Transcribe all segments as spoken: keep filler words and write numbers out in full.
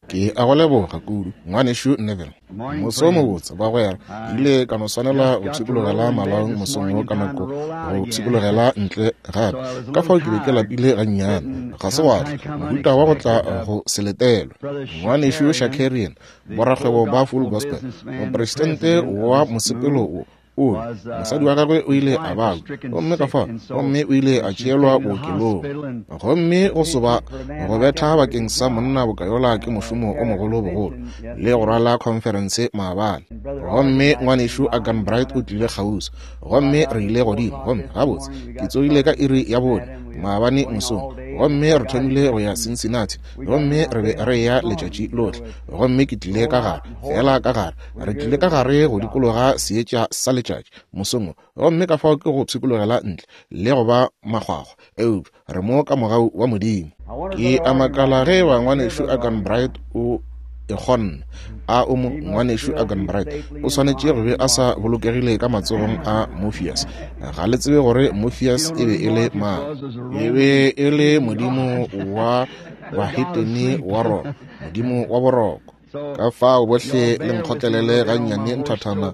Ke a go leboga kudu, Ngwanešu Neville. Moso o mobotse, bagwera. Ke ile ka no swanela go pshikologela malaong mosong wo ka nako go pshikologela ntle gape. Ka fao ke be ke lapile gannyane. Ga se gwa tla mohuta wa go tla go se letelwe. Ngwanešu Shakarian, borakgwebo ba Full Gospel, mopresidente wa mosepelo wo, o re mosadi wa gagwe o ile a babja, gomme ka fao, gomme o ile a tšeelwa bookelong. Gomme go soba go betha bakeng sa monna boka yola ke mošomo o mogolo bogolo, le go rwala khonferense maabane. Gomme Ngwanešu Arganbright o tlile kgauswi, gomme re ile godimo, gomme gabotse ke tsogile ka iri ya bone maabane mosong, gomme re thomile go ya Cincinnati, gomme re be re eya letšatši lohle, gomme ke tlile ka gare, feela ka gare, re tlile ka gare go dikologa seetša sa letšatši mosong wo, gomme ka fao ke go pshikologela ntle le go ba makgwakgwa, eupša re mo ka mogau wa Modimo. Ke a makala ge eba Ngwanešu Arganbright o e kgonne. A o mo, Ngwanešu Arganbright? O swanetše go be a sa bolokegile ka matsogong a Morpheus. Ga le tsebe gore Morpheus e be e le mang. E be e le modimo wa bahetene wa Roma, modimo wa boroko. Ka fao bohle le nkgotlelele gannyane nthathana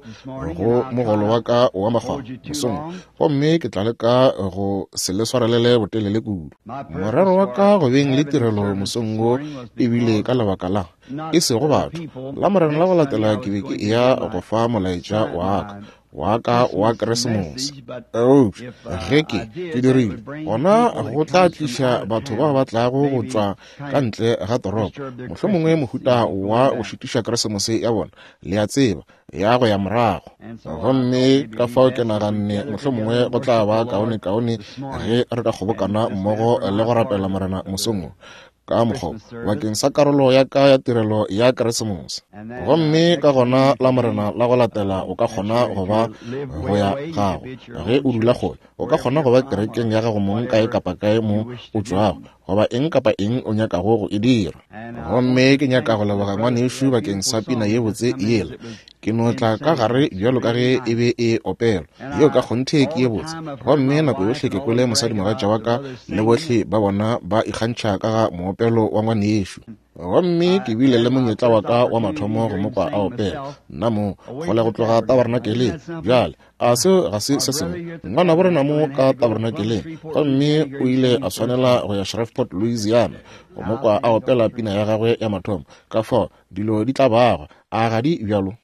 go mogolo wa ka wa makgwakgwa mosong, gomme ke tla leka go se le swarelele botelele kudu. Morero wa ka go beng le tirelo mosong wo e bile ka lebaka la e sego batho. Lamorena la go latela ke be ke eya go fa molaetša wa ka wa ka wa Keresemose. Eupša ge ke ke dirile, gona go tla tliša batho bao ba tlago go tšwa ka ntle ga toropo, mohlomongwe mohuta wa go šitiša Keresemose ya bona, le a tseba, ya go ya morago. Gomme ka fao ke naganne mohlomongwe go tla ba kaonekaone ge re ka kgobokana mmogo le go rapela Morena mosong wo ka mokgwa bakeng sa karolo ya ka ya tirelo ya Keresemose. Gomme ka gona Lamorena la go latela o ka kgona go ba go ya gago ge o dula kgole, o ka kgona go ba kerekeng ya gago mong kae kapa kae mo o tšwago, goba eng kapa eng o nyakago go e dira. Gomme ke nyaka go leboga ngwanešu bakeng sa pina ye botse yela. Ke no tla ka gare bjalo ka ge e be e opelwa, yeo ka kgonthe ke ye botse. Gomme nako yohle ke kwele mosadimogatša wa ka le bohle ba bona ba ikgantšha ka ga moopelo wa ngwanešu. Gomme ke bile le monyetla wa ka wa mathomo go mo kwa a opela, nna mo kgole go tloga tabernakeleng. Bjale a seo ga se se sengwe? Ngwanabo rena mo ka tabernakeleng, gomme o ile a swanela go ya Shreveport, Louisiana, go mo kwa a opela pina ya gagwe ya mathomo. Ka fao dilo di tla bagwa, a ga di bjalo?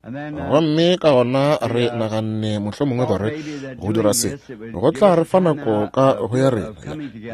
Gomme ka gona re naganne mohlomongwe gore go dira se go tla re fa nako ka go ya rena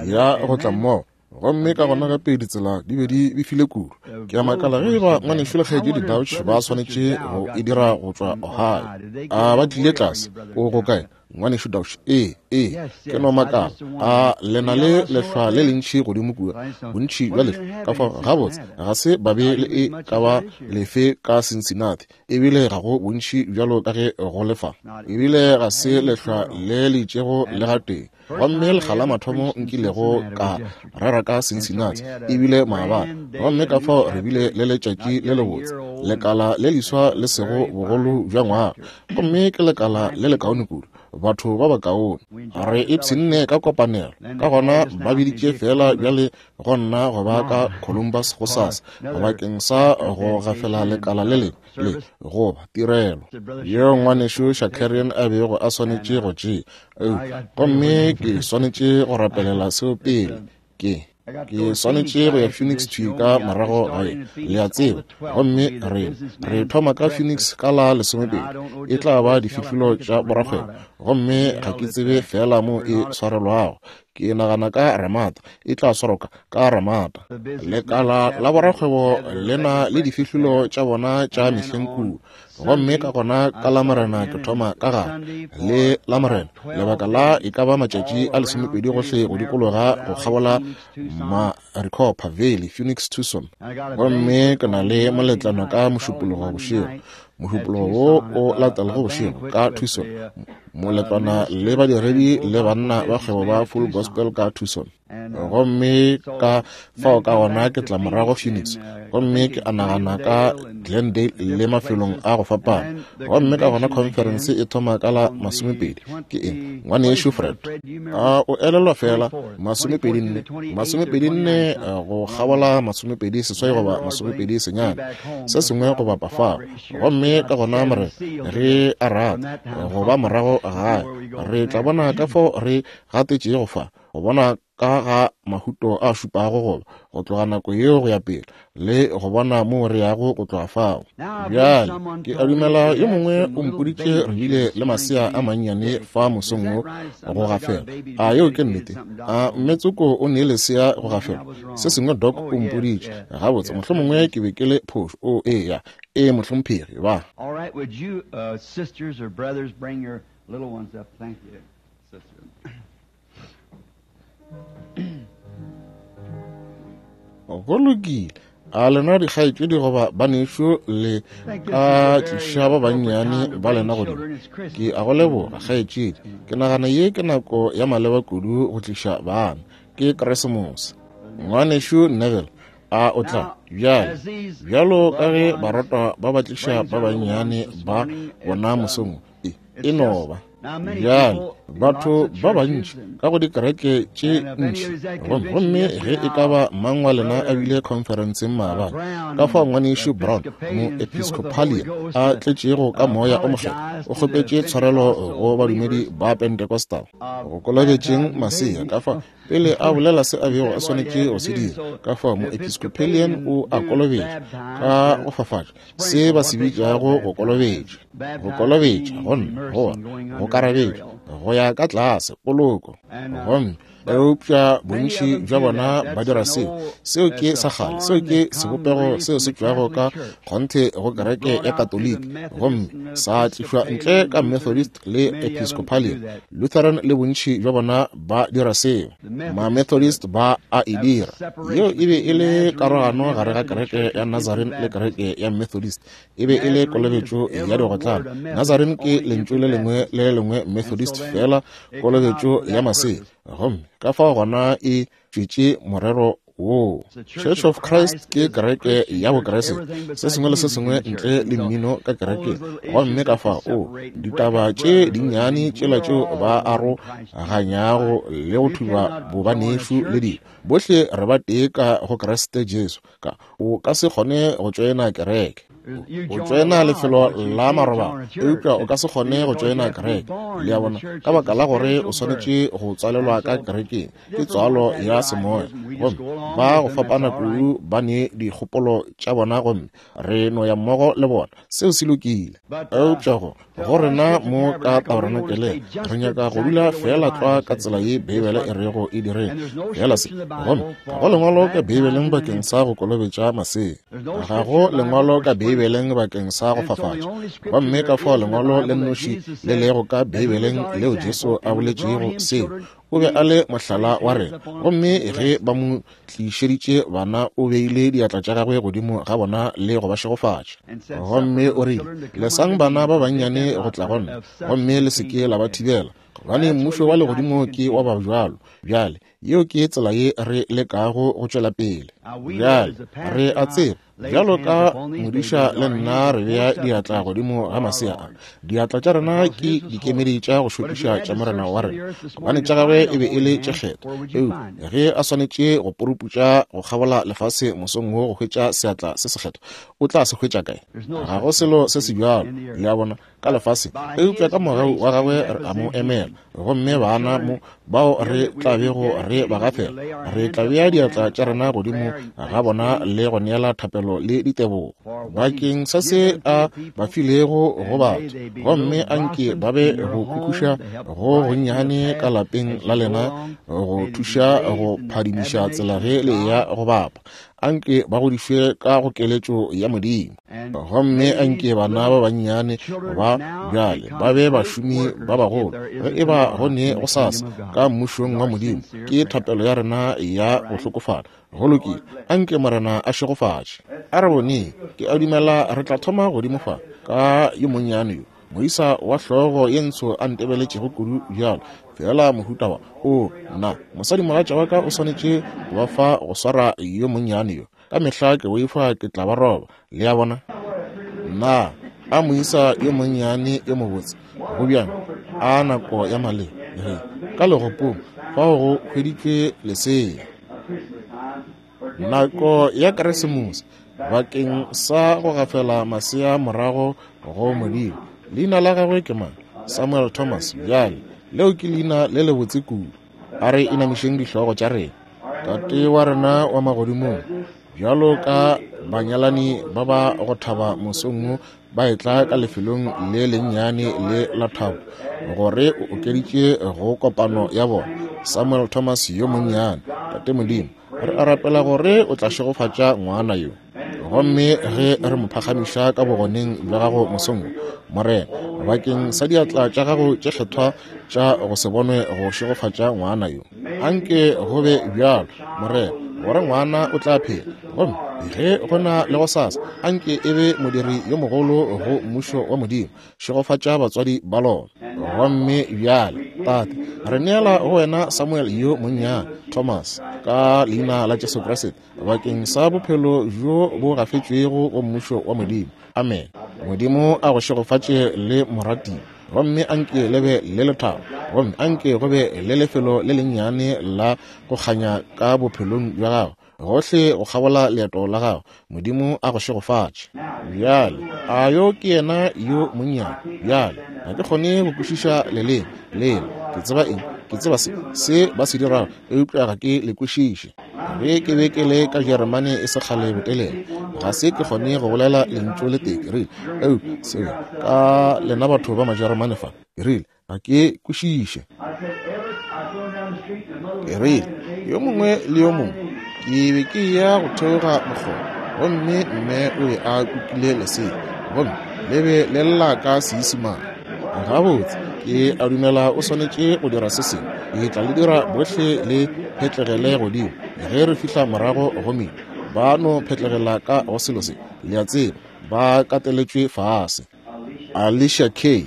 ya go tla mmogo. Gomme ka gona gape ditsela di be di befile kudu. Ke a makala ge eba Ngwanešu le Kgaetšedi Dauch ba swanetše go e dira go tšwa Ohio. A ba tlile tlase? O go kae, Ngwanešu Dauch? Ee, ee, ke no makala. A le na le lehlwa le lentši godimo kua, bontši bja lehlwa? Ka fao gabotse ga se ba be le e ka ba lefe ka Cincinnati, ebile ga go bontši bjalo ka ge go le fa. Ebile ga se lehlwa le le itšego le gatee. Gomme lekga la mathomo nkilego ka rera ka Cincinnati ebile maabane, gomme ka fao re bile le letšatši le lebotse, lekala le leswa le sego bogolo bja ngwaga, gomme ke lekala le lekaone kudu, batho ba bakaone. Re ipshinne ka kopanelo. Ka gona ba biditše feela bjale go nna go ba ka Columbus gosasa bakeng sa go gafela lekala le lengwe le goba tirelo yeo Ngwanešu Shakarian a bego a swanetše go tšea. Gomme ke swanetše go rapelela seo pele. Ke ke swanetše go ya Phoenix thwi ka morago gae, le a tseba. Gomme re re thoma ka Phoenix ka la lesomepedi, e tla ba difihlolo tša borakgwebo, gomme ga ke tsebe feela mo e swarelwago. Ke nagana ka Ramada, e tla swarwa ka ka Ramada. Lekala la borakgwebo le na le difihlolo tša bona tša mehleng kua. Gomme ka gona ka Lamorena ke thoma ka gare le Lamorena lebaka la e ka ba matšatši a lesomepedi gohle go dikologa go kgabola Maricopa Valley, Phoenix, Tucson. Gomme ke na le moletlano ka Mošupologo bošego, Mošupologo wo o latelago bošego ka Tucson, moletlwana le badiredi le banna ba kgwebo ba Full Gospel ka Tucson. Gomme ka fao ka gona ke tla morago Phoenix, gomme ke a nagana ka Glendale le mafelong a go fapana. Gomme ka gona conference e thoma ka la masomepedi. Ke eng, ngwanešu Fred? A o elelwa fela masomepedi nne, masomepedi nne go kgabola masomepedi seswai goba masomepedi senyane, se sengwe go bapa fao. Gomme ka gona more re a rata go ba morago gae, re tla bona ka fao re gatetšego fa, go bona ka ga mahuto a šupago goba go tloga nako yeo go ya pele, le go bona moo re yago go tloga fao. Bjale ke a dumela yo mongwe o mpoditše re bile le masea a mannyane fa mosong wo go gafela. A yeo ke nnete? A mme Tsoko o nee lesea go gafela? Se sengwe Doc o mpoditše. Gabotse, mohlomongwe ke be ke le phošo. O eya, ee mohlomphegi ba. All right, would you uh, sisters or brothers bring your little ones up? Thank you, sister. Go lokile. A lena dikgaetšedi goba banešu le ka tliša ba bannyane ba lena godimo? Ke a go leboga, kgaetšedi. Ke nagana ye ke nako ya maleba kudu go tliša bana. Ke Keresemose. Ngwanešu Neville, a o tla bjale bjalo ka ge barata ba ba tliša ba bannyane ba bona mosong e, e no ba bjale batho ba bantši ka go dikereke tše ntši. Gomme ge e ka ba mang wa lena a bile conferenceng maabane, ka fao ngwanešu Brown moepiscopalian a tletšego ka moya o mokgethwa o kgopetše tshwarelo go badumedi ba Pentecostal go kolobetšeng masea. Ka fao pele a bolela se a bego a swanetše go se dira, ka fao moepiscopalian o a kolobetša ka go fafatša se ba se bitšago go kolobetša, go kolobetša gomme goba go karabetša go ya ka tlase poloko. Gomme eupša bontši bja bona ba dira seo. Seo ke sa kgale, seo ke sebopego seo se tšwago ka kgonthe go kereke ya Katoliki, gomme sa tlišwa ntle ka Methodist le Episcopalian. Lutheran le bontši bja bona ba dira seo. Ma-Methodist ba a e dira. Yeo e be e le karogano gare ga kereke ya Nazarene le kereke ya Methodist. E be e le kolobetšo ya digotlane. Nazarene ke lentšu le lengwe le lengwe, Methodist fela kolobetšo ya masea. Gomme ka fao gona e tšwetše morero woo. Church of Christ ke kereke ya Bokreste, se sengwe le se sengwe ntle le mmino ka kerekeng. Gomme ka fao o ditaba tše dinnyane tšela tšeo ba aroganyago le go thuba bobanešu le dilo, bohle re ba tee ka go Kriste Jesu. Ka o ka se kgone go tšoena kereke, o tšoena lefelo la marobalo, eupša o ka se kgone go tšoena kereke. Le a bona, ka baka la gore o swanetše go tswalelwa ka kerekeng, ke tswalo ya semoya. Gomme ba go fapana kudu ba ne dikgopolo tša bona, gomme re no ya mmogo le bona. Seo se lokile. Eupša go go rena mo ka tabernakeleng re nyaka go dula fela tlwa ka tsela ye Beibele e rego e direng fela se. Gomme ga go lengwalo ka Beibeleng bakeng sa go kolobetša masea, ga go lengwalo ka Beibeleng bakeng sa go fafatša. Gomme ka fao lengwalo le nnoši le lego ka Beibeleng leo Jesu a boletšego seo, o be a le mohlala wa rena. Gomme ge ba mo tlišeditše bana, o beile diatla tša gagwe godimo ga bona le go ba šegofatša. Gomme o rile, lesang bana ba bannyane go tla go nna, gomme le se ke la ba thibela, gobane mmušo wa legodimo ke wa ba bjalo. Bjale yeo ke tsela ye re lekago go tšwela pele. Bjale re a tseba bjalo ka modiša le nna re bea diatla godimo ga masea a. Diatla tša rena ke dikemedi tša go šokiša tša Morena wa rena, gobane tša gagwe e be e le tše kgethwa. Eupša ge a swanetše go puruputša go kgabola lefase mosong wo go hwetša seatla se sekgethwa, o tla se hwetša kae? Ga go selo se se bjalo, le a bona, ka lefase. Eupša ka mogau wa gagwe re a mo emela. Gomme bana mo bao re tla bego re ba gafela, re tla bea diatla tša rena godimo ga bona le go neela thapelo le ditebogo bakeng sa se a ba filego go batho. Gomme anke ba be go khukhuša go gonnyane ka lapeng la lena, go thuša go phadimiša tsela ge le eya go bapa. Anke ba godišwe ka go keletšo ya Modimo. Gomme anke bana ba bannyane ba bjale ba be bašomi ba bagolo ge e ba go ne go sasa ka mmušong wa Modimo. Ke thapelo ya rena ya go hlokofala. Go lokile, anke Morena a šegofatše. A re boneng, ke a dumela re tla thoma godimo fa ka yo monnyane yo. Moisa wa hlogo ye ntsho a ntebeletšego kudu bjalo, feela mohuta wa, o, nna, mosadimogatša wa ka o swanetše go ba fa go swara yo monnyane yo. Ka mehla ke boifa ke tla ba roba, le a bona. Nna, a moisa yo monnyane yo mobotse, go bjang, a nako ya maleba, ge, ka legopong, fao go hweditšwe lesea. Nako ya Keresemose, bakeng sa go gafela masea morago go Modimo. Leina la gagwe ke mang? Samuel Thomas. Bjale, leo ke leina le lebotse kudu. A re inamišeng dihlogo tša rena. Tate wa rena wa magodimong, bjalo ka banyalani ba ba go thaba mosong wo ba etla ka lefelong le lennyane le la thabo, gore o okeditše go kopano ya bona Samuel Thomas yo monnyane. Tate Modimo, re a rapela gore o tla šegofatša ngwana yo. Gomme ge re mo phagamiša ka bogoneng bja gago mosong wo, Morena, bakeng sa diatla tša gago tše kgethwa tša go se bonwe go šegofatša ngwana yo, anke go be bjalo, Morena, gore ngwana o tla phela. Gomme ge go na le gosasa, anke e be modiri yo mogolo go mmušo wa Modimo. Šegofatša batswadi ba lona. Gomme bjale, Tate, re neela go wena Samuel yo monnyane Thomas, ka leina la Jesu Kriste, bakeng sa bophelo bjo bo gafetšwego go mmušo wa Modimo. Amen. Modimo a go šegofatše le moratiwa, gomme anke le be le lethabo, gomme anke go be le lefelo le lennyane la go kganya ka bophelong bja gago, gohle go kgabola leeto la gago. Modimo a go šegofatše. Bjale, a yo ke yena yo monnyane? Bjale, ga ke kgone go kwešiša leleme lela. Ke tseba eng? Ke tseba se se ba se dirago, eupša ga ke le kwešiše. Ge ke be ke le ka Jeremane e se kgale botelele, ga se ke kgone go bolela lentšu le tee. Ke rile, eupša seo ka lena batho ba Majeremane fa, ke rile, ga ke kwešiše. Ke rile, yo mongwe le yo mongwe, ke be ke ya go theoga mokgoba, gomme mme o be a kukile lesea, gomme le be le lla ka Seisemane. Gabotse, ke a dumela o swanetše go dira se sengwe. Ke tla le dira bohle le phetlegele godimo ge re fihla morago go mine. Ba no phetlegela ka go selo se, le a tseba, ba kateletšwe fase. Alicia K.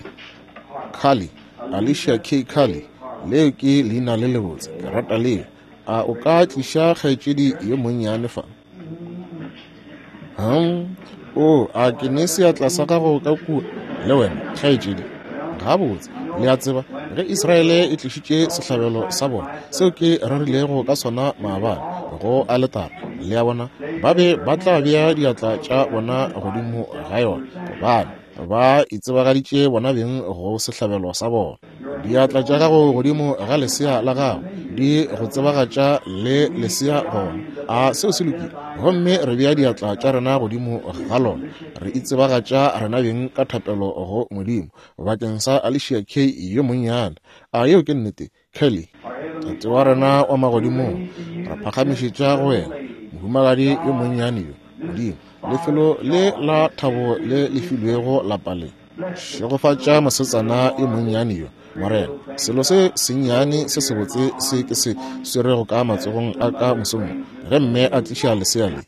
Cully, Alicia K. Cully, leo ke leina le lebotse, ke rata leo. A o ka tliša kgaetšedi yo monnyane fa? Hmm, o, a ke ne seatla sa gago ka kua le wena, kgaetšedi? Gabotse, le a tseba, ge Israele e tlišitše sehlabelo sa bona, seo ke rerilego ka sona maabane go aletara, le a bona, ba be ba tla bea diatla tša bona godimo ga yona, gobane ba itsebagaditše bona beng go sehlabelo sa bona. Diatla tša gago godimo ga lesea la gago di go tsebagatša le lesea gona. A seo se lokile? Gomme re bea diatla tša rena godimo ga lona, re itsebagatša rena beng ka thapelo go Modimo bakeng sa Alicia K. yo monnyane. A yeo ke nnete, Kelly? Tate wa rena wa magodimong, re phagamišetša go wena mohumagadi yo monnyane yo, Modimo, lefelo le la thabo le le filwego lapa le. Šegofatša mosetsana yo monnyane yo, Morena. Selo se sennyane se sebotse se ke se swerego ka matsogong a ka mosong ge mme a tliša lesea le,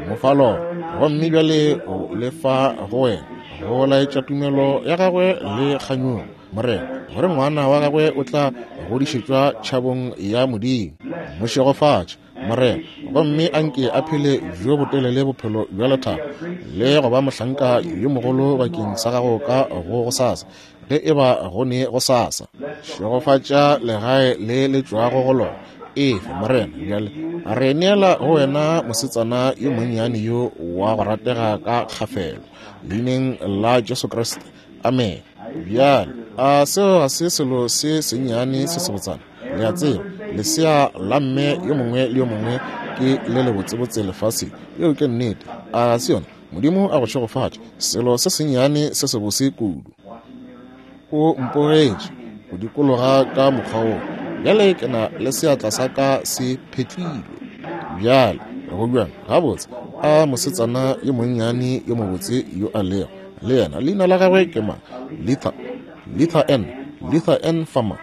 mo fa lona, gomme bjale o le fa go wena go laetša tumelo ya gagwe le kganyogo, Morena, gore ngwana wa gagwe o tla godišetšwa tšhabong ya Modimo. Mo šegofatše, Morena, gomme anke a phele bjo botelele bophelo bja lethabo le go ba mohlanka yo mogolo bakeng sa gago ka go gosasa, ge e ba go ne gosasa. Šegofatša legae le le tšwago go lona. Efe, Morena, bjale re neela go wena mosetsana yo monnyane yo wa go ratega ka kgafelo, leineng la Jesu Kriste. Amen. Bjale, a seo ga se selo se sennyane se sebotsana? Le a tseba, lesea la mme yo mongwe le yo mongwe ke le lebotsebotse lefaseng. Yeo ke nnete. A se yona? Modimo a go šegofatše. Selo se sennyane se sebose kudu. O mpogetše go dikologa ka mokgwa wo. Bjale ke na le seatla sa ka se phetlilwe. Bjale, go bjang? Gabotse, a mosetsana yo monnyane yo mobotse yo a lego le yena. Leina la gagwe ke mang? Litha, Litha N, Litha N Farmer.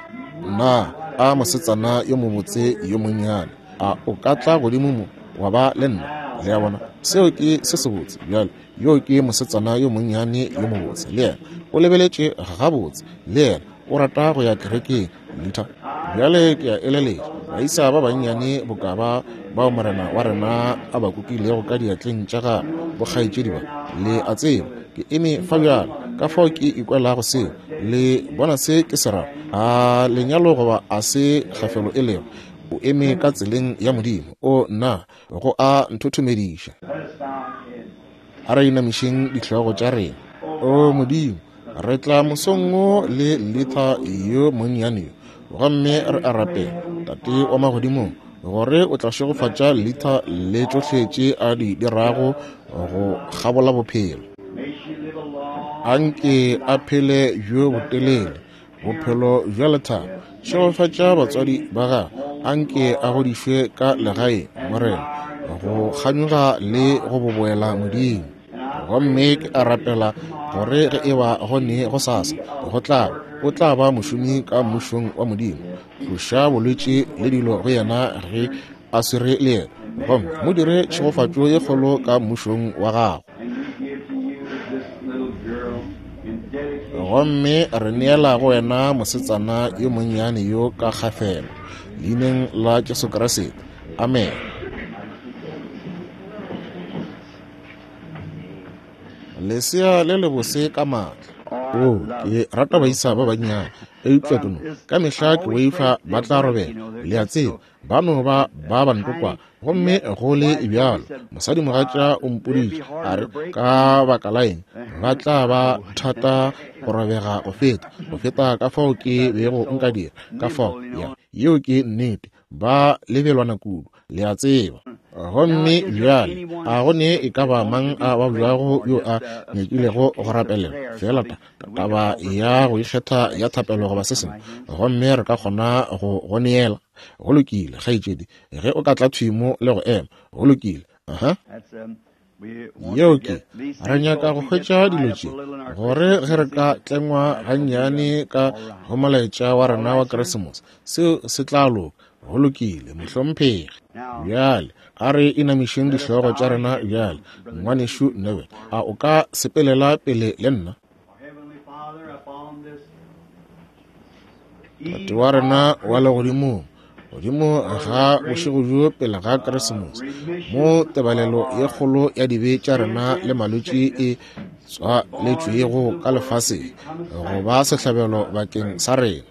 Na a mosetsana yo mobotse yo monnyane, a o ka tla godimo mo wa ba le nna? Le a bona, seo ke se sebotse. Bjale yo ke mosetsana yo monnyane yo mobotse, le yena o lebeletše gabotse, le yena o rata go ya kerekeng. Luther, bjale ke a eleletša baisa ba bannyane boka ba bao morena wa rena a ba kukilego ka diatleng tša gagwe, bokgaetšedi ba, le a tseba ke eme fa bjalo, ka fao ke ikwelago seo. Le bona se ke se rago? A lenyalo goba a se kgafelo e lego, o eme ka tseleng ya Modimo. O nna, go a nthothomediša. A re inamišeng dihlogo tša rena. O Modimo, re tla mosong wo le Luther yo monnyane yo, gomme re a rapela, Tate wa magodimong, gore o tla šegofatša Luther le tšohle tše a di dirago go kgabola bophelo. Anke a phele bjo botelele, bophelo bja lethabo. Šegofatša batswadi ba gagwe, anke a godišwe ka legae, Morena, go kganyoga le go boboela Modimo. Gomme ke a rapela gore ge e ba go ne go sasa go tla o tla ba mošomi ka mmušong wa Modimo. Tloša bolwetši le dilo go yena ge a swere le yena, gomme mo dire tšhegofatšo ye kgolo ka mmušong wa gago. Gomme re neela go wena mosetsana yo monnyane yo ka kgafelo, leineng la Jesu Kriste. Amen. Lesea le lebose ka maatla. O, ke rata baisa ba bannyane, eupša ke no ka mehla ke boifa ba tla robela. Le a tseba, ba no ba ba bantokwa. Gomme go le bjalo, mosadimogatša o mpoditše a re, ka baka la eng ba tla ba thata go robega go feta, go feta ka fao ke bego nka dira. Ka fao, ya, yeo ke nnete, ba lebelwana kudu, le a tseba. Gomme bjale a go ne e ka ba mang a babjago yo a nyakilego go rapelela, fela ta taba ya go ikgetha ya thapelo goba se sengwe, gomme re ka kgona go go neela. Go lokile, kgaetšedi, ge o ka tla thwi mo le go ema. Go lokile. Aha. Yeo ke, re nyaka go hwetša dilo tše, gore ge re ka tlengwa gannyane ka go molaetša wa rena wa Keresemose, seo se tla loka. Go lokile, mohlomphegi. Bjale a re inamišeng dihlogo tša rena bjale. Ngwanešu Neville, a o ka sepelela pele le nna? Tate wa rena wa legodimong, godimo ga bošego bjo pele ga Keresemose, mo tebalelo ye kgolo ya dibe tša rena le malwetši e tswaletšwego ka lefaseng go ba sehlabelo bakeng sa rena,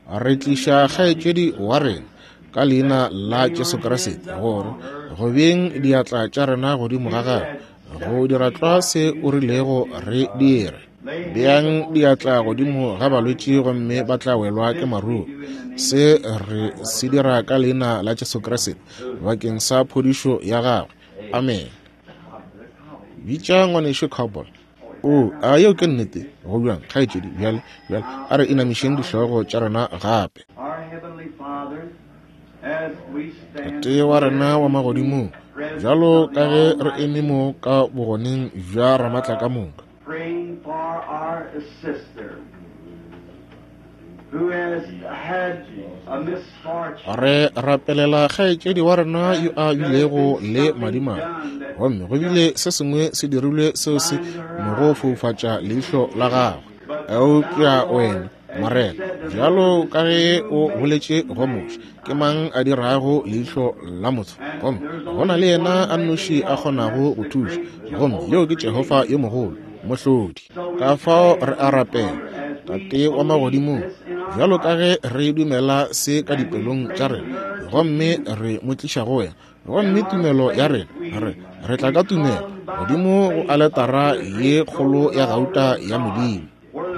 re tliša kgaetšedi wa rena ka leina la Jesu Kriste, gore go beng diatla tša rena godimo ga gagwe go dira tlwa se o rilego re dire. Beang diatla godimo ga balwetši gomme ba tla welwa ke maruo. Se re se dira ka leina la Jesu Kriste bakeng sa phodišo ya gagwe. Amen. Bitša ngwanešu Cowboy. O, a yeo ke nnete? Go bjang, kgaetšedi? Bjale, bjale a re inamišeng dihlogo tša rena gape. Tate wa rena wa magodimong, bjalo ka ge re eme mo ka bogoneng bja Ramatla ka moka, re rapelela kgaetšedi wa rena yo a bilego le madimabe, gomme go bile se sengwe se dirilwe seo se mo go foufatša leihlo la gagwe. Eupša wena, Morena, bjalo ka ge o boletše go Moshe, ke mang a dirago leihlo la motho? Gomme go na le yena a nnoši a kgonago go thuša, gomme yo ke Jehofa yo mogolo, Mohlodi. Ka fao re a rapela, Tate wa magodimong, bjalo ka ge re dumela se ka dipelong tša rena, gomme re mo tliša go wena, gomme tumelo ya rena, re re tla ka tumelo godimo go aletara ye kgolo ya gauta ya Modimo,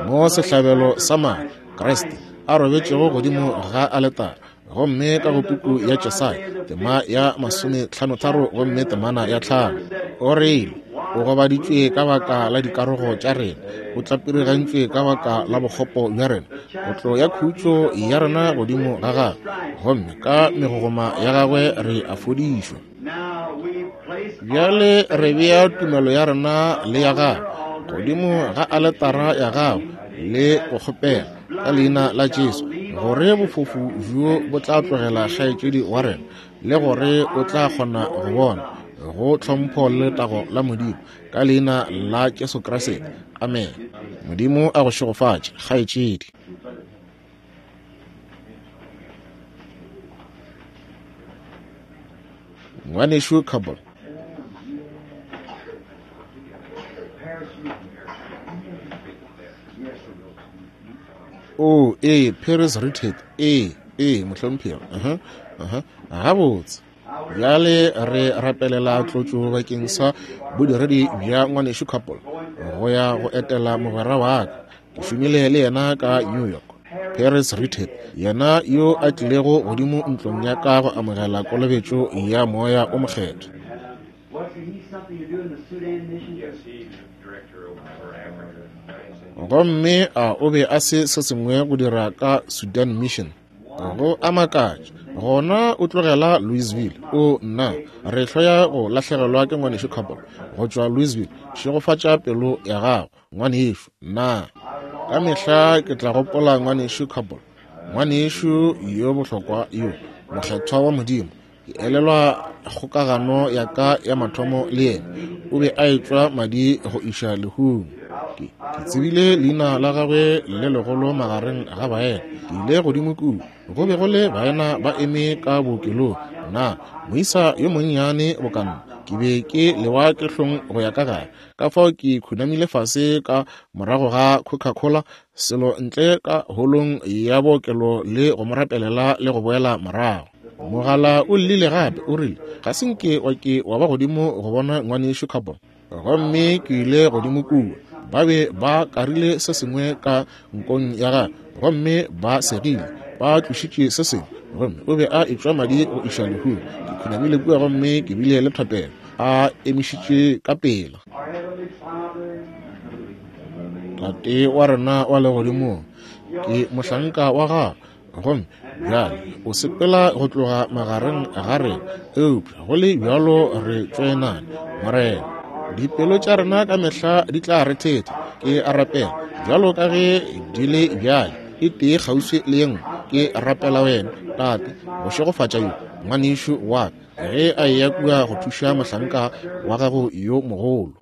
mo sehlabelo sa madi Kriste a robetšego godimo ga aletara, gomme ka go puku ya Jesaya tema ya masometlhanotharo gomme temana ya tlhano, o rile, o gobaditšwe ka baka la dikarogo tša rena, o tlapirigantšwe ka baka la bokgopo bja rena, kotlo ya khutšo ya rena godimo ga gagwe, gomme ka megogoma ya gagwe re a fodišwa. Bjale re bea tumelo ya rena le ya gagwe godimo ga aletara ya gagwe le go kgopela ka leina la Jesu gore bofofu bjo bo tla tlogela kgaetšedi wa rena, le gore o tla kgona go bona, go tlhompho le letago la Modimo, ka leina la Jesu Kriste. Amen. Modimo a go šegofatše, kgaetšedi. Ngwanešu Cable. Oh, ee, Paris Richard. Ee, ee, mohlomphegi. Uh-huh, uh-huh. Gabotse. Bjale re rapelela tlotšo bakeng sa bodiredi bja ngwanešu Cable go ya go etela mogwera wa ka. Ke šomile le yena ka New York. Paris Richard, yena yo a tlilego godimo ntlong ya ka go amogela kolobetšo ya moya o mokgethwa. Gomme a o be a se se sengwe go dira ka Sudan Mission. Go a makatša, gona o tlogela Louisville. O nna, re hloya go lahlegelwa ke ngwanešu Cable go tšwa Louisville. Šegofatša pelo ya gago, ngwanešu. Nna ka mehla ke tla gopola ngwanešu Cable, ngwanešu yo bohlokwa yo mokgethwa wa Modimo. Ke elelwa kgokagano ya ka ya mathomo le yena. O be a etšwa madi go iša lehung. Ke, ke tsebile leina la gagwe le legolo magareng ga baena. Ke ile godimo kua, go be go le baena ba eme ka bookelong. Na moisa yo monnyane bokanna, ke be ke lewa ke hlong go ya ka gae. Ka fao ke khunamile fase ka morago ga Coca-Cola selo ntle ka holong ya bookelo le go mo rapelela le go boela morago. Mogala o llile gape, o rile, ga se nke wa ke wa ba godimo go bona ngwanešu Cable. Gomme ke ile godimo kua. Ba be ba karile se sengwe ka nkong ya gagwe, gomme ba segile, ba tlošitše se sengwe, gomme o be a etšwa madi go iša lehung. Ke khunamile kua gomme ke bile le thapelo, a emišitše ka pela. Tate wa rena wa legodimong, ke mohlanka wa gago, gomme bjale o sepela go tloga magareng ga rena, eupša go le bjalo re tšoenane. Morena, dipelo tša rena ka mehla di tla re thetha. Ke a rapela bjalo ka ge di le bjale, e tee kgauswi le ye nngwe. Ke rapela wena, Tate, go šegofatša yo ngwanešu wa ka ge a eya kua go thuša mohlanka wa gago yo mogolo,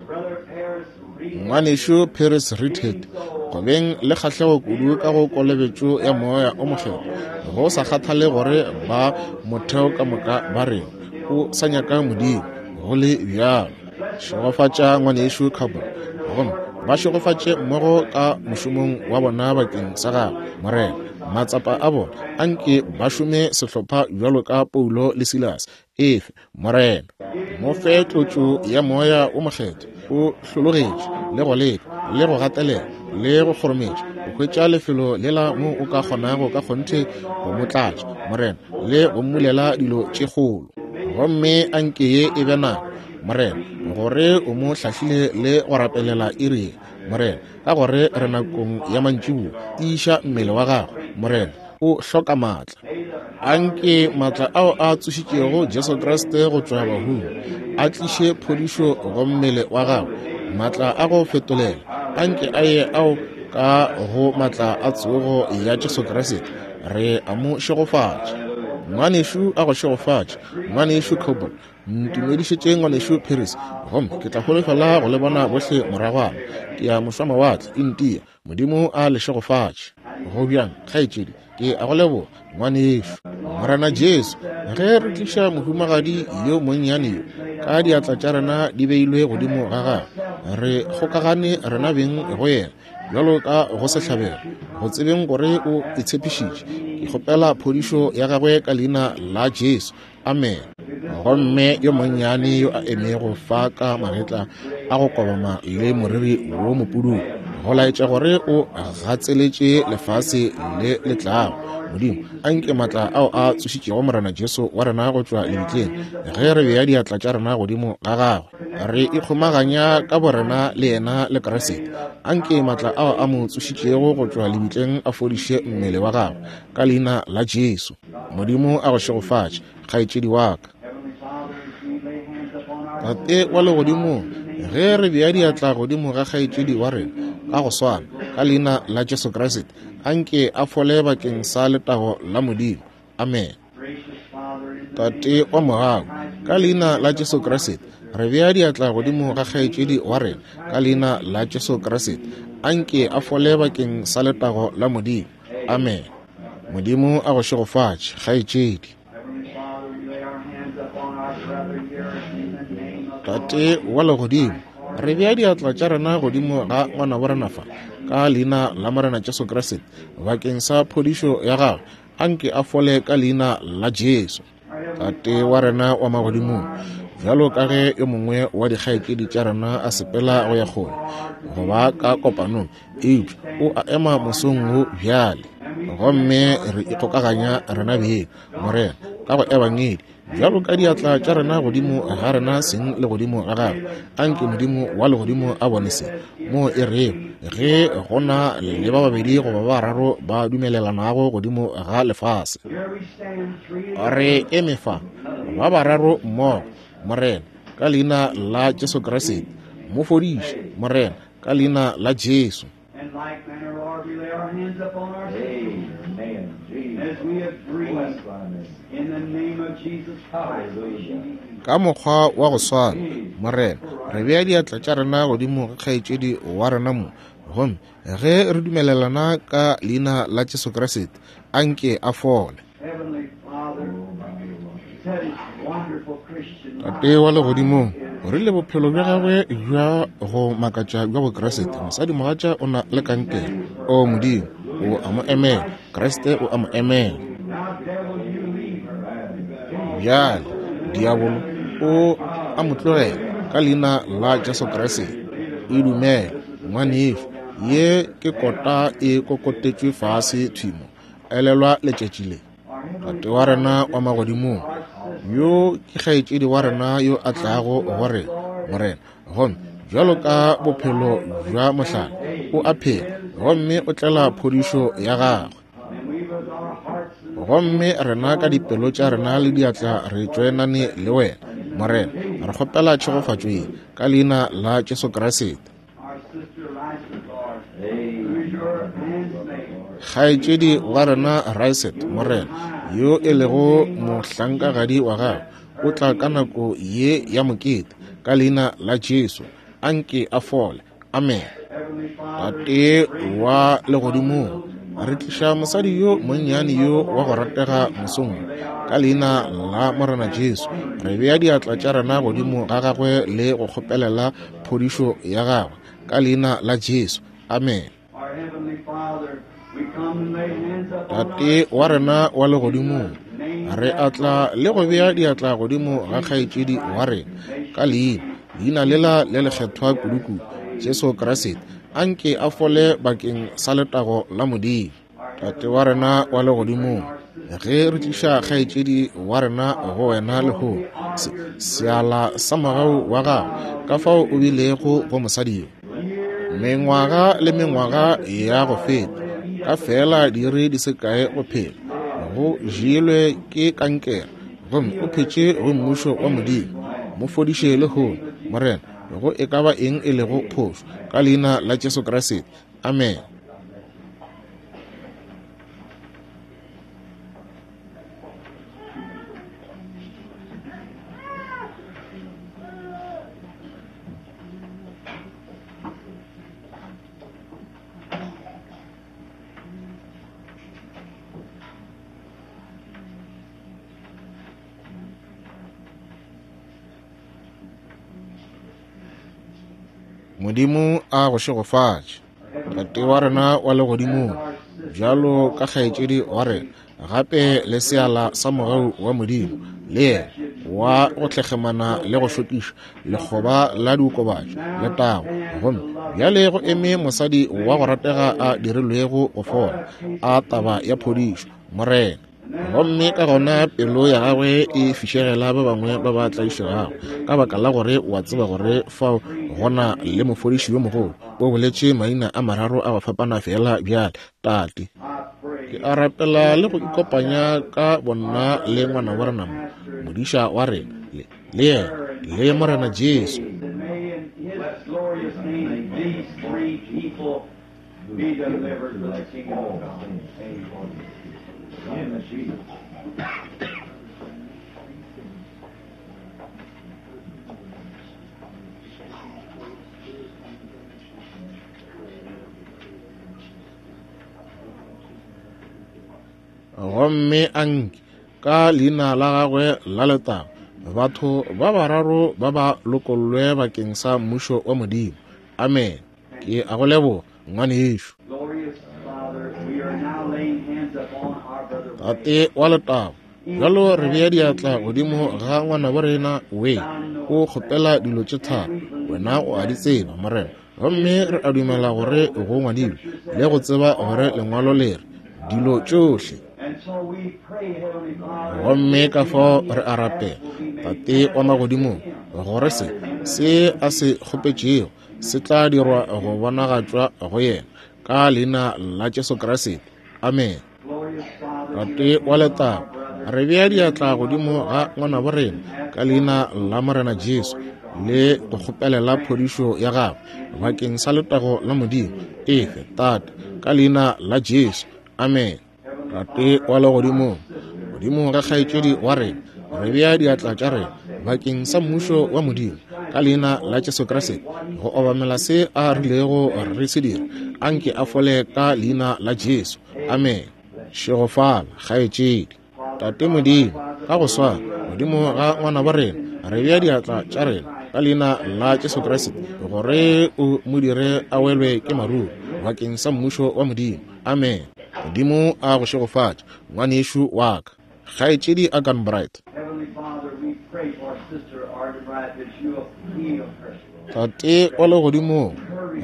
ngwanešu Paris Richard, go beng le kgahlego kudu ka go kolobetšo ya moya o mokgethwa, go sa kgathale gore ba motheo ka moka ba reng, o sa nyaka Modimo go le bjalo. Šegofatša ngwanešu Cable, gomme ba šegofatše mmogo ka mošomong wa bona bakeng sa gago, Morena. Matsapa a bona a nke ba šome sehlopha bjalo ka Paulo le Silas. Efe, Morena, mo fe tlotšo ya moya o mokgethwa. O hlologetše le go leka le go gatelela le go kgorometša go hwetša lefelo lela mo o ka kgonago ka kgonthe go mo tlatša, Morena, le go mmulela dilo tše kgolo. Gomme a nke ye e be nako, Morena, gore o mo hlahlile le go rapelela iri ye, Morena, ka gore re nakong ya mantšiboa. Tiiša mmele wa gagwe, Morena, o hloka maatla. A nke maatla ao a tsošitšego Jesu Kriste go tšwa bahung a tliše phodišo go mmele wa gagwe, maatla a go fetolela. A nke a ye ao ka go maatla a tsogo ya Jesu Kriste. Re a mo šegofatša. Ngwanešu a go šegofatše, ngwanešu Cable. Ntumedišetše ngwanešu Paris, gomme ke tla holofela go le bona bohle moragwana. Ke ya mošwamawatle India. Modimo a le šegofatše. Go bjang, kgaetšedi? Ke a go leboga, ngwanešu. Morena Jesu, ge re tliša mohumagadi yo monnyane yo ka diatla tša rena di beilwe godimo ga gagwe, re kgokagane rena beng go yena bjalo ka go sehlabelo, go tsebeng gore o itshepišitše. Ke kgopela phodišo ya gagwe ka leina la Jesu. Amen. Gomme yo monnyane yo a emego fa ka magetla a go kobama le moriri wo mopududu, go laetša gore o gatseletše lefase le le tlago. Modimo, a nke maatla ao a tsošitšego Morena Jesu wa rena go tšwa lebitleng, ge re bea diatla tša rena godimo ga gagwe, re ikgomaganya ka borena le yena le Kriste. A nke maatla ao a mo tsošitšego go tšwa lebitleng a fodiše mmele wa gagwe ka leina la Jesu. Modimo a go šegofatše, kgaetšedi wa ka. Tate wa legodimong, ge re bea diatla godimo ga kgaetšedi wa rena ka go swana, ka leina la Jesu Kriste, a nke a fole bakeng sa letago la Modimo. Amen. Tate wa mogau, ka leina la Jesu Kriste, re bea diatla godimo ga kgaetšedi wa rena ka leina la Jesu Kriste. Anke a fole bakeng sa letago la Modimo. Amen. Modimo a go šegofatše, kgaetšedi. Tate wa legodimo, re bea diatla tša rena godimo ga ngwanabo rena fa ka leina la Morena Jesu Kriste bakeng sa phodišo ya gagwe. Anke a fole ka leina la Jesu. Tate wa rena wa magodimong, bjalo ka ge yo mongwe wa dikgaetšedi tša rena a sepela go ya kgole go ba ka kopanong, eupša o a ema mosong wo bjale, gomme re ikgokaganya rena beng, Morena, ka go ebangedi, bjalo ka diatla tša rena godimo ga rena seng le godimo ga gagwe. Anke Modimo wa legodimo a bone se mo e rego ge go na le ba babedi goba ba bararo ba dumelelanago godimo ga lefase. Re eme fa ba bararo mmogo, Morena, ka leina la Jesu Kriste. Mo fodiše, Morena, ka leina la Jesu. Ka mokgwa wa go swana, Morena, re bea diatla tša rena godimo ga kgaetšedi wa rena mo, gomme ge re dumelelana ka leina la Jesu Kriste, anke a fole. Tate wa legodimong, o rile bophelo bja gagwe bja go makatša bja Bokriste, mosadimogatša o na le kankere. O Modimo, o a mo emela. Kriste o a mo emela. Bjale, diabolo o a mo tlogela ka leina la Jesu Kriste. E dumela, ngwanešu, ye ke kota e kokotetšwe fase thwimo. Elelwa letšatši le. Tate wa rena wa magodimong, yo ke kgaetšedi wa rena yo a tlago go rena, Morena, gomme bjalo ka bophelo bja mohlala o a phela, gomme o tlela phodišo ya gagwe. Gomme rena ka dipelo tša rena le diatla re tšoenane le wena, Morena. Re kgopela tšhegofatšo ye ka leina la Jesu Kriste. Kgaetšedi wa rena Riset, Morena, yo e lego mohlankagadi wa gagwe, o tla ka nako ye ya mokete ka leina la Jesu. Anke a fole. Amen. Tate wa legodimong, re tliša mosadi yo monnyane yo wa go ratega mosong ka leina la Morena Jesu. Re bea diatla tša rena godimo ga gagwe le go kgopelela phodišo ya gagwe ka leina la Jesu. Amen. Tate wa rena wa legodimong, re atla le go bea diatla godimo ga kgaetšedi wa rena ka leina, leina lela le lekgethwa kudukudu, Jesu Kriste. Anke a fole bakeng sa letago la Modimo. Tate wa rena wa legodimong, ge re tliša kgaetšedi wa rena go wena lehono, seala sa mogau wa gago, ka fao o bilego go mosadi yo mengwaga le mengwaga ya go feta, ka fela diiri di se kae go phela, go jelwe ke kankere, gomme o phetše go mmušo wa Modimo. Mo fodiše lehono, Morena, go e ka ba eng e lego phošo, ka leina la Jesu Kriste. Amen. Modimo a go šegofatše. Tate wa rena wa legodimong, bjalo ka kgaetšedi wa rena, gape le seala sa mogau wa Modimo, le yena wa go tlhekgemana le go šokiša lekgoba la diokobatši letago, gomme bjale go eme mosadi wa go ratega a dirilwego go fola, a taba ya phodišo, Morena. Gomme ka gona pelo ya gagwe e fišegela ba bangwe ba ba tlaišegago, ka baka la gore o a tseba gore fao gona le mofodiši yo mogolo. O boletše maina a mararo a go fapana fela bjale. Tate, ke a rapela le go ikopanya ka bonna le ngwana wa rena mo, modiša wa rena, le le yena, le Morena Jesu. Gomme anke ka leina la gagwe la letago batho ba bararo ba ba lokollwe bakeng sa mmušo wa Modimo. Amen. Ke a go leboga, ngwanešu. Tate wa letago, bjalo re bea diatla godimo ga ngwanabo rena Wayne. O kgopela dilo tše tharo, wena o a di tseba, Morena. Gomme re a dumela gore go ngwadilwe le go tseba gore lengwalo le re dilo tšohle. Gomme ka fao re a rapela, Tate wa magodimong, gore se se a se kgopetšego se tla dirwa go bonagatšwa go yena ka leina la Jesu Kriste. Amen. Tate wa letago, re bea diatla godimo ga ngwanabo rena ka leina la Morena Jesu le go kgopelela phodišo ya gagwe bakeng sa letago la Modimo. Efe, Tate, ka leina la Jesu. Amen. Tate wa legodimong, godimo ga kgaetšedi wa rena re bea diatla tša rena bakeng sa mmušo wa Modimo ka leina la Jesu Kriste, go obamela se a rilego re se dira. Anke a fole ka leina la Jesu. Amen. Šegofala, kgaetšedi. Tate Modimo, ka go swana godimo ga ngwanabo rena re bea diatla tša rena ka leina la Jesu Kriste, gore o mo dire a welwe ke maruo bakeng sa mmušo wa Modimo. Amen. Modimo a go šegofatše, ngwanešu wa ka. Kgaetšedi Arganbright. Tate wa legodimong,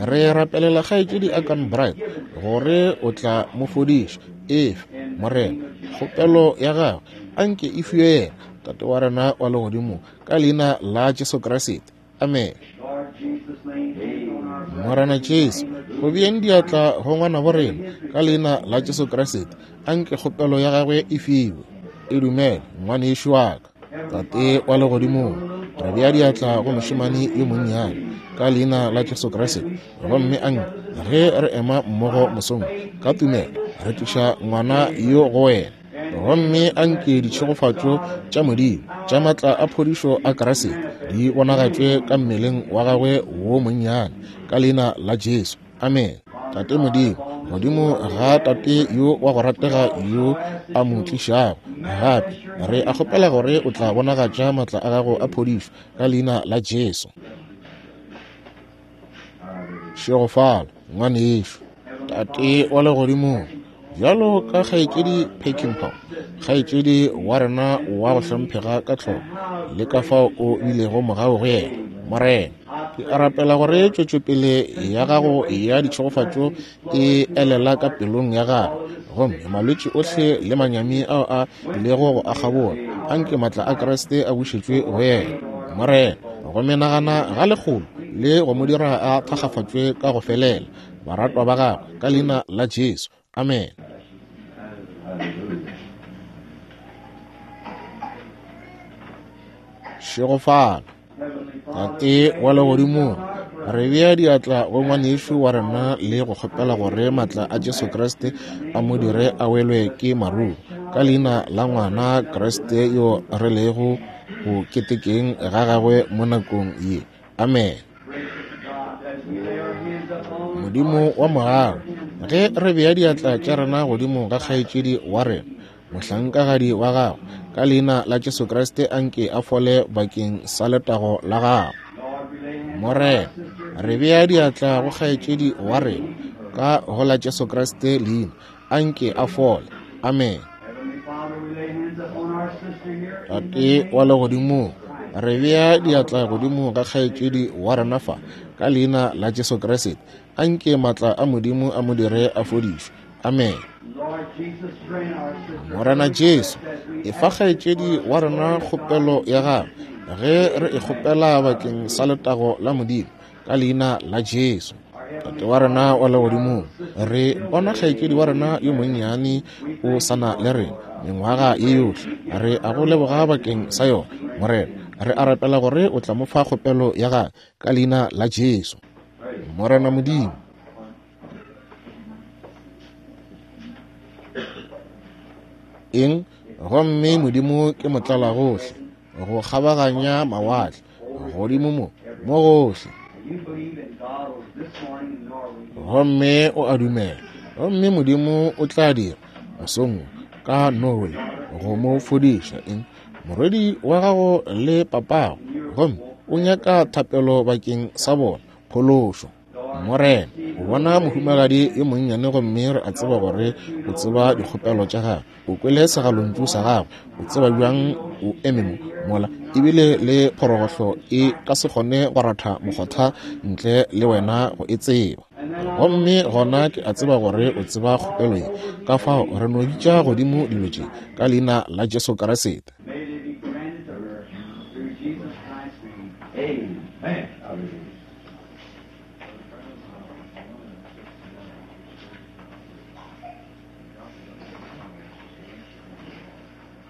re rapelela kgaetšedi Arganbright gore o tla mo fodiša. Efe, Morena, kgopelo ya gagwe anke e fiwe yena, Tate wa rena wa legodimong, ka leina la Jesu Kriste. Amen. Morena Jesu, go beeng diatla go ngwanabo rena ka leina la Jesu Kriste, anke kgopelo ya gagwe e fiwe. E dumele, ngwanešu wa ka. Tate wa legodimong, re bea diatla go mošemane yo monnyane ka leina la Jesu Kriste, gomme anke ge re ema mmogo mosong ka tumelo re tliša ngwana yo go wena, gomme anke ditšhegofatšo tša Modimo tša matla a phodišo a Kriste di bonagatšwe ka mmeleng wa gagwe wo monnyane ka leina la Jesu. Amen. Tate Modimo, godimo ga tate yo wa go ratega yo a mo tlišago gape, re a kgopela gore o tla bonagatša matla a gago a phodišo ka leina la Jesu. Šegofala, ngwanešu. Tate wa legodimong, bjalo ka kgaetšedi Peckinpah, kgaetšedi wa rena wa go hlomphega ka tlhoko le ka fao o bilego mogau go yena, Morena, ke a rapela gore tšwetšopele ya gago ya ditšhegofatšo e elela ka pelong ya gagwe, gomme malwetši ohle le manyami ao a bilego go a kgabola, anke matla a Kriste a bušetšwe go yena, Morena, go menagana ga lekgolo le go mo dira a thakgafatšwe ka go felela baratwa ba gagwe ka leina la Jesu. Amen. Šegofala. Tate wa legodimong, re bea diatla go ngwanešu wa rena le go kgopela gore matla a Jesu Kriste a mo dire a welwe ke maruo ka leina la ngwana Kriste yo re lego go ketekeng ga gagwe mo nakong ye. Amen. Modimo wa mogau, ge re bea diatla tša rena godimo ga kgaetšedi wa rena, mohlankagadi wa gagwe, ka leina la Jesu Kriste anke a fole bakeng sa letago la gagwe. Morena, re bea diatla go kgaetšedi wa rena ka go la Jesu Kriste leina, anke a fole. Amen. Tate wa legodimong, re bea diatla godimo ga kgaetšedi wa rena fa ka leina la Jesu Kriste, anke matla a Modimo a mo dire a fodišwe. Amen. Morena Jesu, efa kgaetšedi wa rena kgopelo ya gagwe ge re e kgopela bakeng sa letago la Modimo ka leina la Jesu. Tate wa rena wa legodimong, re bona kgaetšedi wa rena yo monnyane o sana le rena mengwaga ye yohle. Re a go leboga bakeng sa yona, Morena. Re a rapela gore o tla mo fa kgopelo ya gagwe ka leina la Jesu. Morena Modimo, eng gomme Modimo ke motlalagohle, go kgabaganya mawatle, godimo mo mo gohle. Gomme o a dumela, gomme Modimo o tla dira mosong ka Norway go mo fodiša. Eng? Morwedi wa gago le papago, gomme o nyaka thapelo bakeng sa bona, phološo. Morena, o bona mohumagadi yo monnyane, gomme re a tseba gore o tseba dikgopelo tša gagwe. O kwele segalontšu sa gagwe. O tseba bjang o eme mo mola ebile le phorogohlo e ka se kgone go ratha mokgotha ntle le wena go e tseba. Gomme gona ke a tseba gore o tseba kgopelo ye. Ka fao re no bitša godimo dilo tše ka leina la Jesu Kriste.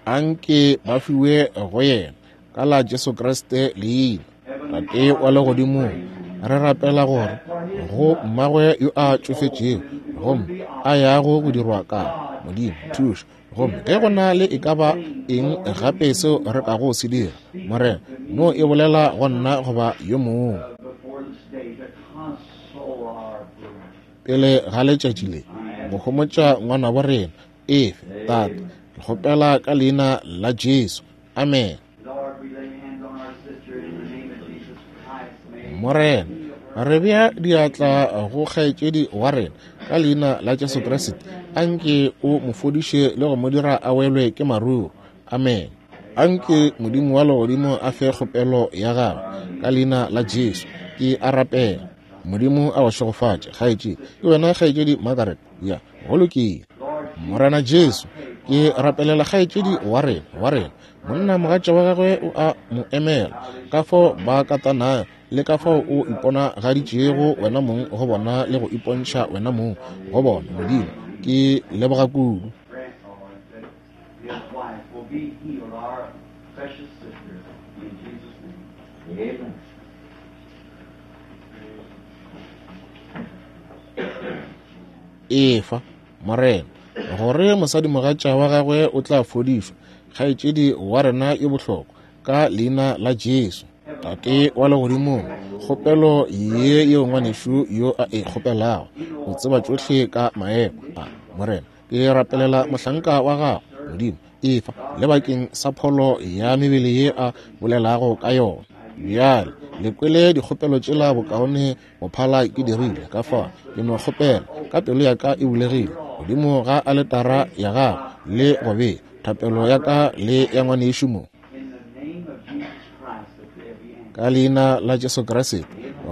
Anke ba fiwe go yena ka la Jesu Kriste leina. Tate wa legodimong, re rapela gore go mmagwe yo a tšofetšego gomme a yago go dirwa ka Modimo thuša. Gomme ge go na le e ka ba eng gape seo re kago se dira, Morena, no e bolela go nna goba yo mongwe pele ga letšatši le go homotša ngwanabo rena. Efe, Tate, ke kgopela ka leina la Jesu. Amen. Morena, re bea diatla go kgaetšedi wa rena ka leina la Jesu Kriste. Anke o mo fodiše le go mo dira a welwe ke maruru. Amen. Anke Modimo wa legodimo a fe kgopelo ya gagwe ka leina la Jesu. Ke a rapela. Modimo a go šegofatše, kgaetšedi. Ke wena kgaetšedi Margaret? Ya, go lokile. Morena Jesu, ke rapelela kgaetšedi wa rena, wa rena. Monna mogatša wa gagwe o a mo emela, ka fao ba katanago le ka fao o iponagaditšego wena mong go bona le go ipontšha wena mong go bona. Modimo, ke leboga kudu. Efa, Morena, gore mosadimogatša wa gagwe o tla fodišwa, kgaetšedi wa rena yo bohlokwa, ka leina la Jesu. Tate wa legodimong, kgopelo ye yeo ngwanešu yo a e kgopelago, o tseba tšohle ka maemo a. Morena, ke rapelela mohlanka wa gago, Modimo, efa le bakeng sa pholo ya mebele ye a bolelago ka yona. Bjale le kwele dikgopelo tšela bokaone go phala ke dirile. Ka fao ke no kgopela ka pelo ya ka e bulegile godimo ga aletara ya gago le go bea thapelo ya ka le ya ngwanešu mo, ka leina la Jesu Kriste,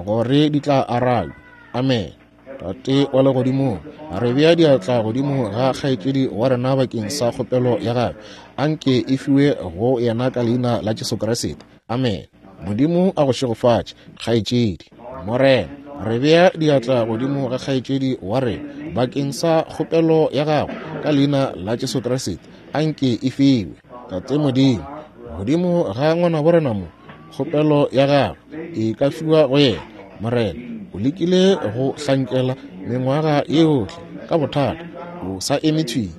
gore di tla arabja. Amen. Tate wa legodimong, re bea diatla godimo ga kgaetšedi wa rena bakeng sa kgopelo ya gagwe. Anke e fiwe go yena ka leina la Jesu Kriste. Amen. Modimo a go šegofatše, kgaetšedi. Morena, re bea diatla godimo ga kgaetšedi wa rena bakeng sa kgopelo ya gagwe ka leina la Jesu Kriste. Anke e fiwe. Tate Modimo, godimo ga ngwanabo rena mo, kgopelo ya gagwe e ka fiwa go yena. Morena, o lekile go hlankela mengwaga yohle ka bothata, o sa eme thwi.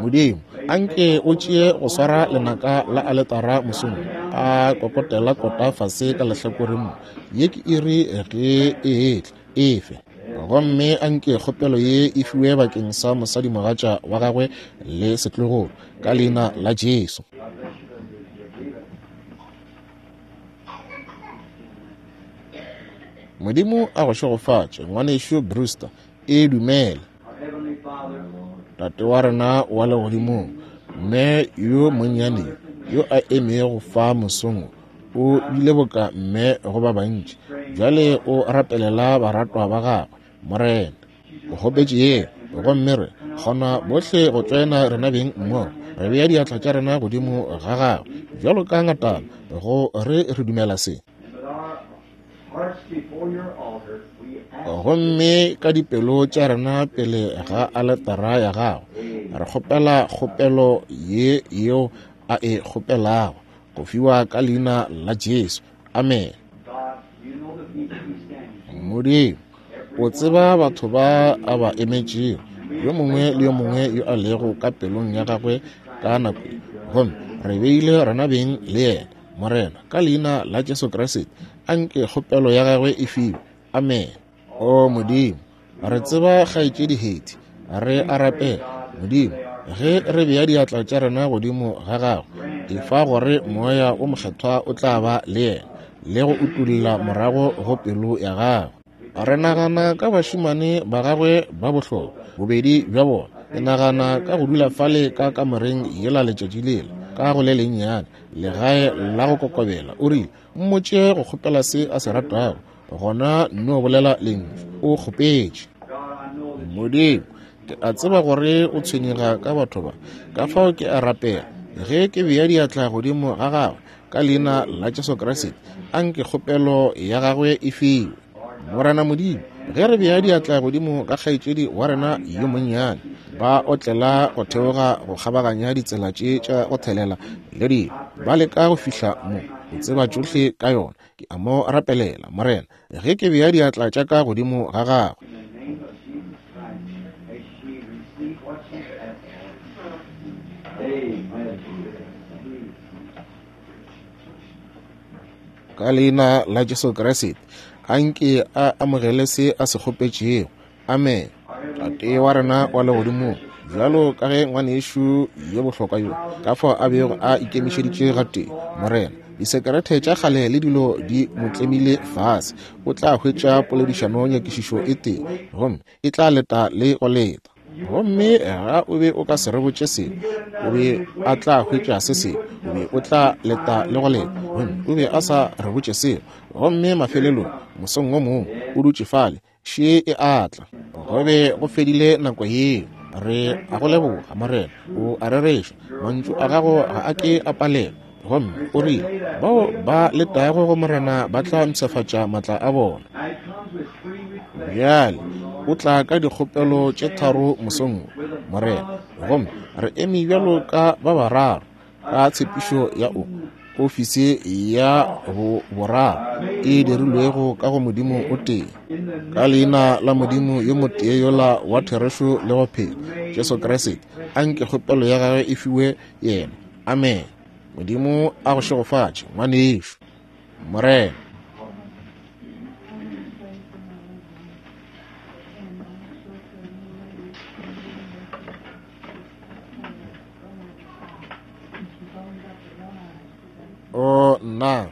Modimo, anke o tšee go swara lenaka la aletara mosong, a kokotela kota fase ka lehlakoreng mo. Ye ke iri ge e etla, efe. Gomme anke kgopelo ye e fiwe bakeng sa mosadimogatša wa gagwe le setlogolo, ka leina la Jesu. Modimo a go šegofatše, ngwanešu Brewster. E dumela. Tate wa rena wa legodimong, mme yo monnyane yo a emego fa mosong o bile boka mme go ba bantši. Bjale o rapelela baratwa ba gagwe. Morena, o kgopetše ye, gomme re kgona bohle go tšoena rena beng mmogo. Re bea diatla tša rena godimo ga gagwe bjalo ka ngatana go re re dumela se. Gomme ka dipelo tša rena pele ga aletara ya gago, re kgopela kgopelo ye yeo a e kgopelago go fiwa ka leina la Jesu. Amen. Modimo, o tseba batho ba a ba emetšego, yo mongwe le yo mongwe yo a lego ka pelong ya gagwe ka nako ye. Gomme re beile rena beng le yena. Morena, ka leina la Jesu Kriste, anke kgopelo ya gagwe e fiwe. Amen. O Modimo, re tseba kgaetšedi Hetty, re a rapela. Modimo, Ge re bea diatla tša rena godimo ga gagwe, efa gore Moya o Mokgethwa o tla ba le yena le go utolla morago go pelo ya gagwe. Re nagana ka bašemane ba gagwe ba bohlokwa, bobedi bja bona. Ke nagana ka go dula fale ka kamoreng yela letšatši lela, ka go le lennyane legae la go kokobela. O rile, mmotše go kgopela se a se ratago, gona no bolela lentšu. O kgopetše. Modimo, ke a tseba gore o tshwenyega ka batho ba, ka fao ke a rapela ge ke bea diatla godimo ga gagwe ka leina la Jesu Kriste, anke kgopelo ya gagwe e fiwe. Morena Modimo, ge re bea diatla godimo ga kgaetšedi wa rena yo monnyane, ba otlela go theoga go kgabaganya ditsela tše tša go thelela le dilo, ba leka go fihla mo, go tseba tšohle ka yona. Ke a mo rapelela, Morena, ge ke bea diatla tša ka godimo ga gagwe. Ka leina la Jesu Kriste, anke a amogele se a se kgopetšego. Amen. Tate wa rena wa legodimong, bjalo ka ge ngwanešu yo bohlokwa yo ka fao a bego a ikemišeditše gatee, Morena, disekerete tša kgale le dilo di mo tlemile fase, o tla hwetša poledišano nyakišišo e tee, gomme e tla leta le go leta. Gomme ga o be o ka se re botše seo, o be a tla hwetša se sengwe, o be o tla leta le go leta, gomme o be a sa re botše seo. Gomme mafelelong mosong o mongwe o dutše fale, še e atla. Go be go fedile nako yeo. Re a go leboga, Morena, o a rereša, mantšu a gago ga a ke a palelwa. Gomme o rile, bao ba letago go Morena ba tla mpshafatša matla a bona. Bjale o tla ka dikgopelo tše tharo mosong wo, Morena, gomme re eme bjalo ka ba bararo ka tshepišo ya o ofisi ya bo boraro e dirilwego ka go Modimo o tee, ka leina la Modimo yo motee yola wa therešo le go phela, Jesu Kriste, anke kgopelo ya gagwe e fiwe yena. Amen. Modimo a go šegofatše, ngwanešu. Morena. O nna,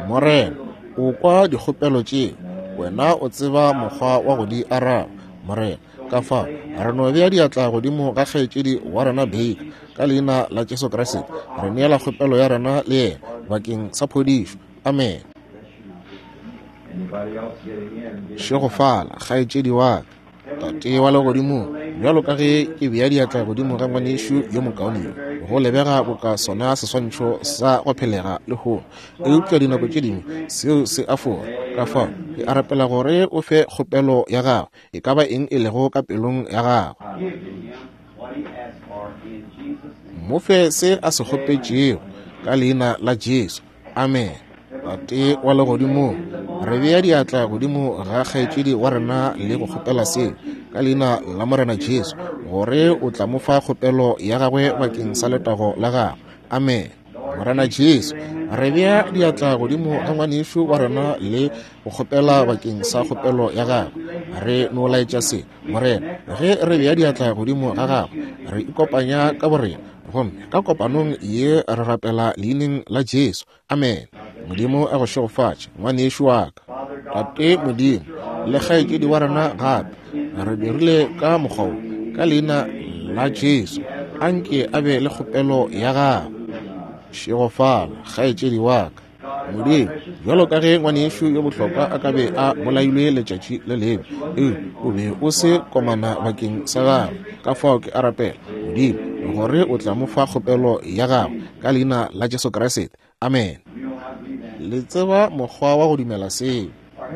Morena, o kwa dikgopelo tšeo, wena o tseba mokgwa wa go di araba, Morena. Ka fao re no bea diatla godimo ga kgaetšedi wa rena Baker ka leina la Jesu Kriste, re neela kgopelo ya rena le yena bakeng sa phodišo. Amen. Šegofala, kgaetšedi wa ka. Tate wa legodimong, bjalo ka ge ke bea diatla godimo ga ngwanešu yo mokaone yo, go lebega boka sona seswantšho sa go phelega lehono, eupša dinako tše dingwe seo se a fora. Ka fao ke a rapela gore o fe kgopelo ya gagwe, e ka ba eng e lego ka pelong ya gagwe. Mo fe se a se kgopetšego ka leina la Jesu. Amen. Tate wa legodimong, re bea diatla godimo ga kgaetšedi wa rena le go kgopela seo ka leina la Morena Jesu, gore o tla mo fa kgopelo ya gagwe bakeng sa letago la gagwe. Amen. Morena Jesu, re bea diatla godimo ga ngwanešu wa rena le go kgopela bakeng sa kgopelo ya gagwe. Re no laetša se, Morena, ge re bea diatla godimo ga gagwe, re ikopanya ka borena, gomme ka kopanong ye re rapela leineng la Jesu. Amen. Modimo a go šegofatše, ngwanešu wa ka. Tate Modimo, le kgaetšedi wa rena gape, re dirile ka mokgwa wo ka leina la Jesu, anke a be le kgopelo ya gagwe. Šegofala, kgaetšedi wa ka. Modimo, bjalo ka ge ngwanešu yo bohlokwa a ka be a bolailwe letšatši le lengwe, eupša o be o se komana bakeng sa gagwe. Ka fao ke a rapela, Modimo, gore o tla mo fa kgopelo ya gagwe ka leina la Jesu Kriste. Amen. Le tseba mokgwa wa go dumela seo.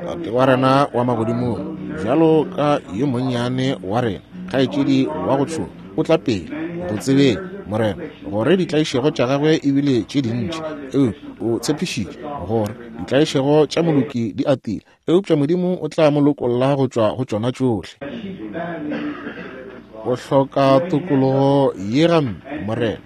Tate wa rena wa magodimong, bjalo ka yo monnyane wa rena, kgaetšedi wa go tšhoga, o tla pele go tsebeng, Morena, gore ditlaišego tša gagwe ebile tše dintši, eupša o tshepišitše gore ditlaišego tša moloki di atile, eupša Modimo o tla mo lokolla go tšwa go tšona tšohle. O hloka tokologo ye gampe, Morena.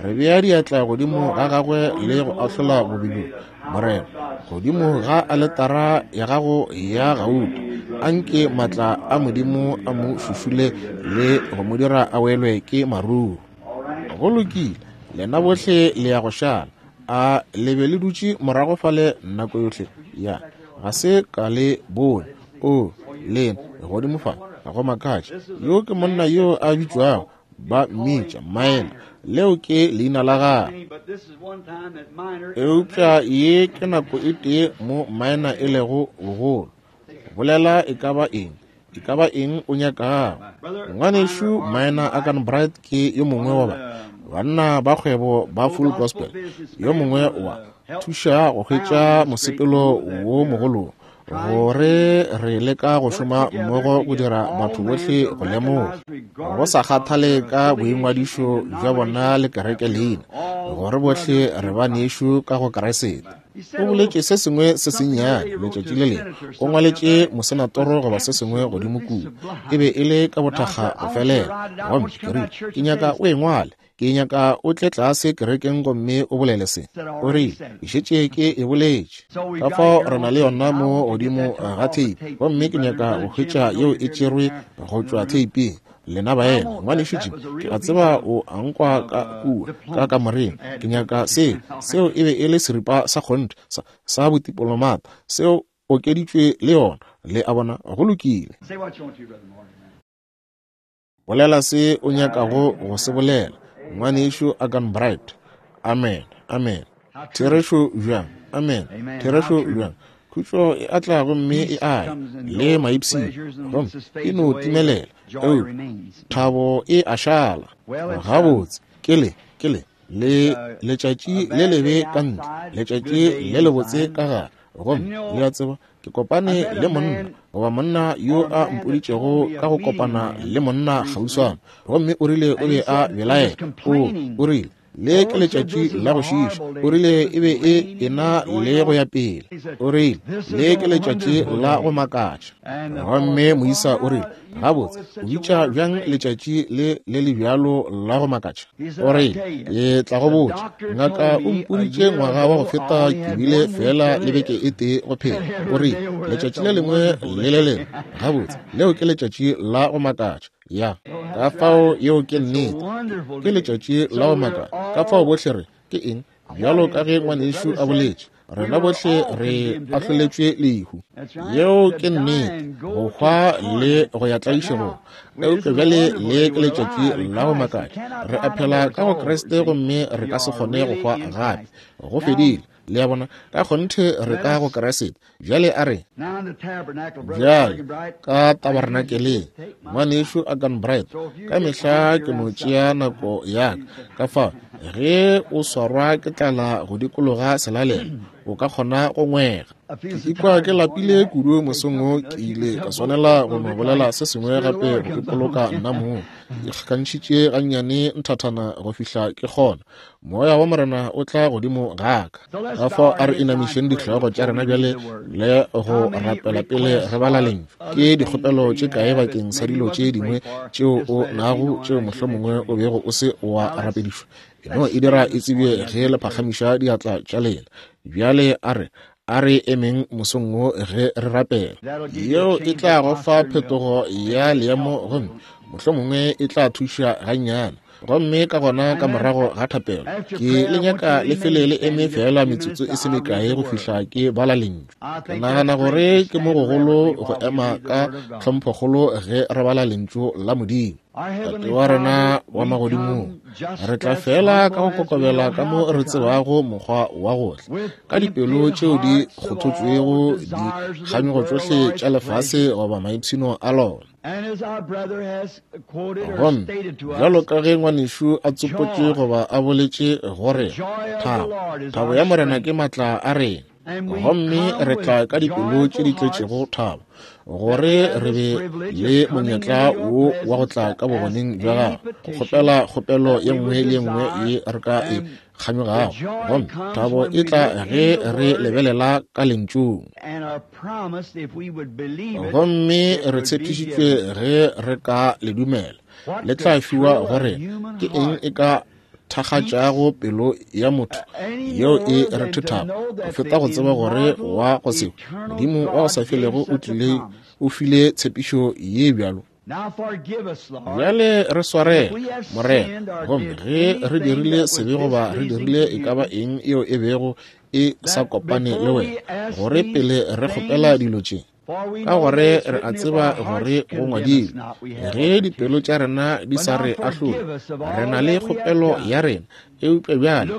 Re bea diatla godimo ga gagwe le go ahlola bobe bjo, Morena, godimo ga aletara ya gago ya gauta. Anke maatla a Modimo a mo šušule le go mo dira a welwe ke maruru. Go lokile, lena bohle le ya go šala. A le be le dutše morago fale nako yohle? Ya, ga se ka le bone. O, lena godimo fa, go makatša. Yo ke monna yo a bitšwago, ba mmitša Maena. Leo ke leina la gagwe. Eupša ye ke nako e tee mo Maena e lego bogolo. Bolela e ka ba eng, e ka ba eng o nyakago. Ngwanešu Maena Akanbright ke yo mongwe wa ba banna ba kgwebo ba Full Gospel, yo mongwe wa thuša go hwetša mosepelo wo mogolo, gore re leka go šoma mmogo go dira batho bohle go lemoga, go sa kgathale ka boingwadišo bja bona le kereke leina, gore bohle re banešu ka go Kriste. O boletše se sengwe se sennyane letšatši le lengwe, o ngwaletše mosenatoro goba se sengwe godimo kua, e be e le ka bothakga go felela. Gomme ke rile, ke nyaka o e ngwale, ke nyaka o tle tlase kerekeng gomme o bolele se. O rile, ke šetše ke e boletše. Ka fao re na le yona mo godimo ga theipi, gomme ke nyaka go hwetša yeo e tšerwe go tšwa theiping. Lena baena, ngwanešu Jim, ke a tseba o a nkwa ka kua ka kamoreng. Ke nyaka seo. Seo e be e le seripa sa kgonthe sa, sa botipolomata, seo okeditšwe le yona. Le a bona, go lokile. Bolela se o nyakago go se bolela, ngwanešu Akanbright. Amen, amen. Therešo bjang, amen. Therešo bjang. Khutšo e a tla gomme e a ya, le maipshino, gomme e no timelela, eupša thabo e a šala. Gabotse, ke le, ke le, le letšatši le lebe ka ntle, letšatši le lebotse ka gare. Gomme le a tseba, ke kopane le monna, goba monna yo a mpoditšego ka go kopana le monna kgauswana, gomme o rile o be a belaela. O, o rile, le ke letšatši la go šiiša. O rile e be e ena le go ya pele. O rile le ke letšatši la go makatša. Gomme moisa o rile, gabotse, o bitša bjang letšatši le le le bjalo la go makatša? O rile, ke tla go botša, ngaka o mpoditše ngwaga wa go feta ke bile fela le beke e tee go phela. O rile letšatši le lengwe le le lengwe, gabotse, leo ke letšatši la go makatša. Ya, ka fao yeo ke nnete, ke letšatši la go makatša. Ka fao bohle re, ke eng? Bjalo ka ge ngwanešu a boletše, rena bohle re ahloletšwe lehu. Yeo ke nnete, go hwa le go ya tlaišegong. Eupša bjale le ke letšatši la go makatša. Re a phela ka go Kriste gomme re ka se kgone go hwa gape. Go fedile. Le a bona, ka kgonthe re ka go Kriste. Bjale a re, bjale ka tabernakeleng, ngwanešu Akanbright, ka mehla ke no tšea nako ya ka. Ka fao ge o swarwa ke tlala go dikologa selalelo, o ka kgona go ngwega. Ke ikwa ke lapile kudu mosong wo, ke ile ka swanela go no bolela se sengwe gape go ipoloka nna mong. Ke ikgakantšhitše gannyane nthathana go fihla ke kgona. Moya wa Morena o tla godimo ga ka. Ka fao a re inamišeng dihlogo tša rena bjale le go rapela pele re bala lentšu. Ke dikgopelo tše kae bakeng sa dilo tše dingwe tšeo o nago tšeo mohlomongwe o bego o se wa rapedišwa? E no e dira e tsebje ge le phagamiša diatla tša lena. Bjale a re, a re emeng mosong wo ge re rapela. Yeo e tla go fa phetogo ya leemo gomme mohlomongwe e tla thuša gannyane. Gomme ka gona ka morago ga thapelo, ke le nyaka le fele le eme fela metsotso e se mekae go fihla ke bala lentšu. Ke nagana gore ke mo gogolo go ema ka tlhomphokgolo ge re bala lentšu la Modimo. Tate wa rena wa magodimong, re tla fela ka go kokobela ka mo re tsebago mokgwa wa go tla, ka dipelo tšeo di kgothotšwego dikganyogo tšohle tša lefase goba maipshino a lona. Gomme bjalo ka ge ngwanešu a tsopotše goba a boletše gore thabo, thabo ya Morena ke maatla a rena. Gomme re tla ka dipelo tše di tletšego thabo, gore re be le monyetla wo wa go tla ka bogoneng bja gago, go kgopela kgopelo ye nngwe le ye nngwe ye re ka e kganyogago. Gomme thabo e tla ge re lebelela ka lentšung. Gomme re tshepišitšwe ge re ka le dumela, le tla fiwa gore ke eng e ka thakgatšago pelo ya motho yeo e rethethago go feta go tseba gore wa go se Modimo wa go sa felego o tlile o file tshepišo ye bjalo. Bjale re swarele, Morena, gomme ge re dirile sebe goba re dirile e ka ba eng yeo e bego e sa kopane le wena, gore pele re kgopela dilo tše, ka gore re a tseba gore go ngwadilwe, ge dipelo tša rena di sa re ahlole, re na le kgopelo ya rena. Eupša bjale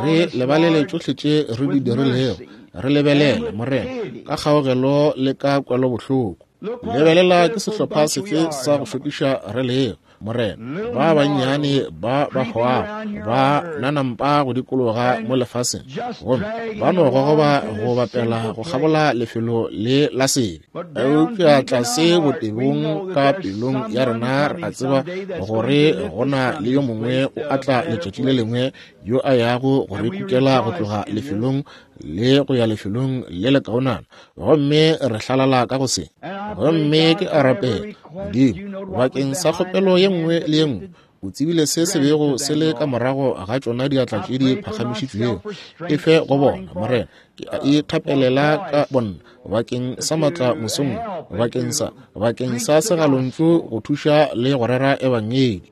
re lebalele tšohle tše re di dirilego, re lebelele, Morena, ka kgaogelo le ka kwelobohloko. Lebelela ke sehlopha sefe sa go šokiša re lego, Morena, ba bannyane ba ba hwago ba nanampa go dikologa mo lefaseng, gomme ba no gogoba go bapela go kgabola lefelo le la sebe. Eupša tlase botebong ka pelong ya rena re a tseba gore go na le yo mongwe o atla letšatši le lengwe yo a yago go re kukela go tloga lefelong le go ya lefelong le le kaonana, gomme re hlalala ka go se. Gomme ke a rapela, Modimo, bakeng sa kgopelo ye nngwe le ye nngwe, o tsebile se se bego se le ka morago ga tšona diatla tše di phagamišitšwego, e fe go bona, Morena. Ke a ithapelela ka bonna bakeng sa matla mosong, bakeng sa bakeng sa segalontšu go thuša le go rera ebangedi.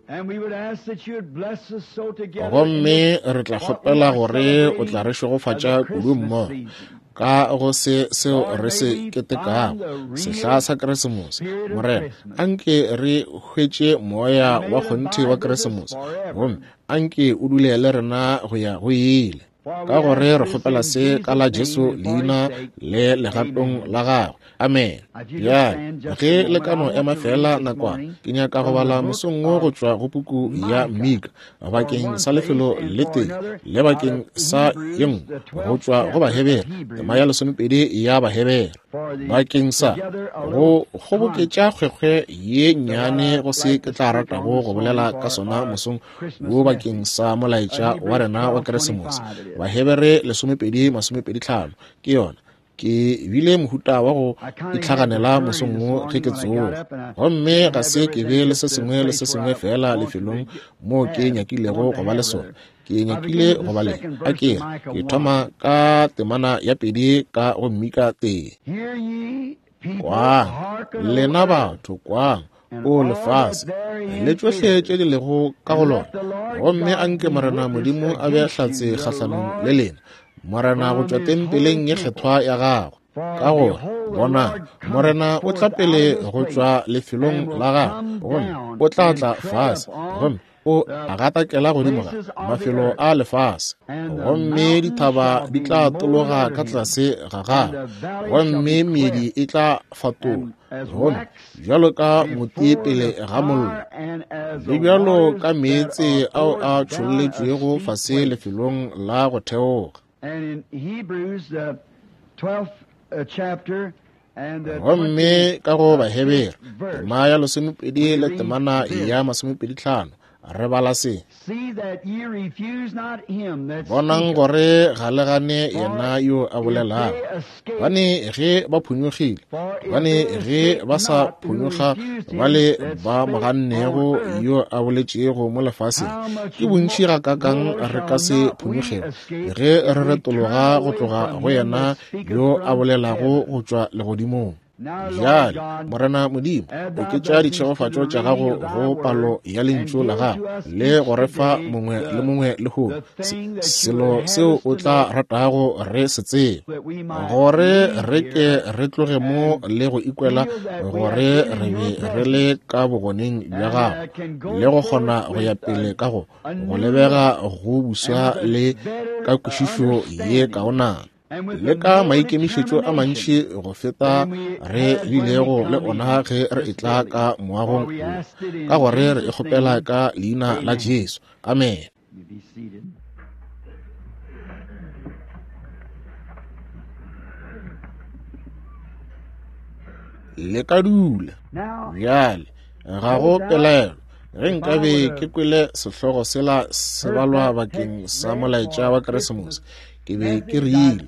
Gomme re tla kgopela gore o tla re šegofatša kudu mmogo ka go se seo re se ketekago, sehla sa Keresemose. Morena, anke re hwetše moya wa kgonthe wa Keresemose, gomme anke o dule le rena go ya go ile. Ka gore re kgopela se ka la Jesu leina le legatong la gagwe. Amen. Bjale ge le ka no ema fela nakwana, ke nyaka go bala mosong wo go tšwa go puku ya Mika bakeng sa lefelo le tee le bakeng sa ye nngwe go tšwa go Bahebere, tema ya lesomepedi ya Bahebere, bakeng sa go kgoboketša kgwekgwe ye nnyane go se ke tla ratago go bolela ka sona mosong wo bakeng sa molaetša wa rena wa Keresemose. Bahebere lesomepedi masomepedi tlhano ke yona. Ke bile mohuta wa go itlhaganela mosong wo ge ke tsoga, gomme ga se ke be le se sengwe le se sengwe fela lefelong moo ke nyakilego go ba le sona. Ke nyakile go ba le a ke ke thoma ka temana ya pedi ka go Mika tee. Kwang, lena batho, kwang, o lefase le tšohle tše di lego ka go lona, gomme anke Morena Modimo a be hlatse kgahlanong le lena, Morena go tšwa tempeleng ye kgethwa ya gagwe. Ka gore bonang, Morena o tla pele go tšwa lefelong la gagwe, gomme o tla tla fase, gomme o gatakela godimo ga mafelo a lefase, gomme dithaba di tla tologa ka tlase ga gagwe, gomme meedi e tla fatola, gomme bjalo ka moti pele ga mollo, le bjalo ka meetse ao a tšholletšwego fase lefelong la go theoga. Gomme ka go Bahebere tema ya lesomepedi le temana ya masomepedi tlhano re bala se: bonang gore ga le gane yena yo a bolelago, bane ge ba phonyogile, bane ge ba sa phonyoga ba le ba mo gannego yo a boletšego mo lefaseng, ke bontši gakakang re ka se phonyogego ge re retologa go tloga go yena yo a bolelago go tšwa legodimong. Bjale, Morena Modimo, oketša ditšhegofatšo tša gago go palo ya lentšu la gago le go re fa mongwe le mongwe lehono selo seo o tla ratago re se tsebe, gore re ke re tloge mo le go ikwela gore re be re le ka bogoneng bja gago le go kgona go ya pele ka go go lebega go buswa le ka kwešišo ye kaonana le ka maikemišetšo a mantši go feta re bilego le ona ge re etla ka moagong wo, ka gore re e kgopela ka leina la Jesu. Amen. Le ka dula. Bjale ga go pelaelo ge nkabe ke kwele sehlogo sela se balwa bakeng sa molaetša wa Keresemose, ke be ke rile,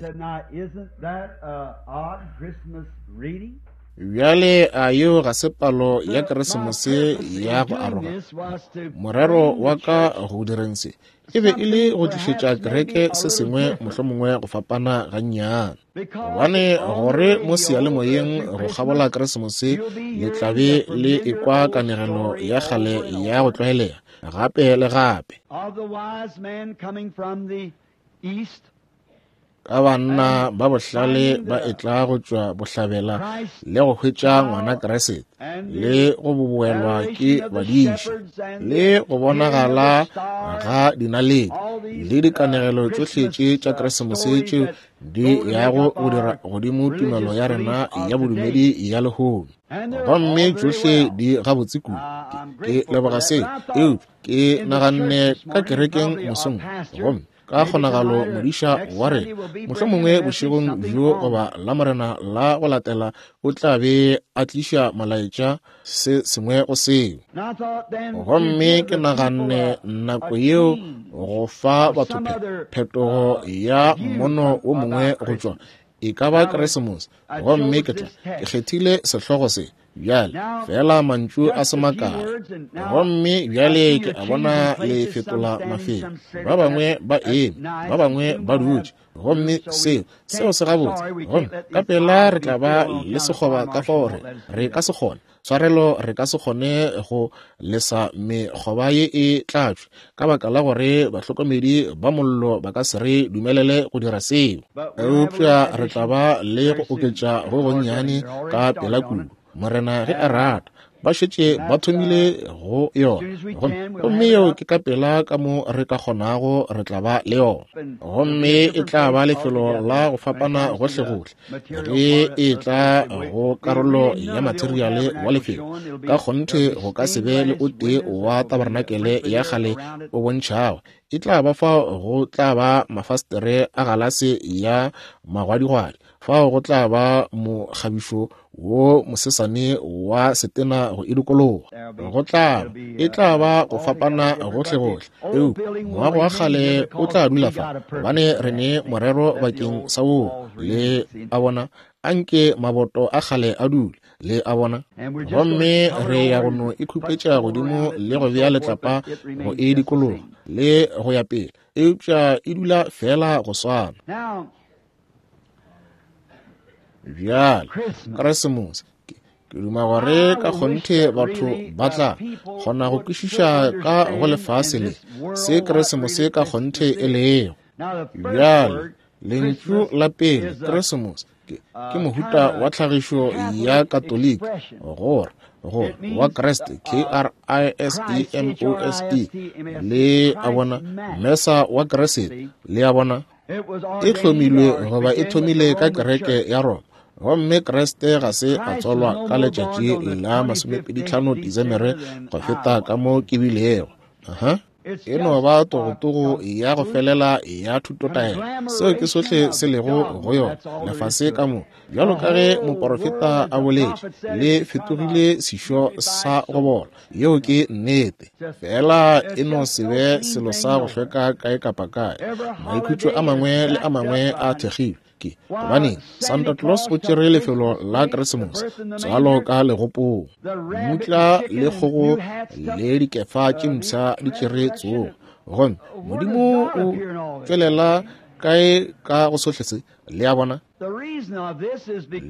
Bjale a yeo ga se palo ya Keresemose ya go aroga? Morero wa ka go direng se e be e le go tlišetša kereke se sengwe mohlomongwe go fapana gannyane, gobane gore mo seyalemoyeng go kgabola Keresemose le tla be le ekwa kanegelo ya kgale ya go tlwaelega gape le gape ka banna ba bohlale ba etla go tšwa bohlabela le go hwetša ngwana Kriste le go boboelwa ke badiši le go bonagala ga dinaledi le dikanegelo tšohle tše tša Keresemose tšeo di yago go dira godimo tumelo ya rena ya bodumedi ya lehono. Gomme tšohle di gabotse kudu. Ke leboga se, eupša ke naganne ka kerekeng mosong gomme ka kgonagalo modiša wa rena mohlomongwe bošegong bjo goba la morena la go latela o tla be a tliša molaetša se sengwe go seo. Gomme ke naganne nako yeo go fa batho phetogo ya mmono wo mongwe go tšwa e ka ba Keresemose. Gomme ke tla ke kgethile sehlogo se bjale fela mantšu a se makae. Gomme bjale ke a bona le fetola mafelo, ba bangwe ba eme, ba bangwe ba dutše, gomme seo seo se gabotse. Gomme ka pela re tla ba le sekgoba ka fao re re ka se kgone tshwarelo, re ka se kgone go lesa mekgoba ye e tlatšwe ka baka la gore bahlokomedi ba mollo ba ka se re dumelele go dira seo. Eupša re tla ba le go oketša go gonnyane ka pela kudu, Morena ge a rata. Ba šetše ba thomile go yona, gomme yeo ke ka pela ka mo re ka kgonago re tla ba le yona. Gomme e tla ba lefelo la go fapana gohlegohle ge e tla go karolo ya materiale wa lefelo. Ka kgonthe go ka se be le o tee wa tabernacle ya kgale o bontšhago. E tla ba fao go tla ba mafastere a galase ya magwadigwadi, fao go tla ba mokgabišo wo mosesane wa setena go e dikologa. Go tla ba e tla ba go fapana gohlegohle, eupša moago wa kgale o tla dula fa gobane re ne morero bakeng sa woo. Le a bona, anke maboto a kgale a dule, le a bona. Gomme re ya go no e khupetša godimo le go bea letlapa go e dikologa le go ya pele, eupša e dula fela go swana. Bjale Keresemose ke duma gore ka kgonthe batho ba tla kgona go kwešiša ka go lefase le se Keresemose ka kgonthe e lego. Bjale lentšu la pele Keresemose ke, ke mohuta wa tlhagišo ya Katoliki gore gore wa Kriste, K R I S E M O S E, le a bona, mesa wa Kriste, le a bona. E hlomilwe goba e thomile ka kereke ya Roma, gomme Kriste ga se a tswalwa ka letšatši la masomepedi tlhano Desemere go feta ka mo ke bilego. Aha. E no ba togotogo ya go felela ya thutotaelo. Seo ke sohle se lego go yona lefase ka mo. Bjalo ka ge moporofeta a boletše, le fetogile sešo sa go bola. Yeo ke nnete. Fela e no se be selo sa go hlweka kae kapa kae. Maikhutšo a mangwe le a mangwe a thekgilwe ke gobane Santa Claus o tšere lefelo la Keresemose tswalo ka legopong. Mmutla le kgogo le dikefa tše mpsha di tšere tsogo. Gomme Modimo o tšwelela kae ka go sohle se? Le a bona?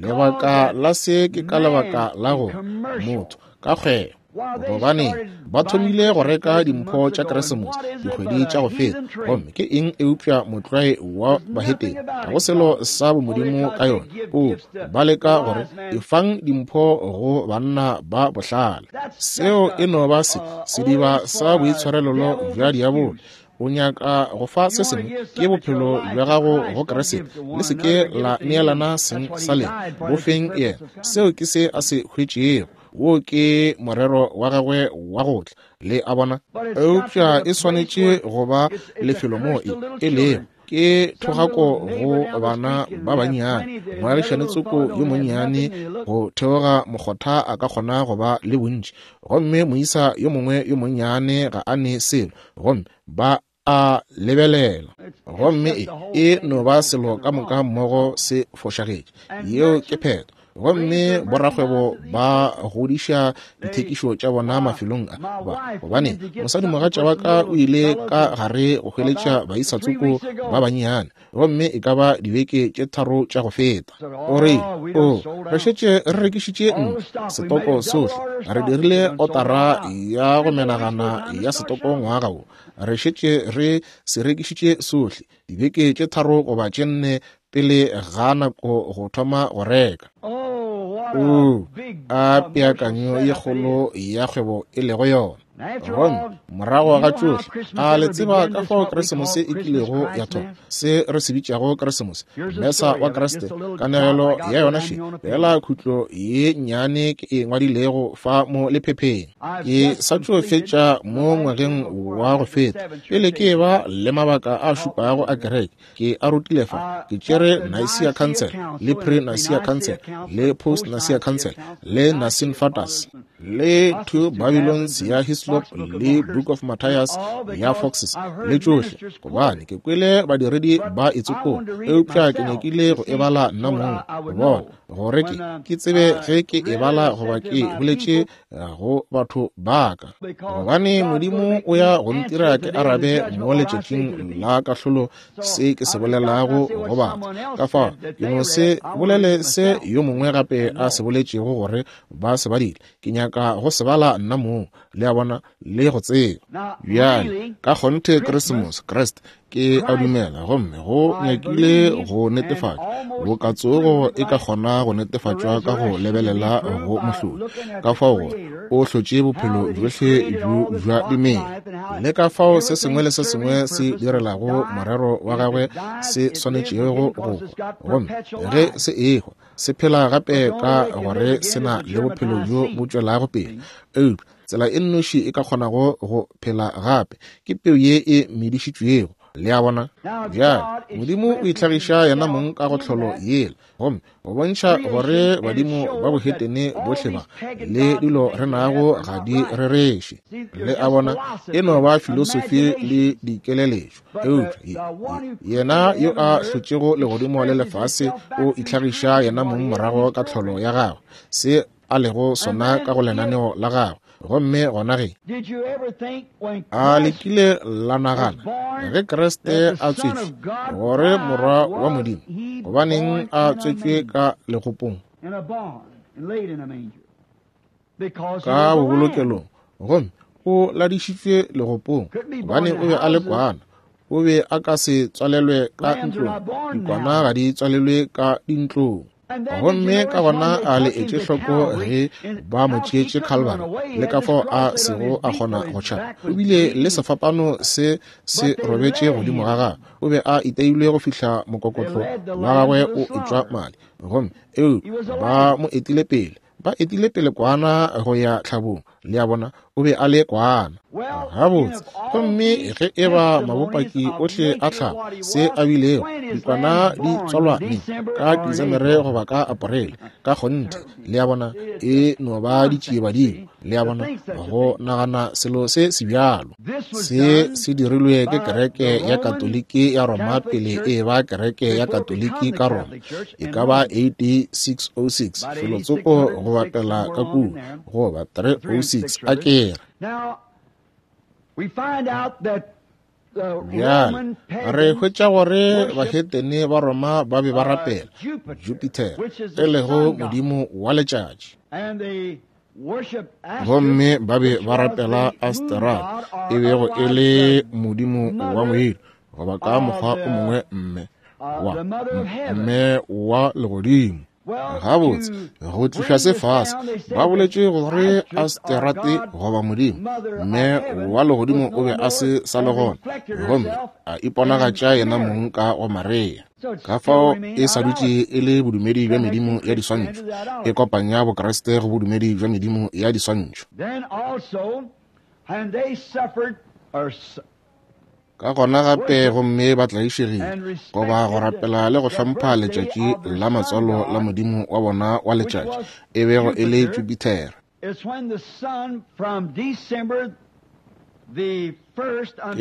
Lebaka la se ke ka lebaka la go motho ka kgwebo, gobane ba thomile go reka dimpho tša Keresemose dikgwedi tša go feta. Gomme ke eng eupša motlwae wa bahetene? Ga go selo sa bomodimo ka yona. O ba leka gore efang dimpho go banna ba bohlale. Seo e no ba se sediba sa boitshwarelelo bja diabolo. O nyaka go fa se sengwe ke bophelo bja gago go Kriste, le se ke la neelana seng sa lena, bo feng yena. Seo ke se a se hwetšego. Wo ke morero wa gagwe wa go tla, le a bona. Eupša e swanetše go ba lefelo mo e e lego ke thogako go bana ba bannyane. Moagišane tsoko yo monnyane go theoga mokgotha a ka kgona go ba le bontši, gomme moisa yo mongwe yo monnyane ga a ne selo, gomme ba a lebelela. Gomme e e no ba selo ka moka mmogo se fošagetše. Yeo ke phetho. Gomme borakgwebo ba godiša dithekišo tša bona mafelong a ba, gobane mosadimogatša wa ka o ile ka gare go hweletša baisatsoko ba bannyane, gomme e ka ba dibeke tše tharo tša go feta. O re, o, re šetše re rekišitše ntlo, setoko sohle, re dirile otara ya go menagana ya setoko ngwaga wo, re šetše re se rekišitše sohle dibeke tše tharo goba tše nne pele ga nako go thoma go reka. O, a peakanyo ye kgolo ya kgwebo e lego yona. Gomme morago ga tšohle, a le tseba ka fao Keresemose e kilego ya thoma, se re se bitšago Keresemose, Mesa wa Kriste, kanegelo ya yona še, fela khutlo ye nnyane ke e ngwadilego fa mo lephepheng. Ke sa tšo fetša mo ngwageng wa go feta, pele ke eba le mabaka a šupago a kereke, ke a rutile fa, ke tšere Nicaea Council, le pre-Nicaea Council, le post-Nicaea Council, le Nicene Fathers, le Two Babylons ya Hislop, le Book of Matthias ya Foxes, le tšohle, gobane ke kwele badiredi ba e tsopola, eupša ke nyakile go e bala nna mong, go bona gore ke ke tsebe ge ke e bala goba ke boletše go batho ba ka, gobane Modimo o ya go ntira ke arabe mo letšatšing la kahlolo se ke se bolelago go batho. Ka fao ke no se bolele se yo mongwe gape a se boletšego gore ba se badile, ke nyaka go se bala nna mong, le a bona, le go tseba. Bjale ka kgonthe Keresemose, Kriste, ke a dumela, gomme go nyakile go netefatšwa, bokatsogo e ka kgona go netefatšwa ka go lebelela go mohlodi, ka fao gore o hlotše bophelo bjohle bjo bja dimela, le ka fao se sengwe le se sengwe se direlago morero wa gagwe se swanetšego go hwa, gomme ge se ehwa se phela gape ka gore se na le bophelo bjo bo tšwelago pele. Eupša tsela e nnoši e ka kgonago go phela gape ke peu ye e medišitšwego. Le a bona? Bjale Modimo o itlhagiša yena mong ka go tlholo yela, gomme go bontšha gore badimo ba bohetene bohle ba le dilo re nago ga di rereše. Le a bona? E no ba filosofi le dikeleletšo. Eupša yena yo a hlotšego legodimo le lefase o itlhagiša yena mong morago ka tlholo ya gagwe, se a lego sona ka go lenaneo la gagwe. Gomme gona ge a lekile la nagana ge Kriste a tswetšwe gore morwa wa Modimo, gobaneng a tswetšwe ka legopong, ka bobolokelong, gomme o ladišitšwe legopong, gobane o be a le kwana, o be a ka se tswalelwe ka ntlong, dikwana ga di tswalelwe ka dintlong. Gomme ka gona a le etše hloko ge ba mo tšeetše Calvary, le ka fao a sego a kgona go tšhaba, o bile le sefapano se se robetše godimo ga gagwe, o be a iteilwe go fihla mokokotlo wa gagwe o etšwa madi. Gomme eo ba mo etile pele, ba etile pele kwana go ya tlhabong, le a bona, o be a le kwana. Gabotse, gomme ge e ba mabopaki ohle a tlhago se a bilego, dikwana di tswalwa neng, ka Desemere goba ka Aporele, ka kgonthe, le a bona, e no ba ditšiebadimo, le a bona, go nagana selo se se bjalo. Se se dirilwe ke kereke ya Katoliki ya Roma pele e ba kereke ya Katoliki ka Roma, e ka ba A D six oh six, felotsoko go bapela ka kua, goba three oh six a kere. Bjale re hwetša gore bahetene ba Roma ba be ba rapela Jupiter, e lego modimo wa letšatši, gomme ba be ba rapela Asteroid, e bego e le modimo wa ngwedi, goba ka mokgwa o mongwe mme wa mme wa legodimo. Gabotse, go tliša se fase, ba boletše gore Asterate goba modimo mme wa legodimo o be a se sa le gona, gomme a iponagatša yena mong ka go Maria. Ka fao e sa dutše e le bodumedi bja medimo ya diswantšho, e kopanya Bokriste go bodumedi bja medimo ya diswantšho. Ka gona gape gomme ba tlaišegile goba go rapela le go hlompha letšatši la matswalo la modimo wa bona wa letšatši, e bego e le Jupiter. Ke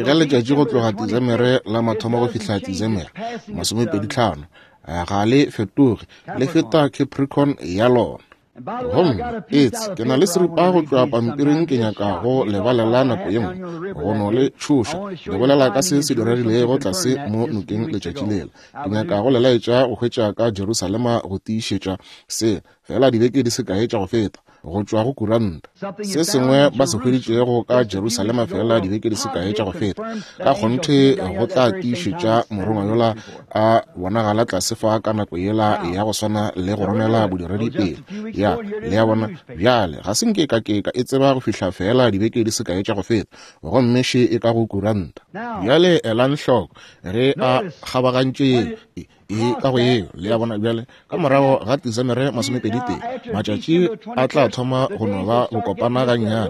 ge letšatši go tloga Desemere la mathomo go fihla Desemere masomepedi tlhano Ga le fetoge, le feta Capricorn ya lona. Gomme etse ke na le seripa go tšwa pampiring ke nyaka go lebalela nako ye nngwe, go no le tšhoša, le bolela ka se se diregilego tlase mo nokeng letšatši lela. Ke nyaka go le laetša go hwetša ka Jerusalema go tiišetša se, fela dibeke di se kae tša go feta, go tšwa go kuranta. Se sengwe ba se hweditšego ka Jerusalema fela dibeke di se kae tša go feta, ka kgonthe go tla tiišetša morongwa yola a bonagala tlase fa ka nako yela ya go swana le go romela bodiredi pele. Ya, le ya bona, bjale ga se nke ka ke ka e tseba go fihla fela dibeke di se kae tša go feta, gomme še e ka go kuranta. Bjale elang hloko ge a kgabagantše ye e ka go yeo, le ya bona. Bjale ka morago ga Desemere masomepedi tee, matšatši a tla thoma go no ba go kopana gannyane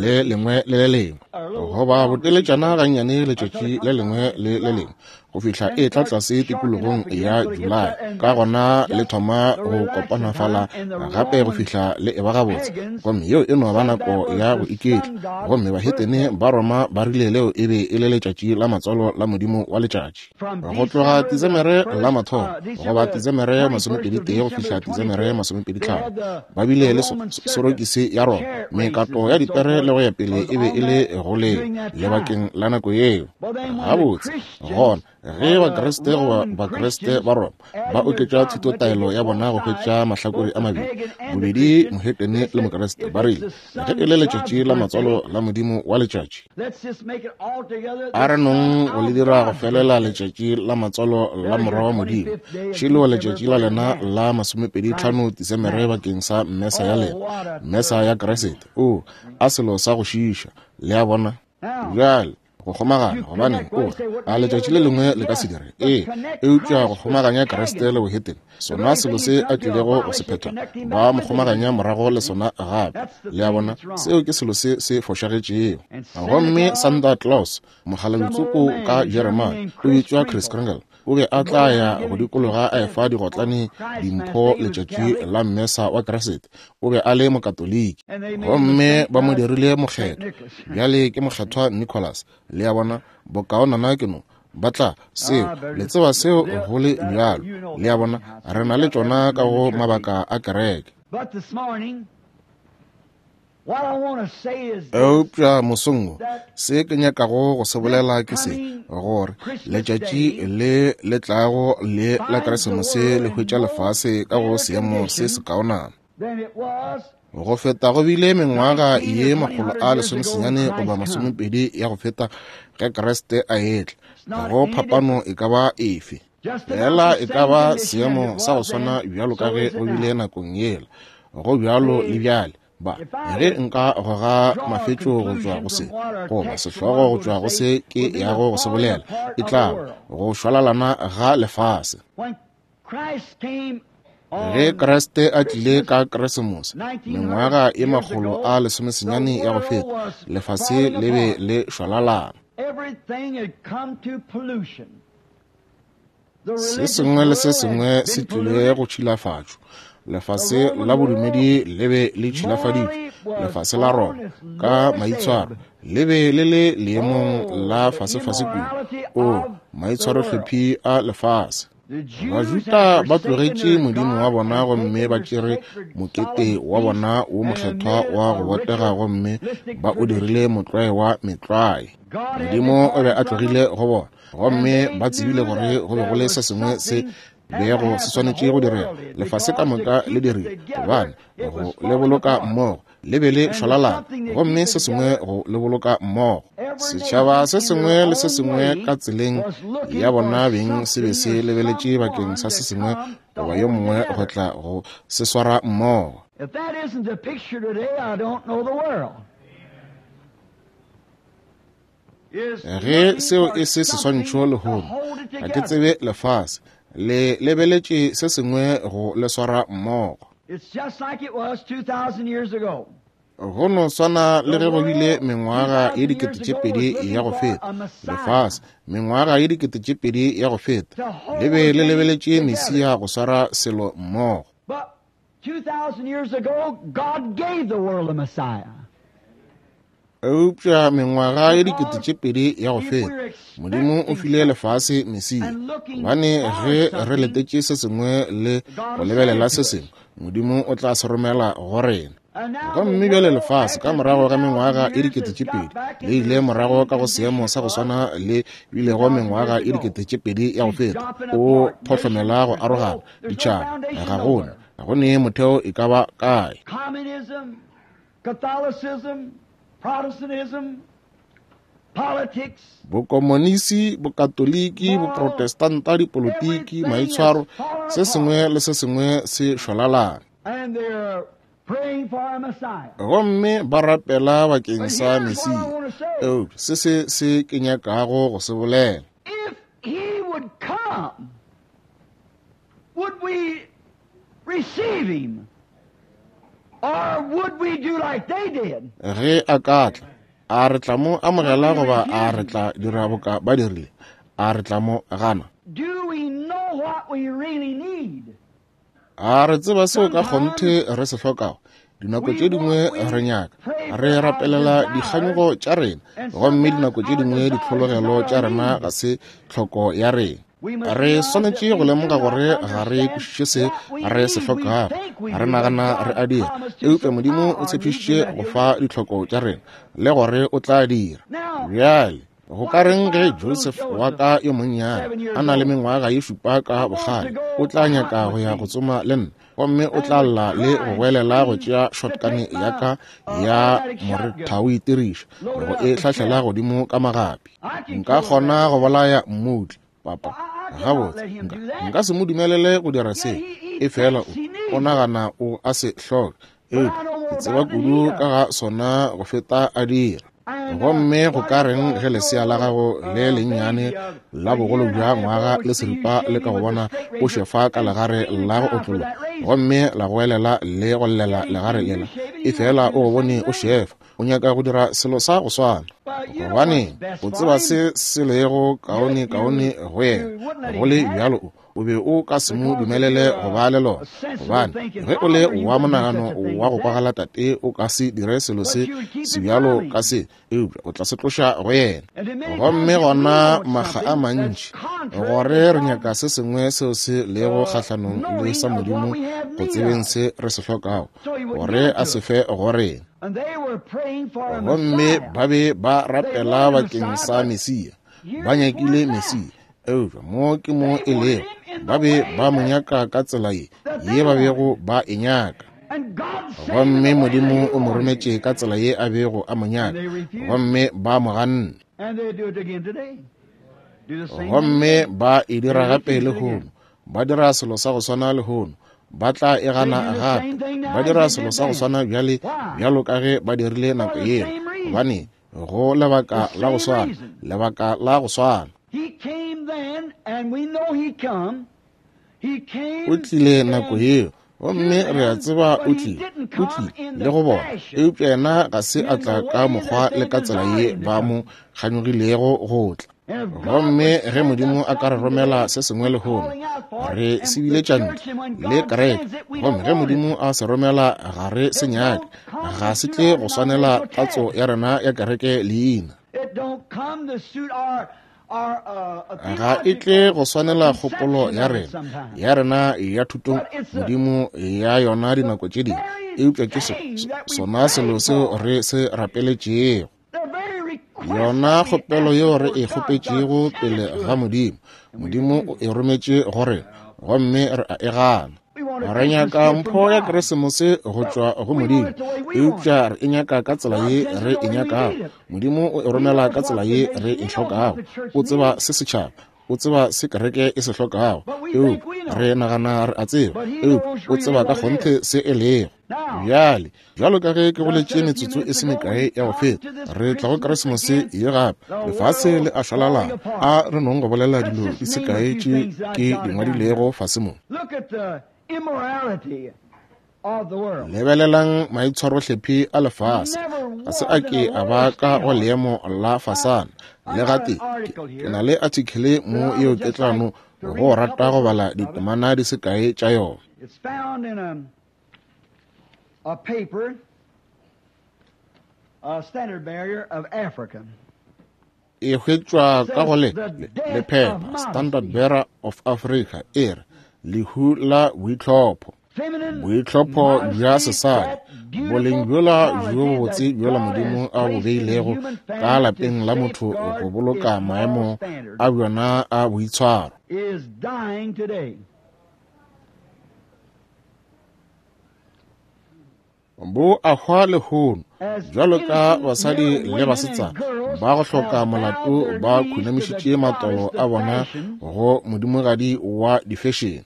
le lengwe le le lengwe, goba boteletšana gannyane letšatši le lengwe le le lengwe, go fihla e tla tlase tikologong ya Julae. Ka gona le thoma go kopana fala gape go fihla le eba gabotse, gomme yeo e no ba nako ya go iketla. Gomme bahetene ba Roma ba rile leo e be e le letšatši la matswalo la modimo wa letšatši. Go tloga Desemere la mathomo goba Desemere masomepedi tee go fihla Desemere masomepedi tlhano, ba bile le sorokisi ya Roma, mekato ya dipere le go ya pele e be e le go le lebakeng la nako yeo. Gabotse gona ge Bakriste goba Bakriste ba Roma ba oketša thutotaelo ya bona go hwetša mahlakore a mabedi, bobedi mohetene le Mokriste, ba rile ge e le letšatši la matswalo la modimo wa letšatši, a re nong go le dira go felela letšatši la matswalo la morwa wa modimo, šelo letšatši la lena la masomepedi tlhano Desemere bakeng sa mmesa ya lena, mmesa ya Kriste. O a selo sa go šiiša, le a bona. Bjale go kgomagana, gobane o a letšatši le lengwe le ka se dire, ee, eupša go kgomaganya Kriste le bohetene, sona selo se a tlilego go se phetha, ba mo kgomaganya morago le sona gape. Le a bona, seo ke selo se se fošagetšego. Gomme Santa Claus, mokgalabitsoko ka Jeremane, o bitšwa Chris Kringle, o be a tla ya go dikologa a efa digotlane dimpho letšatši la mmesa wa Kriste. O be a le mokatoliki, gomme ba mo dirile mokgethwa. Bjale ke mokgethwa Nicholas. Le a bona, bokaonana ke no ba tla seo, le tseba seo go le bjalo. Le a bona, re na le tšona ka go mabaka a kereke. Eupša mosong wo, se ke nyakago go se bolela ke se, gore letšatši le le tlago le la Keresemose le hwetša lefase ka go seemo se sekaonana go feta go bile mengwaga ye makgolo a lesomesenyane goba masomepedi ya go feta ge Kriste a etla. Go phapano e ka ba efe? Fela e ka ba seemo sa go swana bjalo ka ge go bile nakong yela, go bjalo le bjale. Ba ge nka goga mafetšo go tšwa go se, goba sehlogo go tšwa go se ke yago go se bolela, e tla go šwalalana ga lefase. Ge Kriste a tlile ka Keresemose mengwaga e makgolo a lesomesenyane ya go feta, lefase le be le šwalalana. Se sengwe le se sengwe se tlile go tšhilafatšo. Lefase la bodumedi le be le tšhilafaditšwe. Lefase la Roma ka maitshwaro le be le le leemong la fasefase kudu. O maitshwarohlephi a lefase. Bajuda ba tlogetše modimo wa bona gomme ba tšere mokete wa bona wo mokgethwa wa go botega gomme ba o dirile motlwae wa metlwae. Modimo o be a tlogile go bona, gomme ba tsebile gore go be go le se sengwe se bego se swanetše go direga. Lefase ka moka le dirile, gobane go le boloka mmogo le be le šwalalana, gomme se sengwe go le boloka mmogo. Setšhaba se sengwe le se sengwe ka tseleng ya bona beng se be se lebeletše bakeng sa se sengwe goba yo mongwe go tla go se swara mmogo. Ge seo e se seswantšho lehono, ga ke tsebe lefase le lebeletše se sengwe go le swara mmogo. Go no swana le ge go bile mengwaga ye dikete tše pedi ya go feta, lefase mengwaga ye dikete tše pedi ya go feta le be le lebeletše Mesia go swara selo mmogo. Eupša mengwaga ye dikete tše pedi ya go feta, Modimo o file lefase Mesia. Gobane ge re letetše se sengwe le go lebelela se sengwe, Modimo o tla se romela go rena. Gomme bjale lefase ka morago ga mengwaga e dikete tše pedi le ile morago ka go seemo sa go swana le bilego mengwaga e dikete tše pedi ya go feta. O phohlomela go arogana ditšhaba, ga gona ga go ne motheo e ka ba kae. Bokomonisi, Bokatoliki, Boprotestanta, dipolotiki, maitshwaro, se sengwe le se sengwe se šwalalana. Gomme ba rapela bakeng sa Mesia. Eupša se se se ke nyakago go se bolela. If he would come, would we receive him? Or would we do like they did? Ge a ka tla, a re tla mo amogela goba a re tla dira boka ba dirile? A re tla mo gana? Do we know what we really need? A re tseba seo ka kgonthe re se hlokago? Dinako tše dingwe re nyaka, re rapelela dikganyogo tša rena, gomme dinako tše dingwe ditlhologelo tša rena ga se tlhoko ya rena. Re swanetše go lemoga gore ga re kwešiše se re se hlokago, re nagana re a dira, eupša Modimo o tshepišitše go fa ditlhoko tša rena le gore o tla dira. Bjale go ka reng ge Joseph wa ka yo monnyane a na le mengwaga ye šupa ka bokgale, o tla nyaka go ya go tsoma le nna, gomme o tla lla le go goelela go tšea shotgun ya ka ya morethao itiriša go e hlahlela godimo ka magapi. Nka kgona go bolaya mmutla, papa. Gabotse, nka, nka se mo dumelele go dira se, efela o, o nagana o a se hloka, eupša ke tseba kudu ka ga sona go feta a dira. Gomme go ka reng ge lesea la gago le lennyane la bogolo bja ngwaga le seripa le ka go bona o šefa ka legare la go otlologa, gomme la goelela le go llela legare lela, efela o go bone o šefa, o nyaka go dira selo sa go swana. Gobane o tseba se se lego kaone kaone go yena, go le bjalo o o be o ka se mo dumelele go ba le lona. Gobane ge o le wa monagano wa go kwagala tate, o ka se dire selo se se bjalo ka se, eupša o tla se tloša go yena. Gomme gona makga a mantši gore re nyaka se sengwe seo se lego kgahlanong le sa Modimo go tsebeng se re se hlokago, gore a se fe go rena. Gomme ba be ba rapela bakeng sa Mesia, ba nyakile Mesia, eupša mo ke mo e lego, ba be ba mo nyaka ka tsela ye ye ba bego ba e nyaka. Gomme Modimo o mo rometše ka tsela ye a bego a mo nyaka, gomme ba mo ganne. Gomme ba e dira gape lehono, ba dira selo sa go swana lehono, ba tla e gana gape, ba dira selo sa go swana bjale bjalo ka ge ba dirile nako yeo, gobane go lebaka la go swana, lebaka la go swana. O tlile nako yeo, gomme re a tseba o tlile, o tlile le go bona, eupša yena ga se a tla ka mokgwa le ka tsela ye ba mo kganyogilego go tla. Gomme ge Modimo a ka re romela se sengwe lehono, re se biletša ntle le kereke, gomme ge Modimo a se romela ga re se nyake, ga se tle go swanela tatso ya rena ya kereke leina. Ga e tle go swanela kgopolo ya rena ya rena ya thuto Modimo ya yona dinako tše dingwe, eupša ke sona selo seo re se rapeletšego. Yona kgopelo yeo re e kgopetšego pele ga Modimo, Modimo o e rometše go rena, gomme re a e gana. Re nyaka mpho ya Keresemose go tšwa go Modimo, eupša re e nyaka ka tsela ye re e nyakago. Modimo o e romela ka tsela ye re e hlokago. O tseba se setšhaba, o tseba se kereke e se hlokago, eupša re nagana re a tseba, eupša o tseba ka kgonthe se e lego. Bjale, bjalo ka ge ke boletše metsotso e se mekae ya go feta, re tla go Keresemose ye gape. Lefase le a šwalalana. A re nong go bolela dilo di se kae tše ke di ngwadilego fase mo. Lebelelang maitshwarohlephi a lefase. Ga se a ke a ba ka go leemo la fasana. Le gate, ke na le article mo yeo ke tla no go rata go bala ditemana di se kae tša yona. A paper, E hwetšwa ka go le lephepha Standard Bearer of Africa e re lehu la boitlhopho. Boitlhopho bja sesadi, boleng bjola bjo bobotse bjola Modimo a bo beilego ka lapeng la motho go boloka maemo a bjona a boitshwaro. Bo a hwa lehono, bjalo ka basadi le basetsana ba go hloka molato ba khunamišitše matolo a bona go modimogadi wa difešene.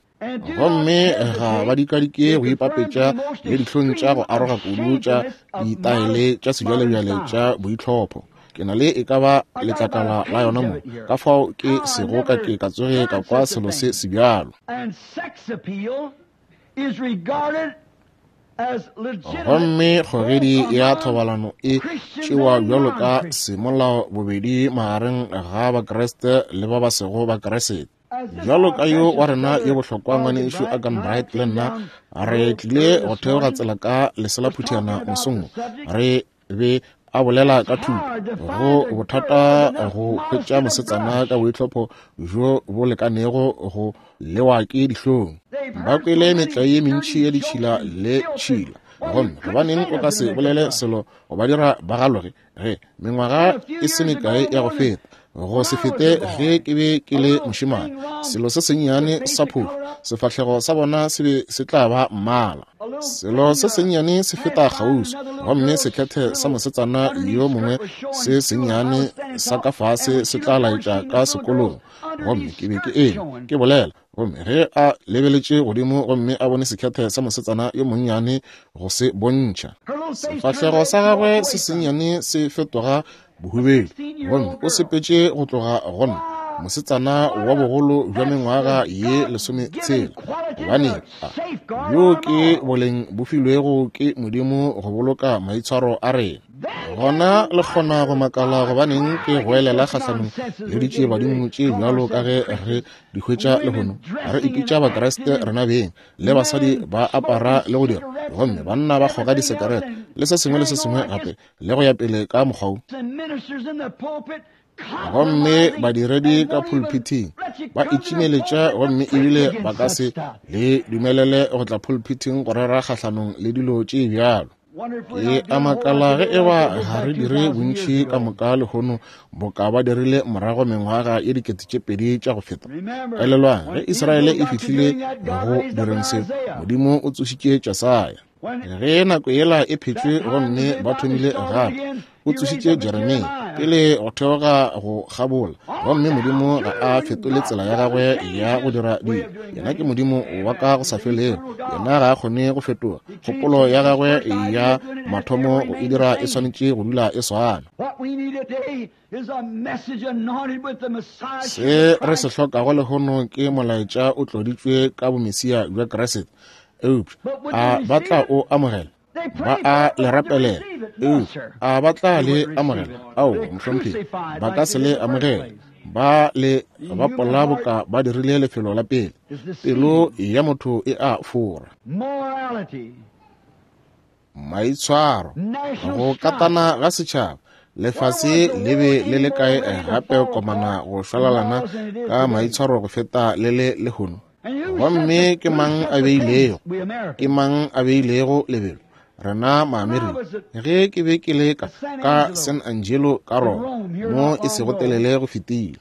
Gomme ga ba dikadike go ipapetša le dihlong tša go aroga kudu tša ditaele tša sejwalejwale tša boitlhopho. Ke na le e ka ba letlakala la yona mo, ka fao ke sego ka ke ka tsoge ka kwa selo se sebjalo. Gomme kgogedi ya thobalano e tšewa bjalo ka semolao bobedi magareng ga Bakreste le ba ba sego Bakreste. Bjalo ka yo wa rena yo bohlokwa ngwanešu Agan Bright le nna re tlile go theoga tsela ka leselaphuthana mosong, re be a bolela ka thuto go bothata go hwetša mosetsana ka boitlhopho bjo bo lekanego go lewa ke dihlong. Ba kwele metlae ye mentši ya ditšhila le tšhila, gomme gobaneng o ka se bolele selo go ba dira ba galoge ge mengwaga e se mekae ya go feta go se fete ge ke be ke le mošemane, selo se sennyane sa phofu, sefahlego sa bona se be se tla ba mmala. Selo se sennyane se feta kgauswi, gomme sekhethe sa mosetsana yo mongwe se sennyane sa ka fase se tla laetša ka sekolong. Gomme ke be ke eme ke bolela, gomme ge a lebeletše godimo gomme a bone sekhethe sa mosetsana yo monnyane go se bontšha, sefahlego sa gagwe se sennyane se fetoga bohubedu, gomme o sepetše go tloga go nna, mosetsana wa bogolo bja mengwaga ye lesometshela. Gobane bjo ke boleng bo filwego ke Modimo go boloka maitshwaro a rena. Gona le kgona go makala gobaneng ke goelela kgahlanong le ditšiebadimo tše bjalo ka ge re di hwetša lehono. Re ipitša Bakreste rena beng, le basadi ba apara le go dira, gomme banna ba kgoga disekerete le se sengwe le se sengwe gape le go ya pele ka mokgwa wo. Gomme badiredi ka pulpiting ba itšimeletša, gomme ebile ba ka se le dumelele go tla pulpiting go rera kgahlanong le dilo tše bjalo. Ke a makala ge e ba ga re dire bontši ka moka lehono boka ba dirile morago mengwaga ye dikete tše pedi tša go feta. Elelwang, ge Israele e fihlile go direng se, Modimo o tsošitše Jesaya. Ge nako yela e phetšwe gomme ba thomile gape, o tsošitše Jeremia pele go theoga go kgabola, gomme Modimo ga a fetole tsela ya gagwe ya go dira dilo. Yena ke Modimo wa ka go sa felego, yena ga a kgone go fetoga. Kgopolo ya gagwe ya mathomo go e dira e swanetše go dula e swana. Se re se hlokago lehono ke molaetša o tloditšwe ka bomesia bja Kriste. Eupša a ba tla o amogela? Ba a le rapelela, eupša a ba tla le amogela? Ao, mohlomphegi, ba ka se le amogela. Ba le bapola boka ba dirile lefelo la pele. Pelo ya motho e a fora. Maitshwaro, go katana ga setšhaba, lefase le be le le kae gape komana go šwalalana ka maitshwaro go feta le le lehono? Gomme ke mang a beilego? Ke mang a beilego lebelo? Rena Maamerika. Ge ke be ke le ka ka San Angelo ka Roma, mo e sego telele go fetile,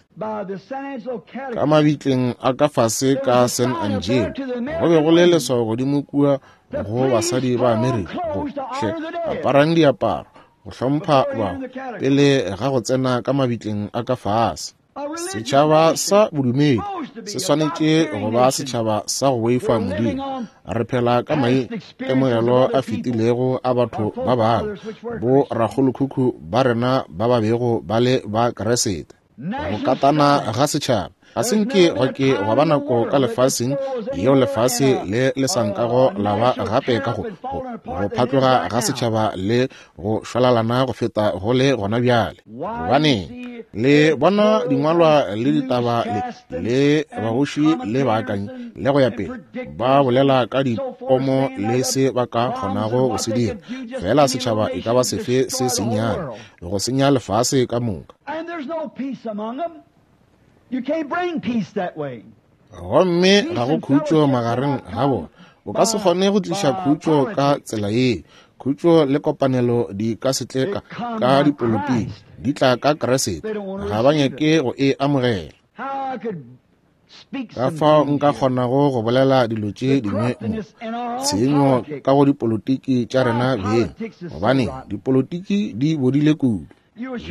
ka mabitleng a ka fase ka San Angelo, go be go le leswao godimo kua go basadi ba Amerika go hle aparang diaparo go hlompha bahu pele ga go tsena ka mabitleng a ka fase. Setšhaba sa bodumedi se swanetše go ba setšhaba sa go boifa Modimo. Re phela ka maitemogelo a fetilego a batho ba bangwe, bo rakgolokhukhu ba rena ba ba bego ba le ba Kriste. Go katana ga setšhaba Ga se nke gwa ke gwa ba nako ka lefaseng yeo lefase le le sa nkago la ba gape ka go go phatloga ga setšhaba le go šwalalana go feta go le gona bjale. Gobaneng le bona dingwalwa le ditaba le le bagoši le baakanyi le go ya pele ba bolela ka dipomo le se ba ka kgonago go se dira, fela setšhaba e ka ba sefe se sennyane go senya lefase ka moka. Gomme ga go khutšo magareng ga bona. O ka se kgone go tliša khutšo ka tsela ye. Khutšo le kopanelo di ka se tle ka ka dipolotiki, di tla ka Kriste. Ga ba nyake go e amogela. Ka fao nka kgonago go bolela dilo tše dingwe mo, tshenyo ka go dipolotiki tša rena beng, gobane dipolotiki di bodile kudu.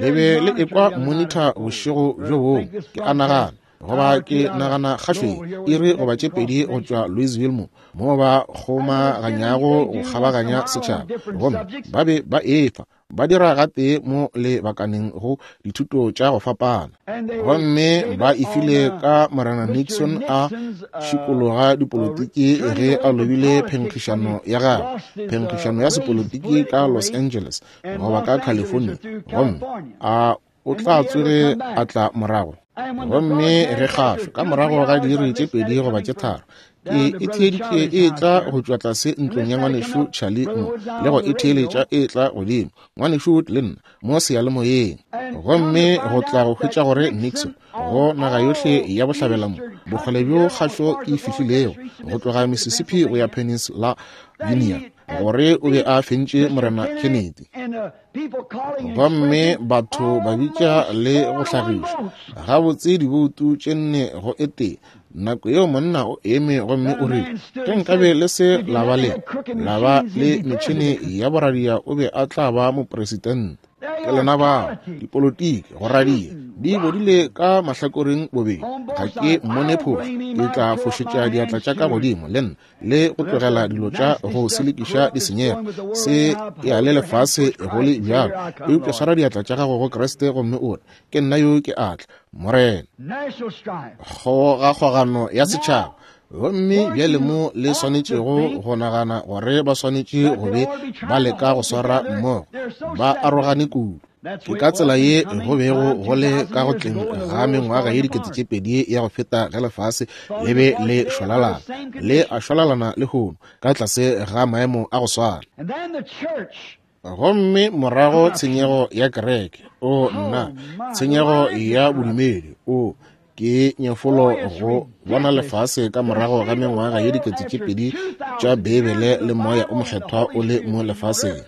Le be le ekwa monitor bošego bjo bongwe, ke a nagana, goba ke nagana kgašweng iri goba tše pedi go tšwa Louisville mo, mo ba kgomaganyago go kgabaganya setšhaba, gomme ba be ba efa ba dira gape mo lebakaneng go dithuto tša go fapana. Gomme ba e file ka Morena Nixon a šikologa dipolotiki ge a lobile phenkgišano ya gagwe, phenkgišano ya sepolotiki ka Los Angeles goba ka California, gomme a o tla tsoge a tla morago. Gomme ge kgašo ka morago ga diiri tše pedi goba tše tharo ke e theeditše e tla go tšwa tlase ntlong ya ngwanešu Charlie mo, le go e theeletša e tla godimo ngwanešu Wood le nna mo seyalemoyeng. Gomme go tla go hwetša gore Nixon go naga yohle ya bohlabela mo, bokgole bjo kgašo e fihlilego go tloga Mississippi go ya Pennsylvania, gore o be a fentše Morena Kennedy. Gomme batho ba bitša le go hlagiša gabotse diboutu tše nne go e tee. Nako yeo monna o eme gomme o rile, ge nkabe le se la ba le la ba le metšhene ya boradia, o be a tla ba mopresidente. Ke lena bao dipolotiki go radia di bodile ka mahlakoreng bobedi. Ga ke mmone phošo, ke tla fošetša diatla tša ka godimo le nna le go tlogela dilo tša go selekiša di senyega. Se ya le lefase go le bjalo, eupša swara diatla tša gago go Kriste gomme o re, ke nna yo ke atla, Morena. Kgogakgogano ya setšhaba. Gomme bjale mo le swanetšego go nagana gore ba swanetše go be ba leka go swara mmogo, ba arogane kudu. Ke ka tsela ye go bego go le ka go tleng ga mengwaga ye dikete tše pedi ya go feta ge lefase le be le šwalalana, le a šwalalana lehono ka tlase ga maemo a go swana. Gomme morago tshenyego ya kereke, o nna, tshenyego ya bodumedi, o ke nyefolo go bona lefase ka morago ga mengwaga ye dikete tše pedi tša Beibele le moya o mokgethwa o le mo lefaseng.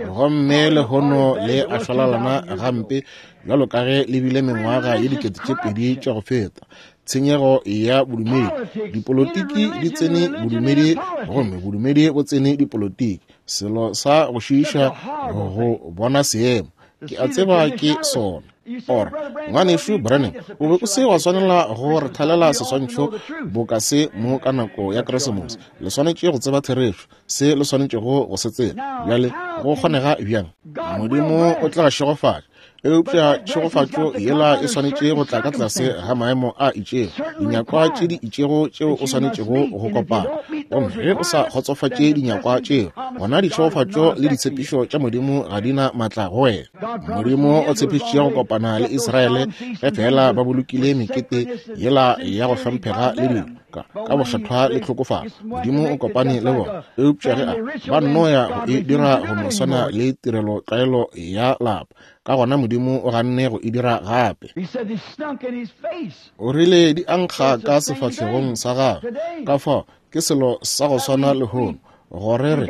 Gomme lehono le a šwalalana gampe bjalo ka ge le bile mengwaga ye dikete tše pedi tša go feta. Tshenyego ya bodumedi, dipolotiki di tsene bodumedi, gomme bodumedi bo tsene dipolotiki. Selo sa go šiiša go bona seemo, ke a tseba ke sona. Or ngwanešu Branham, o be o se wa swanela go re thalela seswantšho boka se mo ka nako ya Keresemose. Le swanetše go tseba therešo, se le swanetšego go se tseba. Bjale go kgonega bjang? Modimo o tla šegofatša, eupša tšhegofatšo yela e swanetše go tla ka tlase ga maemo a itšego, dinyakwa tše di itšego tšeo o swanetšego go kopana. Gomme ge o sa kgotsofatše dinyakwa tšeo, gona ditšhegofatšo le ditshepišo tša Modimo ga di na maatla go wena. Modimo o tshepišitše go kopana le Israele ge fela ba bolokile mekete yela ya go hlomphega le dilo ka ka bokgethwa le tlhokofalo. Modimo o kopane le bona, eupša ge a ba nno ya go e dira go no swana le tirelo tlwaelo ya lapa, ka gona Modimo o ganne go e dira gape. O rile di ankga ka sefahlegong sa gagwe. Ka fao ke selo sa go swana lehono, gore re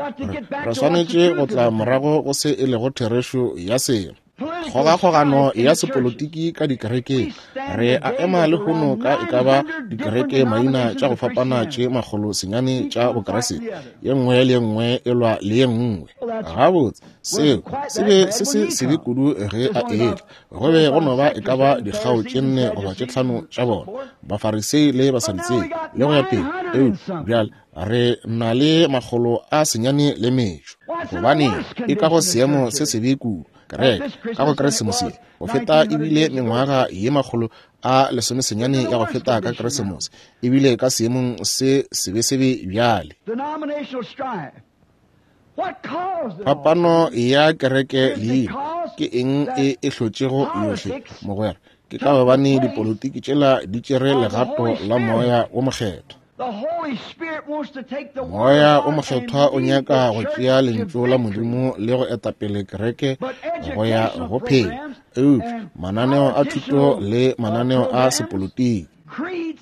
re swanetše go tla morago go se e lego therešo ya selo. Kgogakgogano ya sepolotiki ka dikerekeng. Re a ema lehono ka e ka ba dikereke maina tša go fapana tše makgolo senyane tša Bokriste, ye nngwe le ye nngwe e lwa le ye nngwe. Gabotse seo se be se se sebe kudu ge a etla. Go be go no ba e ka ba dikgao tše nne goba tše tlhano tša bona, Bafarisei le Basadutsei le go ya pele. Eupša bjale re na le makgolo a senyane le metšo, gobane e ka go seemo se sebe kudu. Kereke ka go Keresemose go feta ebile mengwaga ye makgolo a lesomesenyane ya go feta ka Keresemose, ebile ka seemong se sebesebe bjale. Phapano ya kereke leina ke eng e e hlotšego yohle, mogwera? Ke ka gobane dipolotiki tšela di tšere legato la Moya wo Mokgethwa. Moya o Mokgethwa o nyaka go tšea lentšu la Modimo le go etapele kereke go ya go phela, eupša mananeo a thuto le mananeo a sepolotiki,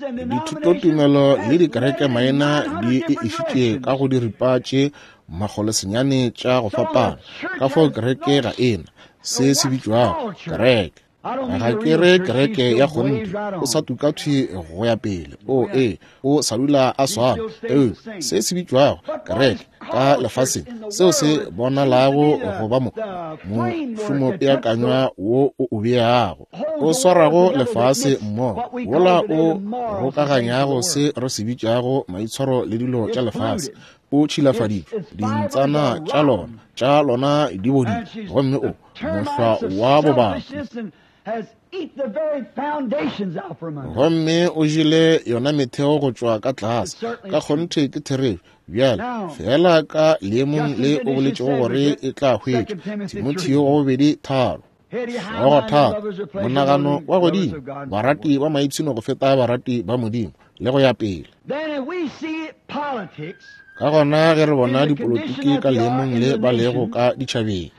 dithutotumelo le dikereke maina di e išitše ka go diripa tše makgolo senyane tša go fapana. Ka fao kereke ga ena se se bitšwago kereke. Ga ke re kereke ya kgonthe, o sa tuka thwi go ya pele, o e o sa dula a swana, eupša se se bitšwago kereke ka lefaseng, seo se bonalago go ba mo mošomopeakanywa wo o o beago, o swarago lefase mmogo, wola o rokaganyago se re se bitšago maitshwaro le dilo tša lefase, o tšhilafaditšwe, dintsana tša lona tša lona di bodile, gomme o mohlwa wa bobaki, gomme o jele yona metheo go tšwa ka tlase. Ka kgonthe ke therešo. Bjale fela ka leemong le o boletšego gore e tla hwetšwa, Timotheo wa bobedi tharo hlogo thata, monagano wa godimo, barati ba maipshino go feta barati ba Modimo, le go ya pele. Ka gona ge re bona dipolotiki ka leemong le ba lego ka ditšhabeng,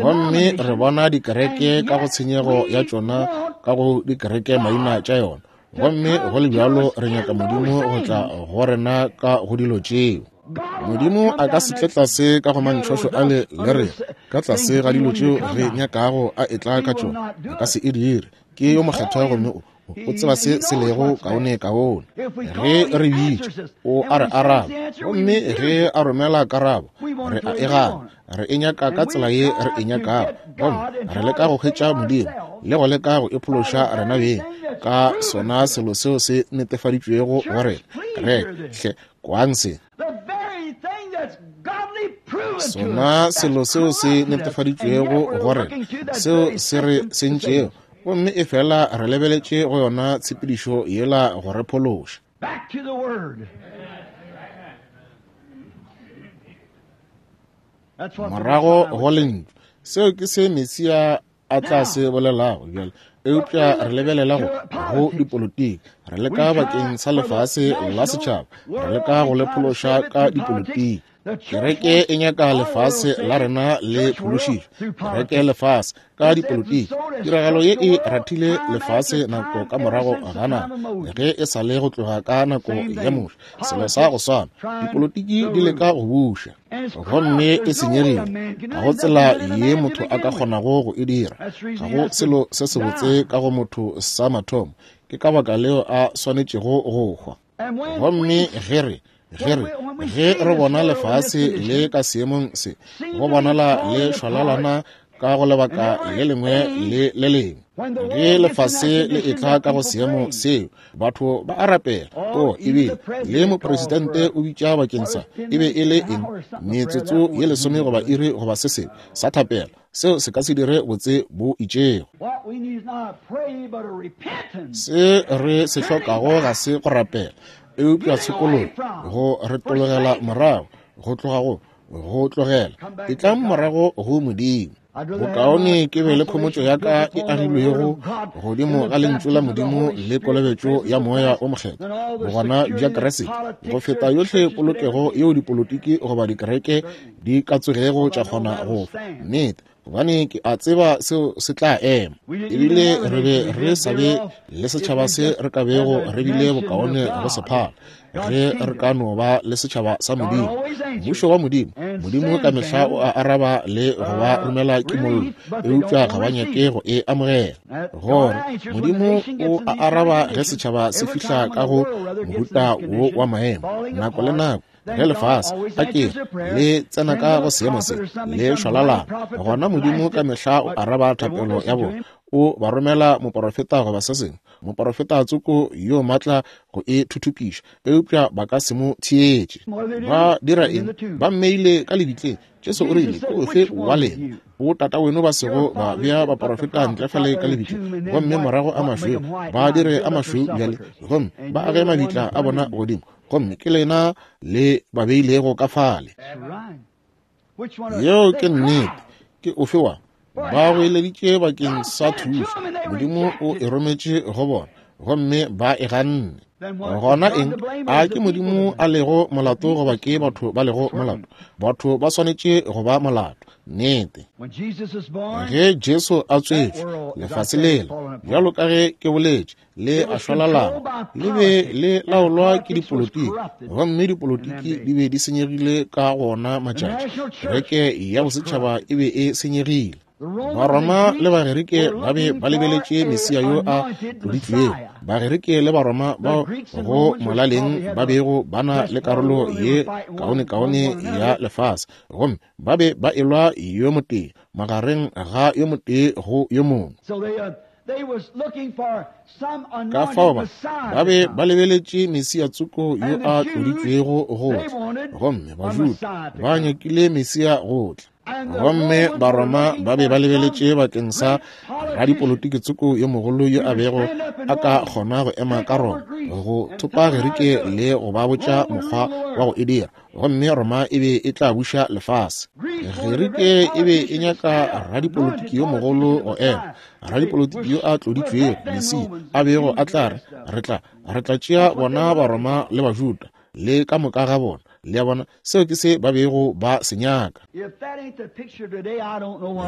gomme re bona dikereke ka go tshenyego ya tšona ka go dikereke maina tša yona, gomme go le bjalo re nyaka Modimo go tla go rena ka go dilo tšeo. Modimo a ka se tle tlase ka go mantšhošo a le le re ka tlase ga dilo tšeo re nyakago a etla ka tšona, a ka se e dire. Ke yo mokgethwa gomme o o tseba se se lego kaone kaone. Ge re bitša, o a re araba, gomme ge a romela karabo, re a e gana. Re e nyaka ka tsela ye re e nyakago, gomme re leka go hwetša Modimo le go leka go iphološa rena beng ka sona selo seo se netefaditšwego go rena. Kereke, hle kwang se. Sona selo seo se netefaditšwego go rena, seo se re sentšego, gomme e fela re lebeletše go yona tshepedišo yela go re phološa. Morago go lentšu, seo ke se Mesia a tla se bolelago bjale, eupša re lebelela go go dipolotiki, re leka bakeng sa lefase la setšhaba, re leka go le phološa ka dipolotiki. Kereke e nyaka lefase la rena le phološitšwe, kereke lefase ka dipolotiki. Tiragalo ye e rathile lefase nako ka morago ga nako, ge e sa le go tloga ka nako ya Moshe. Selo sa go swana, dipolotiki di leka go buša, gomme e senyegile. Ga go tsela ye motho a ka kgonago go e dira. Ga go selo se sebotse ka go motho sa mathomo. Ke ka baka leo a swanetšego go hwa. Gomme ge re ge re ge re bona lefase le ka seemong se, go bonala le šwalalana ka go lebaka le lengwe le le lengwe. Ge lefase le etla ka go seemo seo, batho ba a rapela. O ebile le mopresidente o bitša bakeng sa e be e le eng, metsotso ye lesome goba iri goba se sengwe sa thapelo. Seo se ka se dire botse bo itšego. Se re se hlokago ga se go rapela, eupša tshokologo, go retologela morago, go tloga go go tlogela, e tlang morago go Modimo. Bokaone ke be le khomotšo ya ka e agilwego godimo ga lentšu la Modimo le kolobetšo ya Moya o Mokgethwa, bogona bja Kriste, go feta yohle polokego yeo dipolotiki goba dikereke di ka tsogego tša kgona go fa. Nnete, gobane ke a tseba seo se tla ema. Ebile re be re sa be le setšhaba se re ka bego re bile bokaone go se phala, ge re ka no ba le setšhaba sa Modimo, mmušo wa Modimo. Modimo ka mehla o a araba le go ba romela kimollo, eupša ga ba nyake go e amogela. Gore Modimo o a araba ge setšhaba se fihla ka go mohuta wo wa maemo, nako le nako ge lefase a ke le tsena ka go seemo se le šwalalana, gona Modimo ka mehla o araba thapelo ya bona, O ba romela moporofeta goba se sengwe, moporofeta tsoko yo matla go e thuthupiša, eupša ba ka se mo theetše. Ba dira eng? Ba mmeile ka lebitleng. Jesu o rile, ke ofe wa lena o tata weno ba sego ba bea baporofeta ntle fale ka lebitleng, gomme morago a mašweu ba dire a mašweu bjale, gomme ba age mabitla a bona godimo, gomme ke lena le ba beilego ka fale. Yeo ke nnete. Ke ofe wa? Ba goeleditše bakeng sa thušo, Modimo o e rometše go bona, gomme ba e ganne. Gona eng? A ke Modimo a lego molato goba ke batho ba lego molato? Batho ba swanetše go ba molato. Nnete. Ge Jesu a tswetšwe, lefase lela, bjalo ka ge ke boletše, le a šwalalana, le be le laolwa ke dipolotiki, gomme dipolotiki di be di senyegile ka gona matšatši. Kereke ya bosetšhaba e be e senyegile. Baroma le Bagerike ba be ba lebeletše Mesia yo a tloditšwego. Bagerike le Baroma bao go molaleng ba bego ba na le karolo ye kaonekaone ya lefase, gomme ba be ba elwa yo motee magareng ga yo motee go yo mongwe. Ka fao ba ba be ba lebeletše Mesia tsoko yo a tloditšwego go tla, gomme Bajuda ba nyakile Mesia go tla. Gomme Baroma ba be ba lebeletše bakeng sa radipolotiki tsoko yo mogolo yo a bego a ka kgona go ema ka Roma, go thopa Gerike le go ba botša mokgwa wa go e dira, gomme Roma e be e tla buša lefase. Gerike e be e nyaka radipolotiki yo mogolo go ema, radipolotiki yo a tloditšwego, Mesia, a bego a tla re, re tla re tla tšea bona Baroma le Bajuda le ka moka ga bona. Le a bona, seo ke se ba bego ba se nyaka.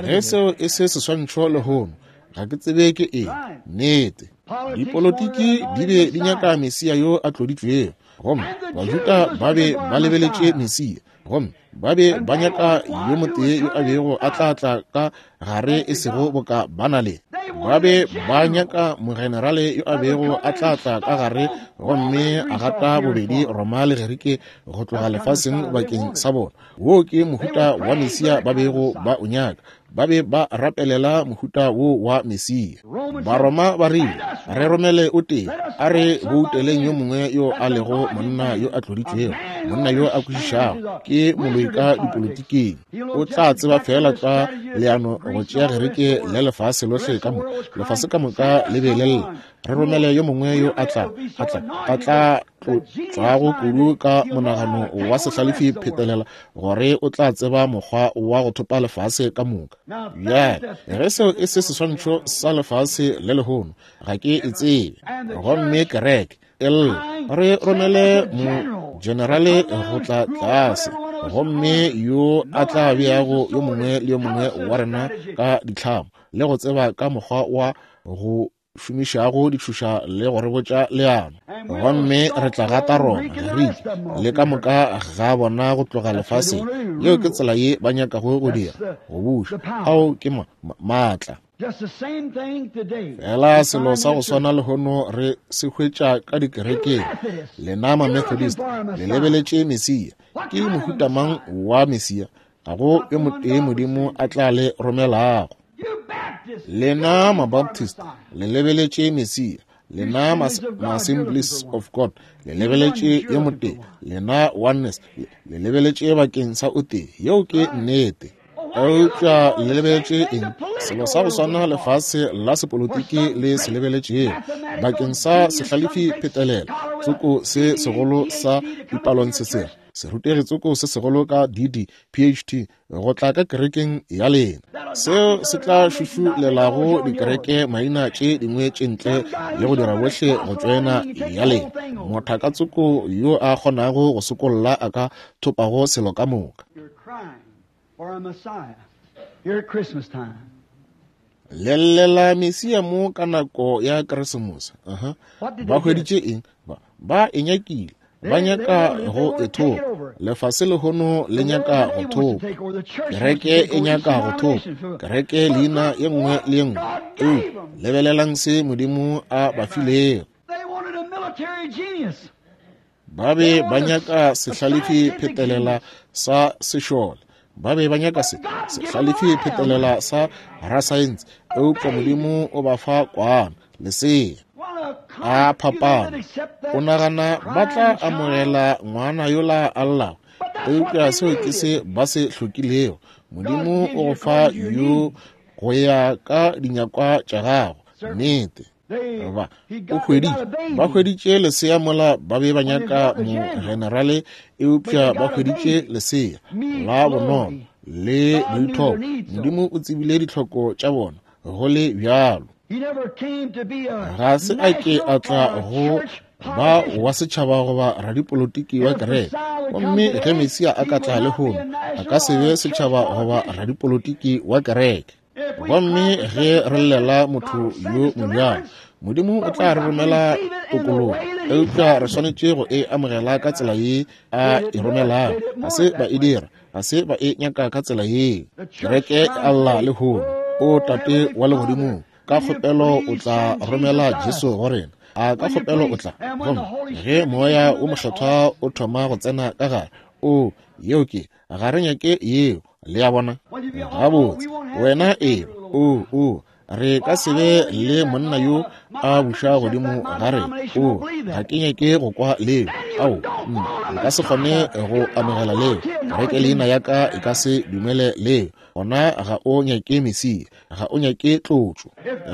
Ge seo e se seswantšho lehono, ga ke tsebe ke eng. Nnete. Dipolotiki di be di nyaka Mesia yo a tloditšwego, gomme Bajuda ba be ba lebeletše Mesia, gomme ba be ba nyaka yo motee yo a bego a tla tla ka gare e sego boka ba na le. Ba be ba nyaka mogenerale yo a bego a tla tla ka gare gomme a gata bobedi Roma le Gerike go tloga lefaseng bakeng sa bona. Wo ke mohuta wa Mesia ba bego ba o nyaka. Ba be ba rapelela mohuta wo wa Mesia. Baroma ba rile, re romele o tee, a re bouteleng yo mongwe yo a lego monna yo a tloditšwego, monna yo a kwešišago, ke moloi ka dipolotiking. O tla tseba fela ka leano go tšea Gerike le lefase lohle ka moka. Lefase ka moka le be le lla. Re romele yo mongwe yo a tla a tla a tla tlotšwago kudu ka monagano wa sehlalefi phetelela gore o tla tseba mokgwa wa go thopa lefase ka moka. Bjale ge seo e se seswantšho sa lefase le lehono, ga ke e tsebe. Gomme kereke e lla, re romele mogenerale go tla tlase, gomme yo a tla beago yo mongwe le yo mongwe wa rena ka ditlhamo le go tseba ka mokgwa wa go šomišago ditšhoša le go re botša leano, gomme re tla gata Roma, Gerike le ka moka ga bona go tloga lefaseng. Yeo ke tsela ye ba nyakago go dira, go buša. Ao ke maatla. Fela selo sa go swana lehono re se hwetša ka dikerekeng. Lena ma-Methodist le lebeletše Mesia. Ke mohuta mang wa Mesia? Ga go yo motee Modimo a tla le romelago. Lena ma-Baptist le lebeletše Mesia. Lena ma-Assemblies of God le lebeletše yo motee. Lena Oneness le lebeletše bakeng sa o tee. Yeo ke nnete. Eupša le lebeletše eng? Selo sa go swana lefase la sepolotiki le se lebeletšego bakeng sa sehlalefi phetelela tsoko se segolo sa dipalong se serutegi tsoko se segolo ka D D P H T go tla ka kerekeng ya lena, seo se tla šušulelago dikereke maina tše dingwe tše ntle le go dira bohle go tšoena ya lena. Mothaka tsoko yo a kgonago go sokolla a ka thopago selo ka moka. Lellela Mesia mo ka nako ya Keresemose. Aha. Ba hweditše eng? Ba, ba e nyakile. Ba nyaka go e thopa. Lefase lehono le nyaka go thopa. Kereke e nyaka go thopa. Kereke leina ye nngwe le ye nngwe. Eupša lebelelang se Modimo a ba filego. Ba be ba nyaka sehlalefi phetelela sa sešole. Ba be ba nyaka se sehlalefi phetelela sa rasaense, eupša Modimo o ba fa kwana, lesea. A phapano. O nagana ba tla amogela ngwana yola a llago, eupša seo ke se ba se hlokilego. Modimo o go fa yo go ya ka dinyakwa tša gago. Nnete. Ba o hweditše, ba hweditše lesea mola ba be ba nyaka mogenerale, eupša ba hweditše lesea la bonolo le boithopo. Modimo o tsebile ditlhoko tša bona go le bjalo. Ga se a ke a tla go ba wa setšhaba goba radipolotiki wa kereke. Gomme ge Mesia a ka tla lehono, a ka se be setšhaba goba radipolotiki wa kereke. Gomme ge re llela motho yo mobjalo, Modimo o tla re romela tokologo, eupša re swanetše go e amogela ka tsela ye a e romelago. Ga se ba e dira, ga se ba e nyaka ka tsela ye. Kereke e alla lehono, o Tate wa legodimong, ka kgopelo o tla romela Jesu go rena. A ka kgopelo o tla. Gomme ge Moya o Mokgethwa o thoma go tsena ka gare, o yeo ke, ga re nyake yeo. Le a bona? Gabotse, wena e, o, o, re ka se be le monna yo a buša godimo ga rena. O, ga ke nyake go kwa leo. Ao, nka se kgone go amogela leo. Kereke leina ya ka e ka se dumele leo. Gona ga o nyake Mesia, ga o nyake tlotšo.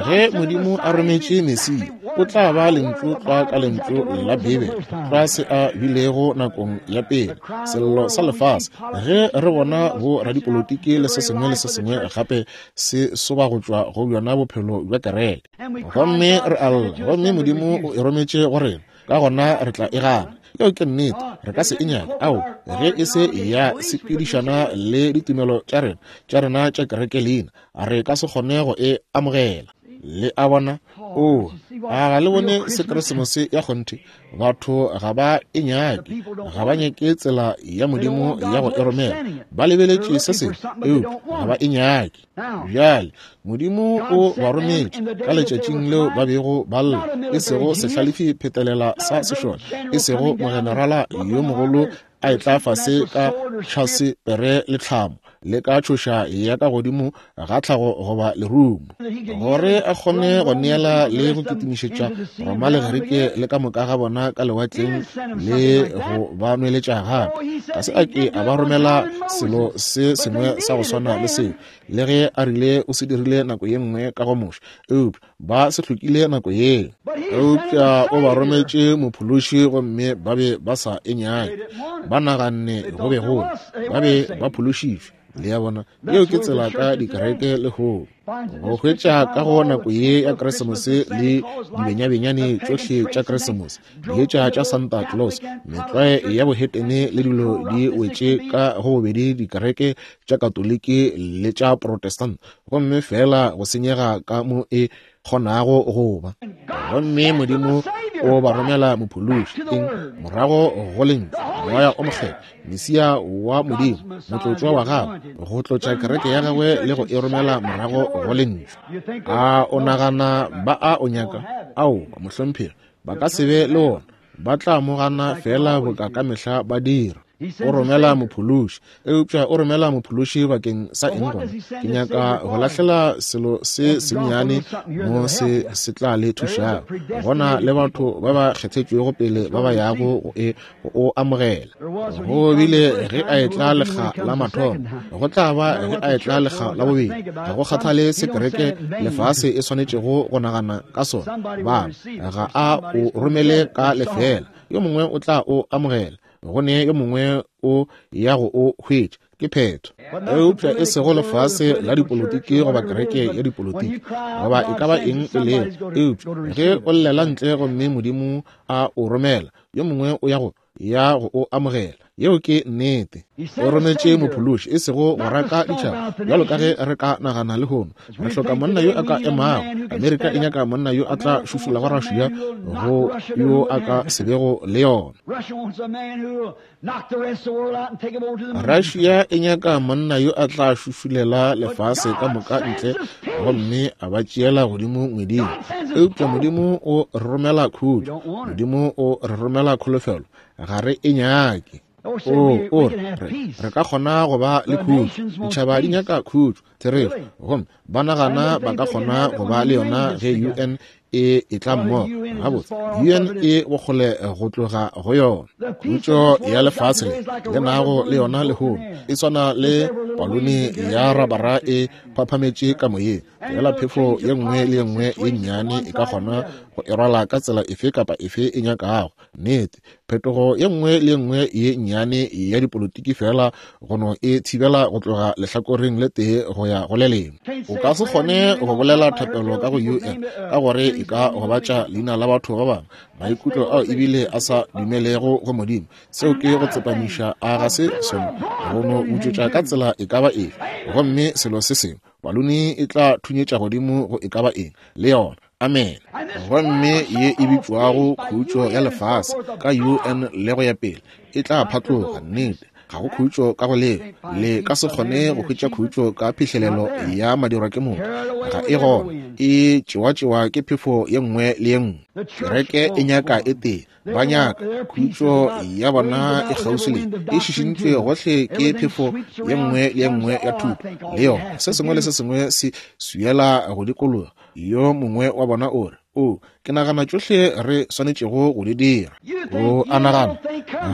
Ge Modimo a rometše Mesia, o tla ba lentšu tlwa ka lentšu la Bibele, tlwa se a bilego nakong ya pele, sello sa lefase. Ge re bona bo radipolotiki le se sengwe le se sengwe gape se soba go tšwa go bjona bophelo bja kereke, gomme re a lla, gomme Modimo o e rometše go rena, ka gona re tla e gana. Yeo ke nnete, re ka se e nyake. Ao, ge e se ya sepedišana le ditumelo tša rena, tša rena tša kereke leina, re ka se kgone go e amogela. Le a bona? O, a ga le bone se Keresemose ya kgonthe? Batho ga ba e nyake, ga ba nyake tsela ya Modimo ya go e romela. Ba lebeletše se sengwe, eupša ga ba e nyake. Bjale, Modimo o ba rometše ka letšatšing leo ba bego ba lla, e sego sehlalefi phetelela sa sešole, e sego mogenerala yo mogolo a etla fase ka tšhase pere le tlhamo le ka tšhoša ya ka godimo ga tlhago goba lerumo, gore a kgone go neela le go kitimišetša Roma le Gerike le ka moka ga bona ka lewatleng le go ba nweletša gape. Ga se a ke a ba romela selo se sengwe sa go swana le seo, le ge a rile o se dirile nako ye nngwe ka go Moshe, eupša ba se hlokile nako yeo. Eupša o ba rometše mophološi, gomme ba be ba sa e nyake. Ba naganne go be go ba be ba phološitšwe. Le a bona? Yeo ke tsela ka dikereke lehono. Go hwetša ka go nako ye ya Keresemose le dibenyabenyane tšohle tša Keresemose, dietša tša Santa Claus, metlwae ya bohetene le dilo di wetše ka go bobedi dikereke tša Katoliki le tša Protestant, gomme fela go senyega ka mo e kgonago go ba. Gomme Modimo o ba romela mophološi, eng? Morago go lentšu, Moya o Mokgethwa, Mesia wa Modimo, motlotšwa wa gagwe, go tlotša kereke ya gagwe le go e romela morago go lentšu. A o nagana ba a o nyaka? Ao, mohlomphegi, ba ka se be le ona. Ba tla mo gana fela boka ka mehla ba dira. O romela mophološi, eupša o romela mophološi bakeng sa eng gona? Ke nyaka go lahlela selo se sennyane mo se se tla le thušago. Gona le batho ba ba kgethetšwego pele ba ba yago go e go o amogela. Go bile ge a etla lekga la mathomo, go tla ba ge a etla lekga la bobedi. Ga go kgathale se kereke lefase e swanetšego go nagana ka sona, ba ga a o romele ka lefela. Yo mongwe o tla o amogela, go ne yo mongwe o ya go o hwetša. Ke phetho. Eupša e sego lefase la dipolotiki goba kereke ya dipolotiki goba e ka ba eng e lego, eupša ge o llela ntle gomme Modimo a o romela, yo mongwe o ya go ya go o amogela. Yeo ke nnete. O rometše mophološi, e sego go raka ditšhaba, bjalo ka ge re ka nagana lehono. Re hloka monna yo a ka emago. Amerika e nyaka monna yo a tla šušulago Russia go yo a ka se bego le yona. Russia e nyaka monna yo a tla šušulela lefase ka moka ntle gomme a ba tšeela godimo ngweding. Eupša Modimo o re romela khutšo. Modimo o re romela kholofelo. Ga re e nyake. O o re re ka kgona go ba le khutšo. Ditšhaba di nyaka khutšo, therešo, gomme ba nagana ba ka kgona go ba le yona ge U N e e tla mmogo. Gabotse, U N e bokgole go tloga go yona. Khutšo ya lefase le le nago le yona lehono e swana le palone ya rabara e phaphametše ka moyeng. Fela phefo ye nngwe le ye nngwe ye nnyane e ka kgona go e rwala ka tsela efe kapa efe e nyakago. Nnete, phetogo ye nngwe le ye nngwe ye nnyane ya dipolotiki fela go no e thibela go tloga lehlakoreng le tee go ya go le lengwe. O ka se kgone go bolela thapelo ka go U N ka gore e ka gobatša leina la batho ba bangwe, maikutlo ao ebile a sa dumelego go Modimo. Seo ke go tsepamiša a ga se sona go no butšwetša ka tsela e ka ba efe. Gomme selo se sengwe, palone e tla thunyetša godimo go e ka ba eng le yona. Amen. Gomme ye e bitšwago khutšo ya lefase ka U N le go ya pele e tla phatloga. Nnete, ga go khutšo ka go leo. Le ka se kgone go hwetša khutšo ka phihlelelo ya madirwa ke motho. Ga e gona, e tšewatšewa ke phefo ye nngwe le ye nngwe. Kereke e nyaka e tee, ba nyaka khutšo ya bona e kgauswi le e šišintšwe gohle ke phefo ye nngwe le ye nngwe ya thuto le yona. Se sengwe le se sengwe se swiela go dikologa. Yo mongwe wa bona o re, o ke nagana tšohle re swanetšego go di dira. O a nagana,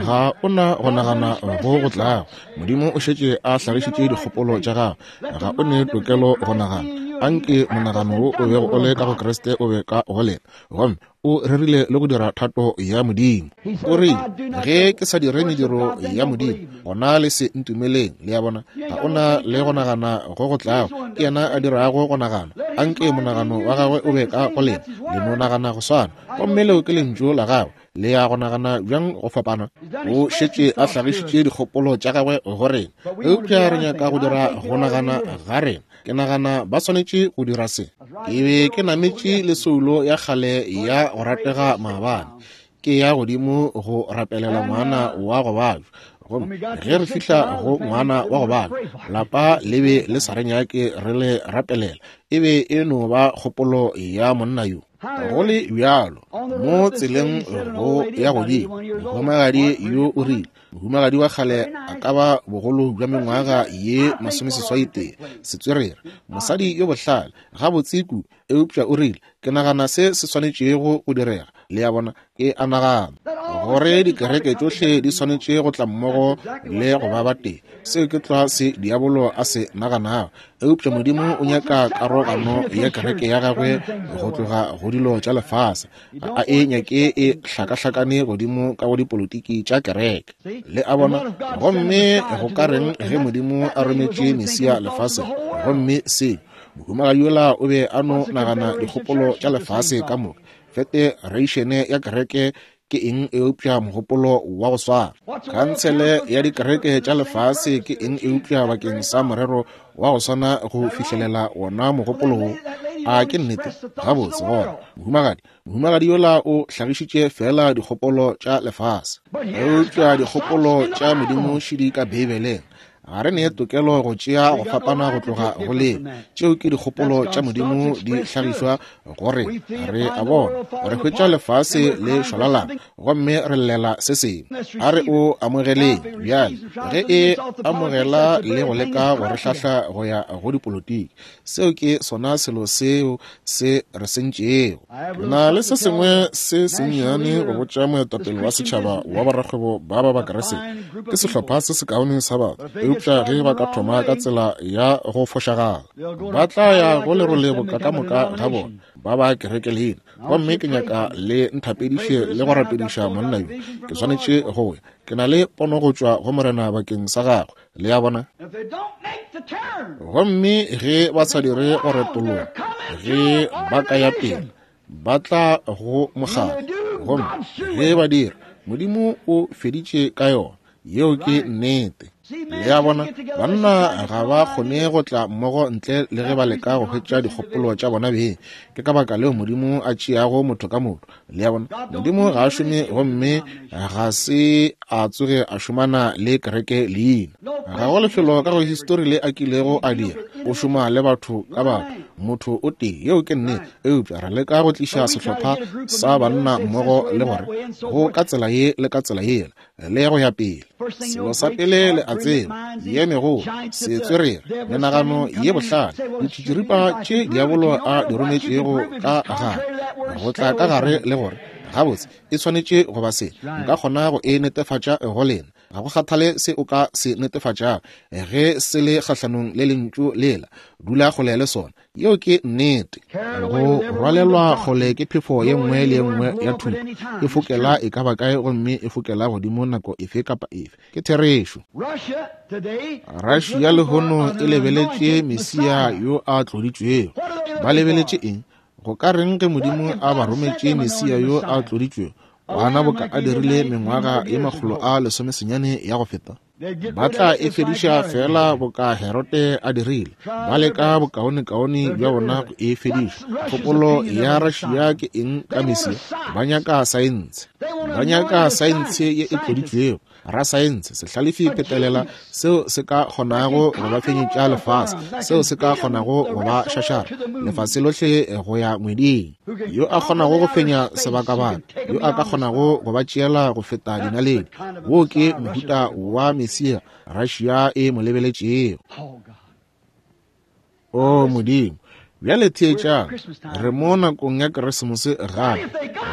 ga o na go nagana go go tlago. Modimo o šetše a hlagišitše dikgopolo tša gagwe. Ga o ne tokelo go nagana. Anke monagano wo o bego o le ka go Kriste o be ka go lena, gomme o rerile le go dira thato ya Modimo. O rile, ge ke sa dire mediro ya Modimo, gona le se ntumeleng. Le a bona, ga o na le go nagana go go tlago. Ke yena a dirago go nagana. Anke monagano wa gagwe o be ka go lena, le no nagana go swana. Gomme leo ke lentšu la gagwe. Le ya go nagana bjang go fapana? O šetše a hlagišitše dikgopolo tša gagwe go rena, eupša re nyaka go dira go nagana ga rena. Ke nagana ba swanetše go dira se. Ke be ke nametše le soulo ya kgale ya go ratega maabane, ke ya godimo go rapelela ngwana wa go babja. Gomme ge re fihla go ngwana wa go babja, lapa le be le sa re nyake re le rapelela. E be e no ba kgopolo ya monna yo. Go le bjalo, mo tseleng go ya godimo, mohumagadi yo o rile, mohumagadi wa kgale a ka ba bogolo bja mengwaga ye masomeseswai tee, setswerere, mosadi yo bohlale, gabotse kudu, eupša o rile, ke nagana se se swanetšego go direga. Le a bona, ke a nagana gore dikereke tšohle di swanetše go tla mmogo le go ba batee. Seo ke tlwa se diabolo a se naganago. Eupša Modimo o nyaka karogano ya kereke ya gagwe go tloga go dilo tša lefase. Ga a e nyake e hlakahlakane godimo ka go dipolotiki tša kereke. Le a bona, gomme go ka reng ge Modimo a rometše Mesia lefaseng? Gomme se mohumagadi yola o be a no nagana dikgopolo tša lefase ka moka. Federation ya kereke ke eng eupša mogopolo wa go swana? Khansele ya dikereke tša lefase ke eng eupša bakeng sa morero wa go swana go fihlelela wona mogopolo wo? A ke nnete? Gabotse gona, mohumagadi mohumagadi yola o hlagišitše fela dikgopolo tša lefase, eupša dikgopolo tša Modimo šidi ka Beibeleng. Ga re ne tokelo go tšea go fapana go tloga go le tšeo ke dikgopolo tša Modimo di hlagišwa gore re a bona. Re hwetša lefase le šwalalana gomme re llela se sengwe. A re o amogeleng bjale ge e amogela le go leka go re hlahla go ya go dipolotiki. Seo ke sona selo seo se re sentšego. Na le se sengwe se sennyane go botša moetapele wa setšhaba wa borakgwebo ba ba Bakeresete. Ke sehlopha se sekaone sa batho, eupša ge ba ka thoma ka tsela ya go fošagala, ba tla ya go lerole boka ka moka ga bona ba ba kereke leina. Gomme ke nyaka le nthapediše le go rapediša monna yo. Ke swanetše go ya. Ke na le pono go tšwa go Morena bakeng sa gagwe. Le a bona? Gomme ge ba sa dire go retologa, ge ba ka ya pele, ba tla go mokgatlo. Gomme ge ba dira, Modimo o feditše ka yona. Yeo ke nnete. Le a bona, banna ga ba kgone go tla mmogo ntle le ge ba leka go hwetša dikgopolo tša bona beng. Ke ka baka leo Modimo a tšeago motho ka motho. Le a bona, Modimo ga a šome gomme ga se a tsoge a šomana le kereke leina. Ga go lefelo ka go histori le a kilego a dira. O šoma le batho ka batho, motho o tee. Yeo ke nnete. Eupša re leka go tliša sehlopha sa banna mmogo le gore go ka tsela ye le ka tsela yela le go ya pele. Selo sa pele le a tseba, ye megolo, setswerere, menagano ye bohlale, ditšitširipa tše diabolo a di rometšego ka gare, go tla ka gare le gore, gabotse, e swanetše go ba se. Nka kgona go e netefatša go lena. Ga go kgathale se o ka se netefatšago, ge se le kgahlanong le lentšu lela, dula kgole le sona. Yeo ke nnete. Go rwalelwa kgole ke phefo ye nngwe le ye nngwe ya thuto, e fokela e ka ba kae gomme e fokela godimo nako efe kapa efe. Ke therešo. Russia lehono e lebeletše Mesia yo a tloditšwego. Ba lebeletše eng? Go ka reng ge Modimo a ba rometše Mesia yo a tloditšwego, gona boka a dirile mengwaga ye makgolo a lesomesenyane ya go feta? Ba tla e fediša fela boka Herode a dirile. Ba leka bokaonekaone bja bona go e fediša. Kgopolo ya Russia ke eng ka Mesia? Ba nyaka saense. Ba nyaka saense ye e tloditšwego, rasaense, sehlalefi phetelela, seo se ka kgonago go ba fenyetša lefase, seo se ka kgonago go ba šašara lefase lohle go ya ngweding, yo a kgonago go fenya sebakabaka, yo a ka kgonago go ba tšeela go feta dinaledi. Wo ke mohuta wa Mesia Russia e mo lebeletšego. O Modimo, bjale theetšang, re mo nakong ya Keresemose gape.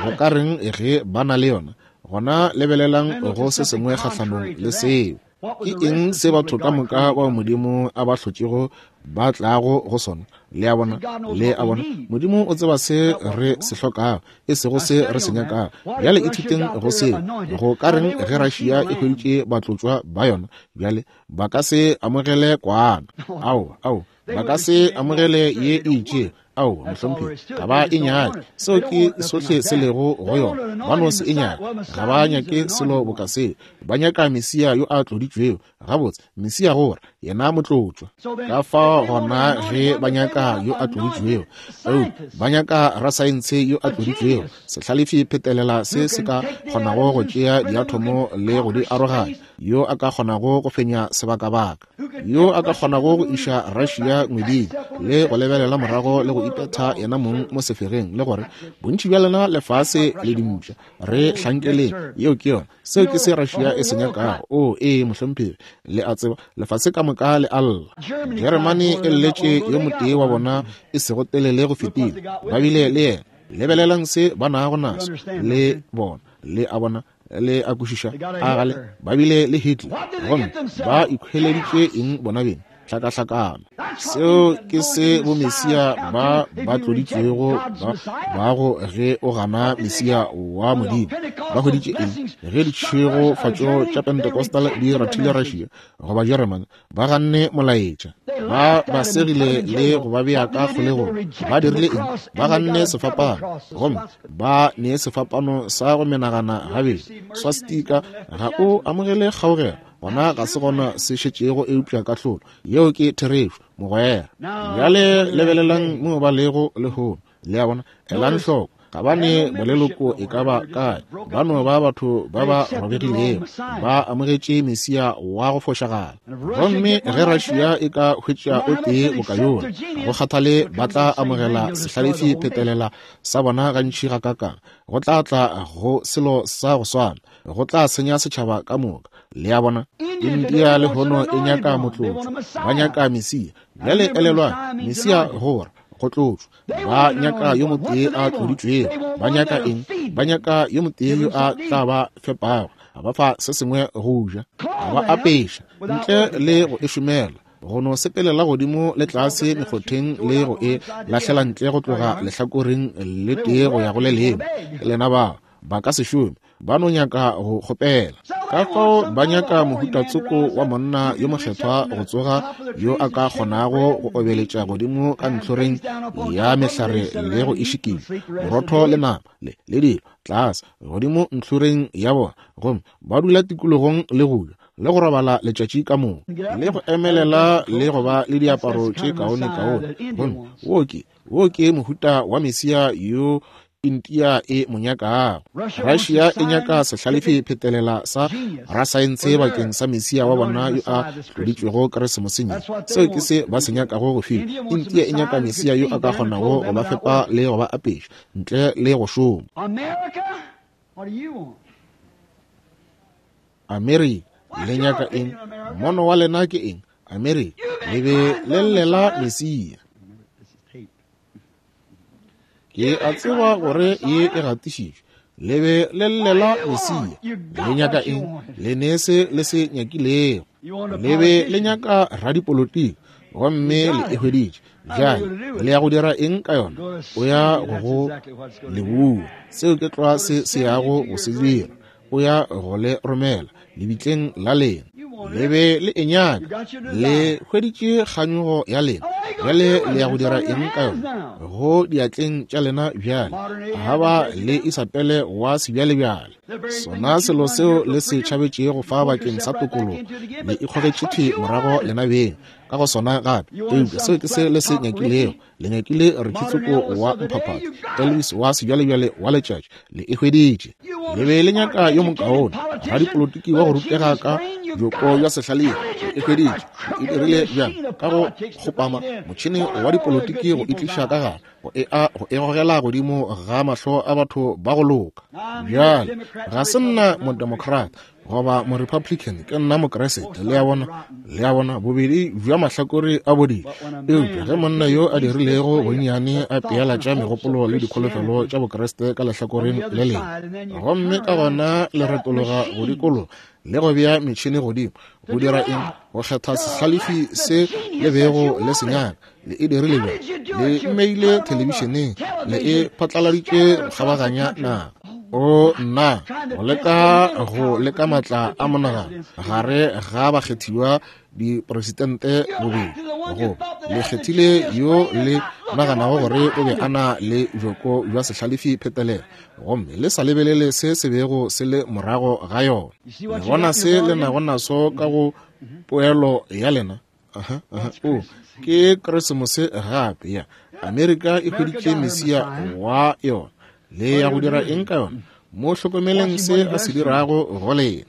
Go ka reng ge ba na le yona? Gona lebelelang go se sengwe kgahlanong le seo. Ke eng se batho ka moka bao Modimo a ba hlotšego ba tlago go sona? Le a bona, le a bona, Modimo o tseba se re se hlokago, e sego se re se nyakago. Bjale ithuteng go seo. Go ka reng ge Russia e hweditše batlotšwa ba yona? Bjale ba ka se amogele kwana. Ao, ao, ba ka se amogele ye e itšego. Ao, mohlomphegi, ga ba e nyake. Seo ke sohle se lego go yona. Ba no se e nyake. Ga ba nyake selo boka seo. Ba nyaka Mesia yo a tloditšwego. Gabotse, Mesia gore yena motlotšwa. Ka fao gona ge ba nyaka yo a tloditšwego, oh, ba nyaka rasaense yo a tloditšwego, sehlalefi phetelela se se ka kgonago go tšea diathomo le go di aroganya, yo a ka kgonago go fenya sebakabaka, yo a ka kgonago go iša Russia ngweding le go lebelela morago le go ipetha yena mong mo sefegeng le gore bontši bja lena lefase le dimpša re hlankeleng. Yeo ke yona. Seo ke se Russia e se nyakago. O ee, mohlomphegi, le a tseba lefase ka moka le a lla. Jeremane e lletše yo motee wa bona e sego telele go fetile. Ba bile le yena. Lebelelang se ba nago naso le bona. Le a bona, le a kwešiša, a gale ba bile le Hitler, gomme ba ikhweleditše eng bona beng? Hlakahlakano. Seo ke se bomesia ba ba tloditšwego ba bago ge o gana Mesia wa Modimo. Ba hweditše eng ge ditšhegofatšo tša Pentecostal di rathile Russia goba Jeremane? Ba ganne molaetša, ba ba segile le go ba bea ka kgolegong. Ba dirile eng? Ba ganne sefapano, gomme ba ne sefapano sa go menagana gabedi. Swastika ga o amogele kgaogelo, gona ga se gona se šetšego eupša kahlolo. Yeo ke therešo, mogwera. Bjale lebelelang mo ba lego lehono. Le a bona, elang hloko. Ga ba ne boleloko e ka ba kae. Ba no ba batho ba ba robegilego, ba amogetše Mesia wa go fošagala. Gomme ge Russia e ka hwetša o tee boka yola, go kgathale ba tla amogela sehlalefi phetelela sa bona gantši gakakang. Go tla tla go selo sa go swana, go tla senya setšhaba ka moka. Le a bona, India lehono e nyaka motlotšwa, ba nyaka Mesia. Bjale elelwang, Mesia gore go tlotšwa. Ba nyaka yo motee a tloditšwego. Ba nyaka eng? Ba nyaka yo motee yo a tla ba fepago, a ba fa se sengwe go ja, a ba apeša ntle le go e šomela, go no sepelela godimo le tlase mekgotheng le go e lahlela ntle go tloga lehlakoreng le tee go ya go le lengwe. Lena bao ba ka se šome, ba no nyaka go kgopela. Ka fao ba nyaka mohuta tsoko wa monna yo mokgethwa go tsoga, yo a ka kgonago go obeletša godimo ka ntlhoreng ya mehlare le go e šikinya, borotho le nama le le dilo tlase godimo ntlhoreng ya bona, gomme ba dula tikologong le go ja le go robala letšatši ka moka le go emelela le go ba le diaparo tše kaone kaone. Gomme wo ke wo ke mohuta wa Mesia yo India e mo nyakago. Russia e nyaka sehlalefi phetelela sa rasaense bakeng sa Mesia wa bona yo a tloditšwego Keresemoseng ye. Seo ke se ba se nyakago go fiwa. India e nyaka Mesia yo a ka kgonago go ba fepa le go ba apeša ntle le go šoma. Amerika, Le nyaka eng? Mono wa lena ke eng? Amerika, le be le llela Mesia. Ke a tseba gore ye e gatišitšwe. Le be le llela Mesia. Le nyaka eng? Le ne se le se nyakilego. Le be le nyaka radipolotiki, gomme le e hweditše. Bjale le ya go dira eng ka yona? O ya go go le bua. Seo ke tlwa se se yago go se dira. O ya go le romela lebitleng la lena. Le be le e nyaka. Le hweditše kganyogo ya lena. Bjale le ya go dira eng ka yona? Go diatleng tša lena bjale. Ga ba le Isabele wa sebjalebjale. Sona selo seo le se tšhabetšego fa bakeng sa tokologo, le ikgogetše thwi morago lena beng ka go sona gape. Eupša seo ke se le se nyakilego. Le nyakile Rikitsoko wa mphaphatho, Elvis wa sebjalebjale wa letšatši. Le e hweditše. Le be le nyaka yo mokaone, radipolotiki wa go rutega ka bjoko bja sehlalefi. Le e hweditše. Le e dirile bjang? Ka go kgopama motšhene wa dipolotiki go e tliša ka gare, go e a go e gogela godimo ga mahlo a batho ba go loka. Bjale ga se nna modemocrat goba morepublican, ke nna mokeresete. Le a bona, le a bona, bobedi bja mahlakore a bodile. Eupša ge monna yo a dirilego bonnyane a pealatša megopolo le dikholofelo tša bokeresete ka lehlakoreng le lengwe, gomme ka gona le retologa go dikologa le go bea metšhene godimo, go dira eng? Go kgetha sehlalefi se le bego le se nyaka. Le e dirile bjang? Le mmeile thelebišeneng, le e phatlaladitše go kgabaganya naga. O nna, go leka go leka matla a monagano gare ga bakgethiwa dipresidente bobedi. Go le kgethile yo le naganago gore o be a na le bjoko bja sehlalefi phetelela, gomme le sa lebelele se se bego se le morago ga yona. Le bona se le nago naso ka go poelo ya lena. Aha, aha, o ke Keresemose gape. Ya Amerika e hweditše Mesia wa yona. Le ya go dira eng ka yona? Mo hlokomeleng se a se dirago go lena.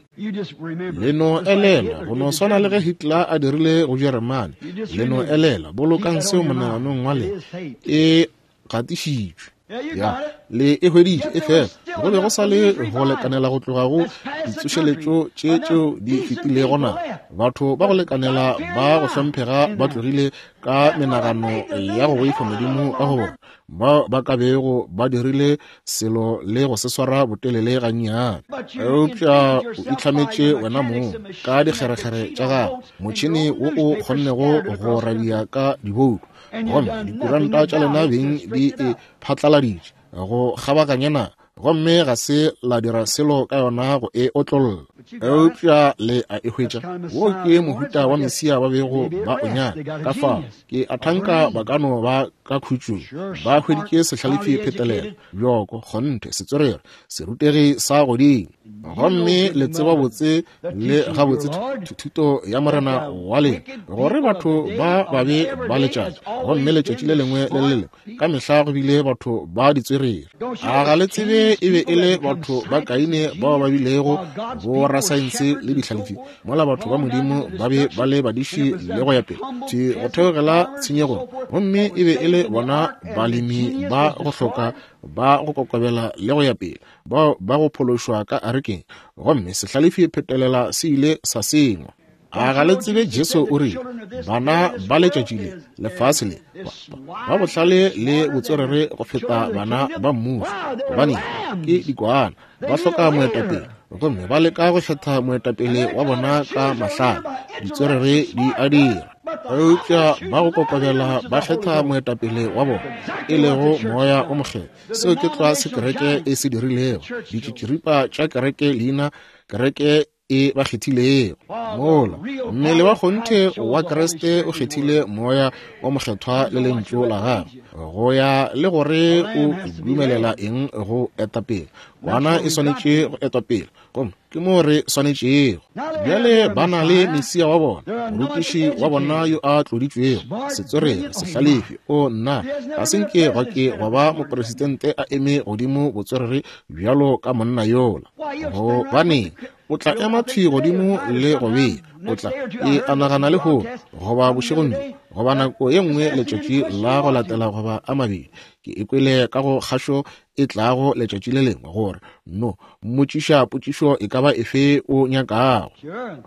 Le no elela, go no swana le ge Hitler a dirile go Jeremane. Le no elela, bolokang seo monaganong wa lena. E gatišitšwe. Ya, le e hweditše, e fela go be go sa le go lekanela go tloga go ditsošeletšo tše tšeo di fetilego na. Batho ba go lekanela ba go hlomphega ba tlogile ka menagano ya go boifa Modimo ka go bona, bao ba ka bego ba dirile selo le go se swara botelele gannyane. Eupša o itlhametše wena mong ka dikgerekgere tša gago, motšhene wo o kgonnego go radia ka diboutu, gomme dikuranta tša lena beng di e phatlaladitše go kgabaganya naga, gomme ga se la dira selo ka yona go e otlolla. Eupša le a e hwetša. Wo ke mohuta wa Mesia ba bego ba o nyaka. Ka fao ke a thanka ba ka no ba ka khutšong. Ba hweditše sehlalefi phetelela, bjoko, kgonthe, setswerere, serutegi sa godimo. Gomme le tseba botse le gabotse thuto ya Morena wa lena, gore batho ba babe ba letšatši, gomme letšatši le lengwe le le lengwe ka mehla go bile batho ba ditswerere. A ga le tsebe e be e le batho ba Kaine bao ba bilego borasaense le dihlalefi, mola batho ba Modimo ba be ba le badiši le go ya pele thwi go theogela tshenyegong, gomme e be e le bona balemi ba go hloka ba go kokobela le go ya pele bao ba go phološwa ka arekeng, gomme sehlalefi phetelela se ile sa sengwa. A ga le tsebe Jesu o rile, bana ba letšatši le, lefase le, ba bohlale le botswerere go feta bana ba mmušo, gobane ke dikwana, ba hloka moetapele, gomme ba leka go kgetha moetapele wa bona ka mahlale. Ditswerere di a dira, eupša ba go kokobela ba kgetha moetapele wa bona, e lego Moya o Mokgethwa. Seo ke tlwa se kereke e se dirilego. Ditšitširipa tša kereke leina kereke e ba kgethilego. Mola mmele wa kgonthe wa Kriste o kgethile Moya o Mokgethwa le lentšu la gagwe, go ya le gore o dumelela eng go eta pele. Kwana e swanetše go etwa pele, gomme ke mo re swanetšego. Bjale ba na le Mesia wa bona, morutiši wa bona yo a tloditšwego, setswerere, sehlalefi. O nna, ga se nke gwa ke gwa ba mopresidente a eme godimo botswerere bjalo ka monna yola. Gobaneng, o tla ema thwi godimo le go bea, o tla e a nagana lehono goba bošegong bjo, goba nako ye nngwe letšatši la go latela goba a mabedi. Ke ikwele ka go kgašo e tlago letšatši le lengwe gore no mmotšiša potšišo e ka ba efe o nyakago.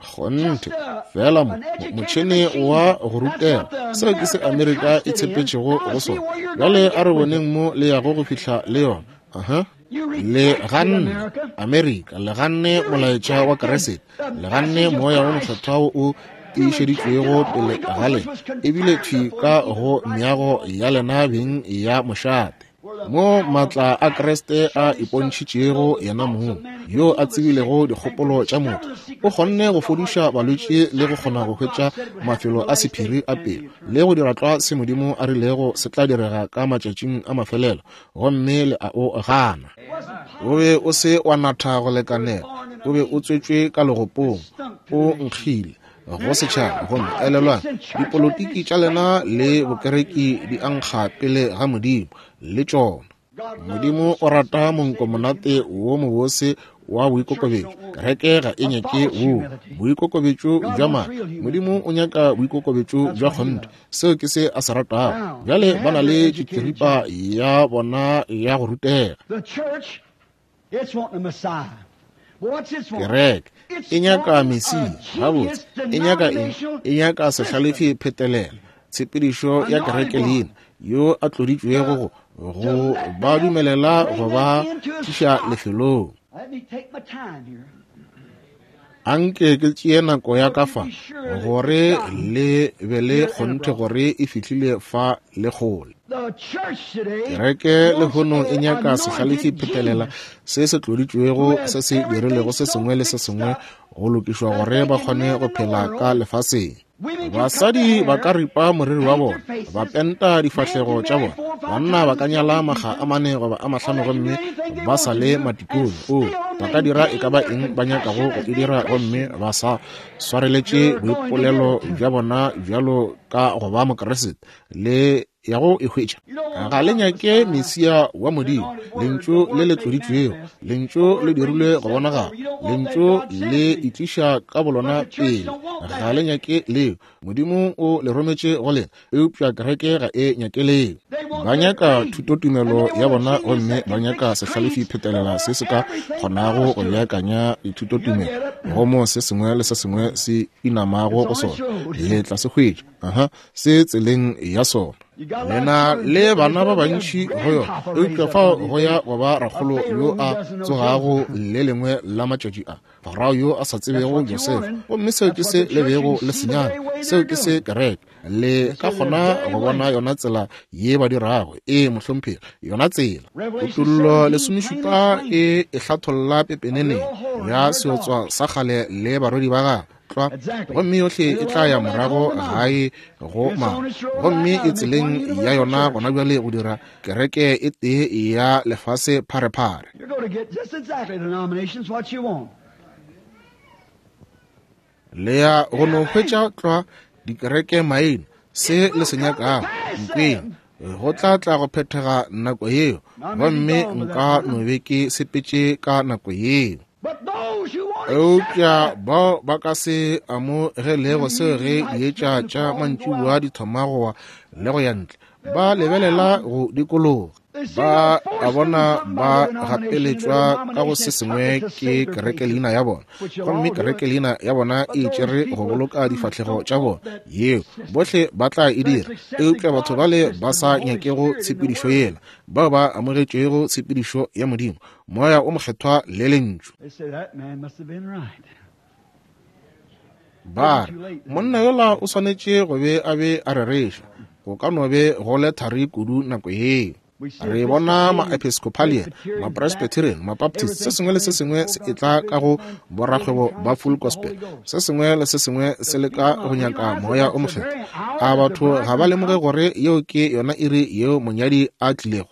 Kgonthe fela mo motšhene wa go rutega, seo ke se Amerika e tshepetšego go sona. Bjale a re boneng mo le yago go fihla le yona. Aha. Le ganne Amerika, le ganne molaetša wa Kriste, le ganne moya wo mokgethwa wo o tiišeditšwego pele ga lena, ebile thwi ka go meago ya lena beng ya mošate, mo maatla a Kriste a ipontšhitšego yena mong, yo a tsebilego dikgopolo tša motho, o kgonne go fodiša balwetši le go kgona go hwetša mafelo a sephiri a pelo, le go dira tlwa se Modimo a rilego se tla direga ka matšatšing a mafelelo, gomme le a o gana. O be o se wa natha go lekanela, o be o tswetšwe ka legopong, o nkgile go setšhaba. Gomme elelwang, dipolotiki tša lena le bokereki di ankga pele ga Modimo le tšona. Modimo o rata monko monate wo mobose wa boikokobetšo. Kereke ga e nyake wo boikokobetšo bja maaka. Modimo o nyaka boikokobetšo bja kgonthe. Seo ke se a se ratago. Bjale ba na le tšikiripa ya bona ya go rutega. Kereke e nyaka Mesia. Gabotse e nyaka eng? E nyaka sehlalefi phetelela, tshepedišo ya kereke leina, yo a tloditšwego go go ba dumelela go ba tliša lefelong. Anke ke tšee nako ya ka fa gore le be le kgonthe gore e fihlile fa le kgole. Kereke lehono e nyaka sehlalefi phetelela se se tloditšwego, se se dirilego se sengwe le se sengwe go lokišwa gore ba kgone go phela ka lefaseng. Basadi ba ka ripa moriri wa bona, ba penta difahlego tša bona, banna ba ka nyala makga a mane goba a mahlano gomme ba sa le matikone. O ba ka dira e ka ba eng ba nyakago go e dira gomme ba sa swareletše boipolelo bja bona bjalo ka go ba Mokriste le ya go e hwetša. Ga le nyake Mesia wa Modimo, lentšu le le tloditšwego, lentšu le dirilwe go bonagala, lentšu le itliša ka bolona pele. Ga le nyake leo. Modimo o le rometše go lena, eupša kereke ga e nyake leo. Ba nyaka thutotumelo ya bona gomme ba nyaka sehlalefi phetelela se se ka kgonago go beakanya dithutotumelo go mo se sengwe le se sengwe se inamago go sona. Le tla se hwetša, aha, se tseleng ya sona. Lena le bana ba bantši go yona, eupša fao go ya go ba rakgolo yo a tsogago le lengwe la matšatši a, Farao yo a sa tsebego Josefa. Gomme seo ke se le bego le senyana, seo ke se kereke. Le ka kgona go bona yona tsela ye ba dirago. Ee, mohlomphegi, yona tsela. Kutollo lesomešupa e e hlatholla pepeneneng ya seotswa sa kgale le barwedi ba gagwe tlwa, gomme yohle e tla ya morago gae go mama, gomme e tseleng ya yona gona bjale go dira kereke e tee ya lefase pharephare. Le ya go no hwetša tlwa dikereke maina se le se nyakago. Nkweng, go tla tla go phethega nako yeo, gomme nka no be ke sepetše ka nako yeo. Eupša bao ba ka se amogelego seo ge dietša tša mantšiboa di thoma go wa le go ya ntle, ba lebelela go dikologa, ba a bona ba gapeletšwa ka go se sengwe ke kereke leina ya bona, gomme kereke leina ya bona e tšere go boloka difahlego tša bona. Yeo bohle ba tla e dira, eupša batho bale ba sa nyakego tshepedišo yela, bao ba amogetšego tshepedišo ya Modimo, Moya o Mokgethwa le lentšu, ba re monna yola o swanetše go be a be a rereša. Go ka no be go le thari kudu nako yeo. Re bona ma-Episcopalian, ma-Presbyterian, ma-Baptist, se sengwe le se sengwe se etla ka go borakgwebo ba full gospel, se sengwe le se sengwe se leka go nyaka Moya o Mokgethwa. A batho ga ba lemoge gore yeo ke yona iri yeo monyadi a tlilego?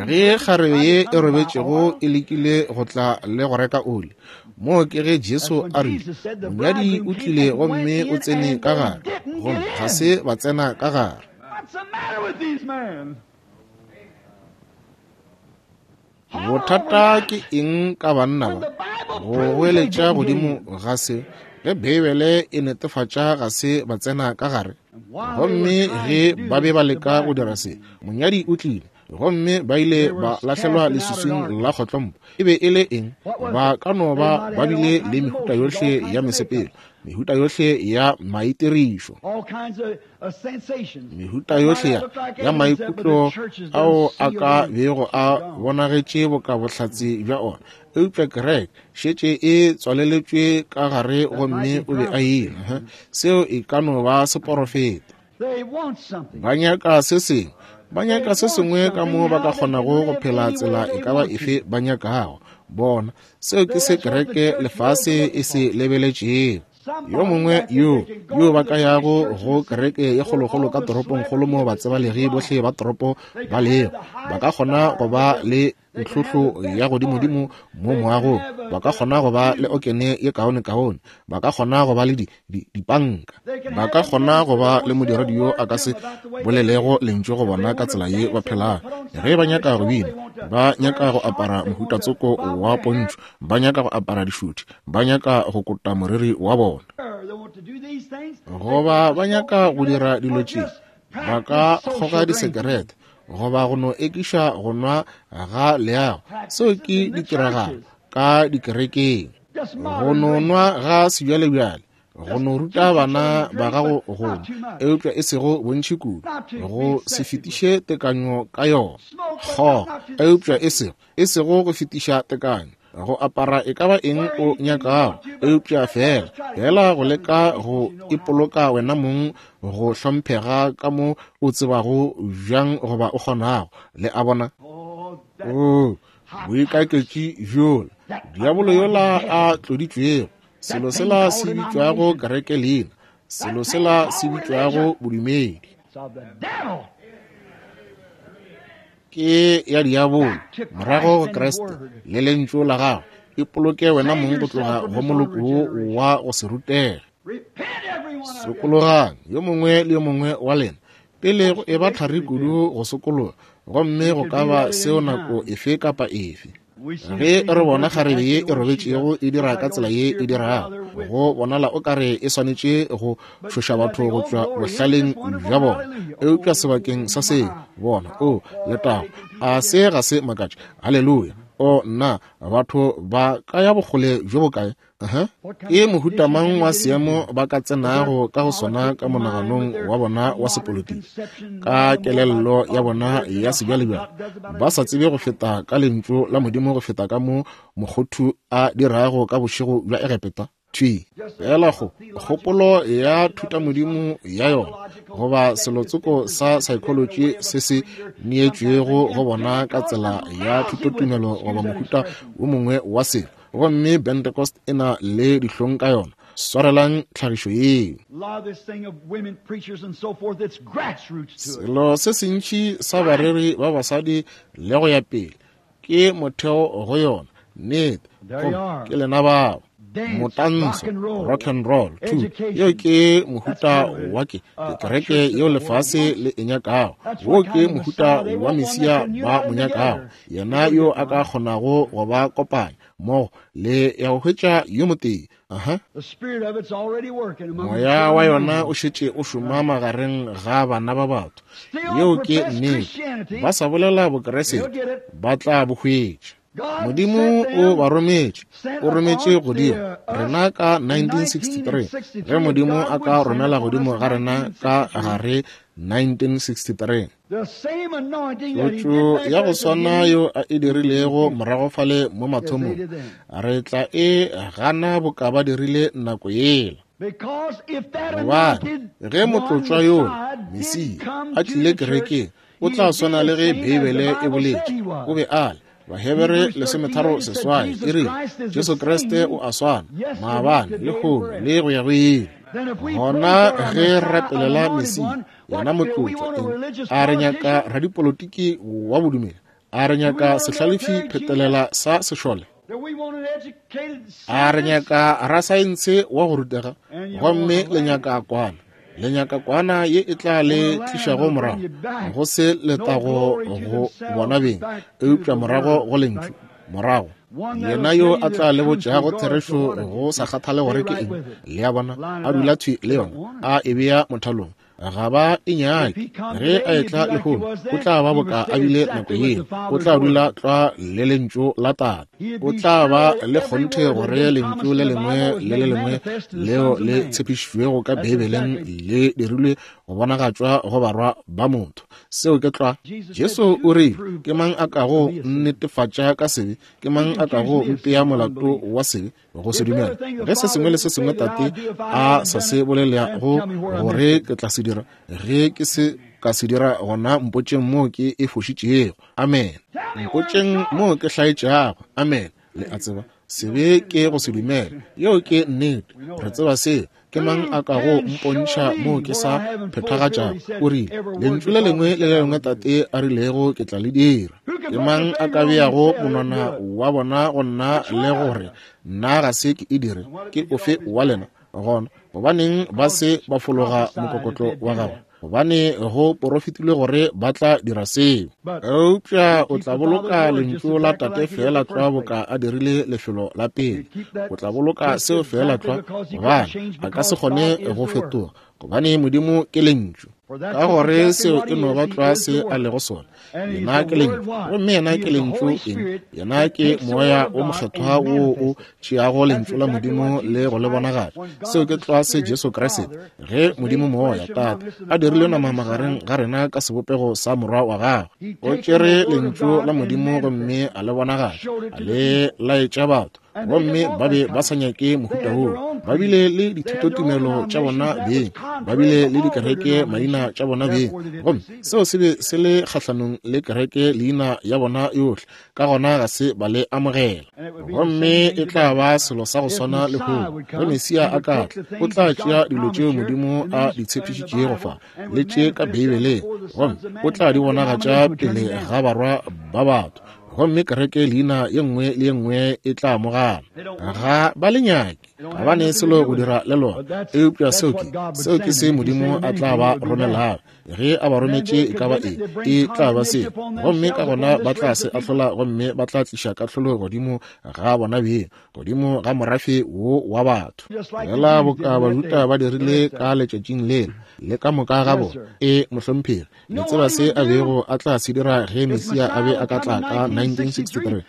Ge kgarebe ye e robetšego e lekile go tla le go reka oli, moo ke ge Jesu a rile, monyadi o tlile gomme o tsene ka gare, gomme ga se ba tsena ka gare. Bothata ke eng ka banna ba? Go goeletša godimo ga se, Ge Beibele e netefatša ga se ba tsena ka gare. Gomme ge ba be ba leka go dira se, monyadi o tlile, gomme ba ile ba lahlelwa leswiswing la kgotlompo. E be e le eng? Ba ka no ba ba bile le mehuta yohle ya mesepelo, mehuta yohle ya maitirišo, mehuta yohle ya maikutlo ao a ka bego a bonagetše boka bohlatse bja ona. Eupša kereke šetše e tswaleletšwe ka gare, gomme o be a ile. Seo e ka no ba seporofeta. Ba nyaka se sengwe, ba nyaka se sengwe ka mo ba ka kgonago go phela tsela e ka ba efe ba nyakago. Bona, seo ke se kereke lefase e se lebeletšego. Yo mongwe yo yo ba ka yago go kereke ye kgolokgolo ka toropongkgolo mo batsebalegi bohle ba toropo ba lego, ba ka kgona go ba le ntlhohlo ya godimodimo mo moagong, ba ka kgona go ba le okene ye kaonekaone, ba ka kgona go ba le dipanka, ba ka kgona go ba le modiredi yo a ka se bolelego lentšu go bona ka tsela ye ba phelago. Ge ba nyaka go bina, ba nyaka go apara mohutatsoko wa pontšho, ba nyaka go apara dišuthi, ba nyaka go kota moriri wa bona, goba ba nyaka go dira dilo tše, ba ka kgoga disekerete, goba go no ekiša go nwa ga leago. Seo ke ditiragalo ka dikerekeng, go no nwa ga sebjalebjale, go no ruta bana ba gago go nwa, eupša e sego bontši kudu, go se fetiše tekanyo ka yona. Kgoga, eupša e sego e sego go fetiša tekanyo. Go apara e ka ba eng o nyakago, eupša fela fela go leka go ipoloka wena mong go hlomphega ka mo o tsebago bjang goba o kgonago. Le a bona? O boikaketši bjola, diabolo yola a tloditšwego, selo sela se bitšwago kereke leina, selo sela se bitšwago bodumedi, ke ya diabolo. Morago go Kriste le lentšu la gagwe, ipoloke wena mong go tloga go moloko wo wa go se rutege. Sokologang yo mongwe le yo mongwe wa lena pele go eba thari kudu go sokologa, gomme go ka ba seo nako efe kapa efe. Ge re bona kgarebe ye e robetšego e dira ka tsela ye e dirago, go bonala o kare e swanetše go tšhoša batho go tšwa bohlaleng bja bona. Eupša sebakeng sa seo, bona, o letago, a se ga se makatše? Haleluya! O nna, batho ba ka ya bokgole bjo bokae? Aha. Ke mohuta mang wa seemo ba ka tsenago ka go sona ka monaganong wa bona wa sepolitiki, ka kelello ya bona ya sebjalebjale, ba sa tsebe go feta ka lentšu la Modimo go feta ka mo mokgothu a dirago ka bošego bja Egepeta? Thwi fela go kgopolo ya thutamodimo ya yona, goba selotsoko sa psychology se se neetšwego go bona ka tsela ya thutotumelo goba mohuta wo mongwe wa selo, gomme Pentecost e na le dihlong ka yona. Swarelang tlhagišo yeo. Selo se sentši sa bareri ba basadi le go ya pele ke motheo go yona. Nnete, gomme ke lena bao. Motantsho, rock and roll, two. Yeo ke mohuta wa ke kereke yeo lefase le e nyakago. Wo ke mohuta wa mesia ba mo nyakago, yena yo a ka kgonago go ba kopanya mmogo le ya go hwetša yo motee. Aha. Moya wa yona o šetše o šoma magareng ga bana ba batho. Yeo ke nnete. Ba sa bolela Bokeresete, ba tla bo hwetša. Modimo o ba rometše, o rometše godimo rena ka nineteen sixty-three, ge Modimo a ka romela godimo ga rena ka gare nineteen sixty-three. Tlotšo ya go swana yo a e dirilego morago fale mo mathomong, re tla e gana boka ba dirile nako yela. Gobane ge motlotšwa yola, Mesia, a tlile kerekeng, o tla swana le ge Beibele e boletše o be a le. Bahebere lesometharo seswai e rile Jesu Kriste o a swana maabane, lehono le go ya go ile. Gona ge re rapelela Mesia, yena motlotšwa, eng? A re nyaka radipolotiki wa bodumedi? A re nyaka sehlalefi phetelela sa sešole? A re nyaka rasaense wa go rutega? Gomme le nyaka kwana, le nyaka kwana ye e tla le tlišago morago go se letago go bona beng, eupša morago go lentšu, Morago yena yo a tla le botšago therešo go sa kgathale gore ke eng, le a bona, a dula thwi le yona, a e bea mothalong, ga ba e nyake. Ge a etla lehono, o tla ba boka a bile nako yeo, o tla dula tlwa le lentšu la Tate. O tla ba le kgonthe gore lentšu le lengwe le le lengwe leo le tshepišitšwego ka Beibeleng le dirilwe go bonagatšwa go barwa ba motho. Seo ke tlwa. Jesu o rile, ke mang a kago netefatša ka sebe? Ke mang a kago mpea molato wa sebe? Go se dumela. Ge se sengwe le se sengwe Tate a sa se bolelago gore ke tla se dira, ge ke se ka se dira, gona mpotšeng moo ke e fošitšego. Amen. Mpotšeng moo ke hlaetšago. Amen. Le a tseba, sebe ke go se dumela. Yeo ke nnete. Re tseba seo. Ke mang a kago mpontšha moo ke sa phethagatšago? O rile, lentšu le lengwe le le lengwe Tate a rilego ke tla le dira. Ke mang a ka beago monwana wa bona go nna le gore nna ga se ke e dire? Ke ofe wa lena? Gona gobaneng ba se ba fologa mokokotlo wa gagwe? Gobane go porofetilwe gore ba tla dira seo. Eupša o tla boloka lentšu la Tate feela tlwa boka a dirile lefelo la pele. O tla boloka seo feela tlwa, gobane a ka se kgone go fetoga, gobane Modimo ke lentšu. Ka gore seo e no ba tlwa se a lego sona. Yena ke lentšu, gomme yena ke lentšu eng? Yena ke Moya o Mokgethwa wo o tšeago lentšu la Modimo le go le bonagatša. Seo ke tlwa se Jesu Kriste, ge Modimo Moya Tate a dirile nama magareng ga rena ka sebopego sa Morwa wa gagwe, o tšere lentšu la Modimo gomme a le bonagatša, a le laetša batho. Gomme ba be ba sa nyake mohuta woo. Ba bile le dithutotumelo tša bona beng, ba bile le dikereke maina tša bona beng, gomme seo se be se le kgahlanong le kereke leina ya bona yohle, ka gona ga se ba le amogela. Gomme e tla ba selo sa go swana lehono. Ge Mesia a ka tla, o tla tšea dilo tšeo Modimo a di tshepišitšego fa le tše ka Beibeleng, gomme o tla di bonagatša pele ga barwa ba batho. Gomme kereke leina ye nngwe le ye nngwe e tla amogana. Ga ba le nyake, ga ba ne selo go dira le lona. Eupša seo ke seo ke se Modimo a tla ba romelago. Ge a ba rometše e ka ba eng, e tla ba seo. Gomme ka gona ba tla se ahlola, gomme ba tla tliša kahlolo godimo ga bona beng, godimo ga morafe wo wa batho. Fela boka Bajuda ba dirile ka letšatšing lela, le ka moka ga bona. E mohlomphegi, le tseba se a bego a tla se dira ge Mesia a be a ka tla ka nineteen sixty-three?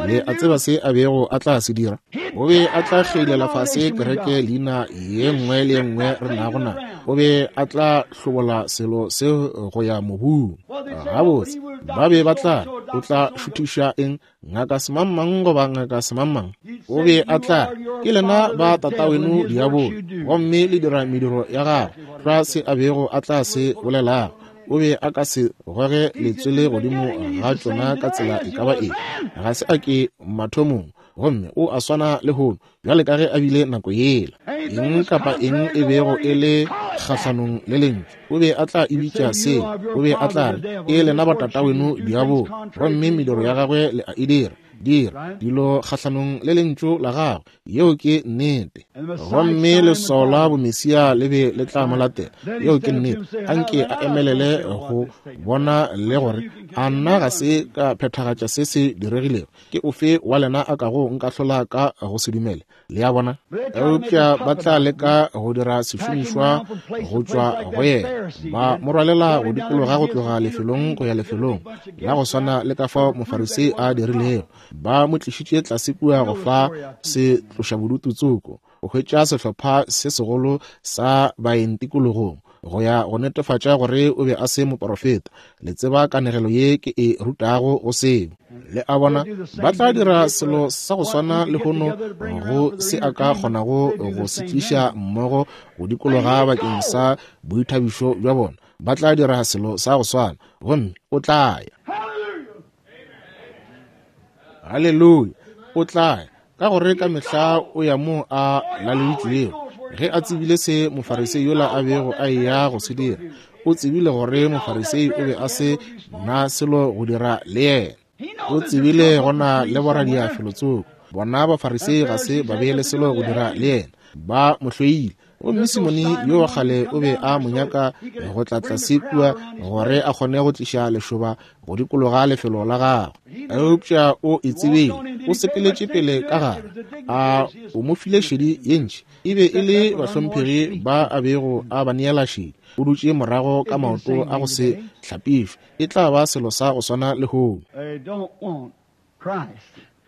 Le a tseba se a bego a tla se dira? O be a tla kgeilela fase kereke leina ye nngwe le ye nngwe re nago na. O be a tla hlobola selo seo go ya mobung. Gabotse, ba be ba tla, o tla šuthiša eng? Ngaka semangmang goba ngaka semangmang. O be a tla, ke lena ba tataweno diabolo, gomme le dira mediro ya gagwe. Tlwa se a bego a tla se bolelago. O be a ka se goge letswele godimo ga tšona ka tsela e ka ba eng. Ga se a ke mathomong, gomme o a swana lehono bjale ka ge a bile nako yela. Eng kapa eng e bego e le kgahlanong le lentšu, o be a tla e bitša seo. O be a tla re, e lena ba tataweno diabolo, gomme mediro ya gagwe le a e dira. Dira dilo kgahlanong le lentšu la gagwe. Yeo ke nnete. Gomme leswao la bomesia le be le tla mo latela. Yeo ke nnete. Anke a emelele go bona le gore a nna ga se ka phethagatša se se diregilego. Ke ofe wa lena a kago nkahlola ka go se dumele? Le a bona? Eupša ba tla leka go dira sešomišwa go tšwa go yena. Ba mo rwalela go dikologa go tloga lefelong go ya lefelong, la go swana le ka fao Mofarisei a dirilego. Ba mo tlišitše tlase kua go fa se tloša bodutu tsoko, go hwetša sehlopha se segolo sa baeng tikologong, go ya go netefatša gore o be a se moporofeta. Le tseba kanegelo ye ke e rutago go seo. Le a bona, ba tla dira selo sa go swana lehono go se a ka kgonago go se tliša mmogo go dikologa bakeng sa boithabišo bja bona. Ba tla dira selo sa go swana, gomme o tla ya. Haleluya, o tla ya. Ka gore ka mehla o ya mo a laleditšwego. Ge a tsebile se Mofarisei yola a bego a eya go se dira, o tsebile gore Mofarisei o be a se na selo go dira le yena. O tsebile go na le boradia felotsoko. Bona Bafarisei ga se ba be le selo go dira le yena. Ba mo hloile. Gomme Simone yo wa kgale o be a mo nyaka go tla tlase kua gore a kgone go tliša lešoba go dikologa lefelo la gagwe. Eupša o e tsebile, o sepeletše pele ka gare, a o mo file šedi ye ntši. E be e le bahlomphegi ba a bego a ba neela šedi. O dutše morago ka maoto a go se hlapišwe. E tla ba selo sa go swana lehono.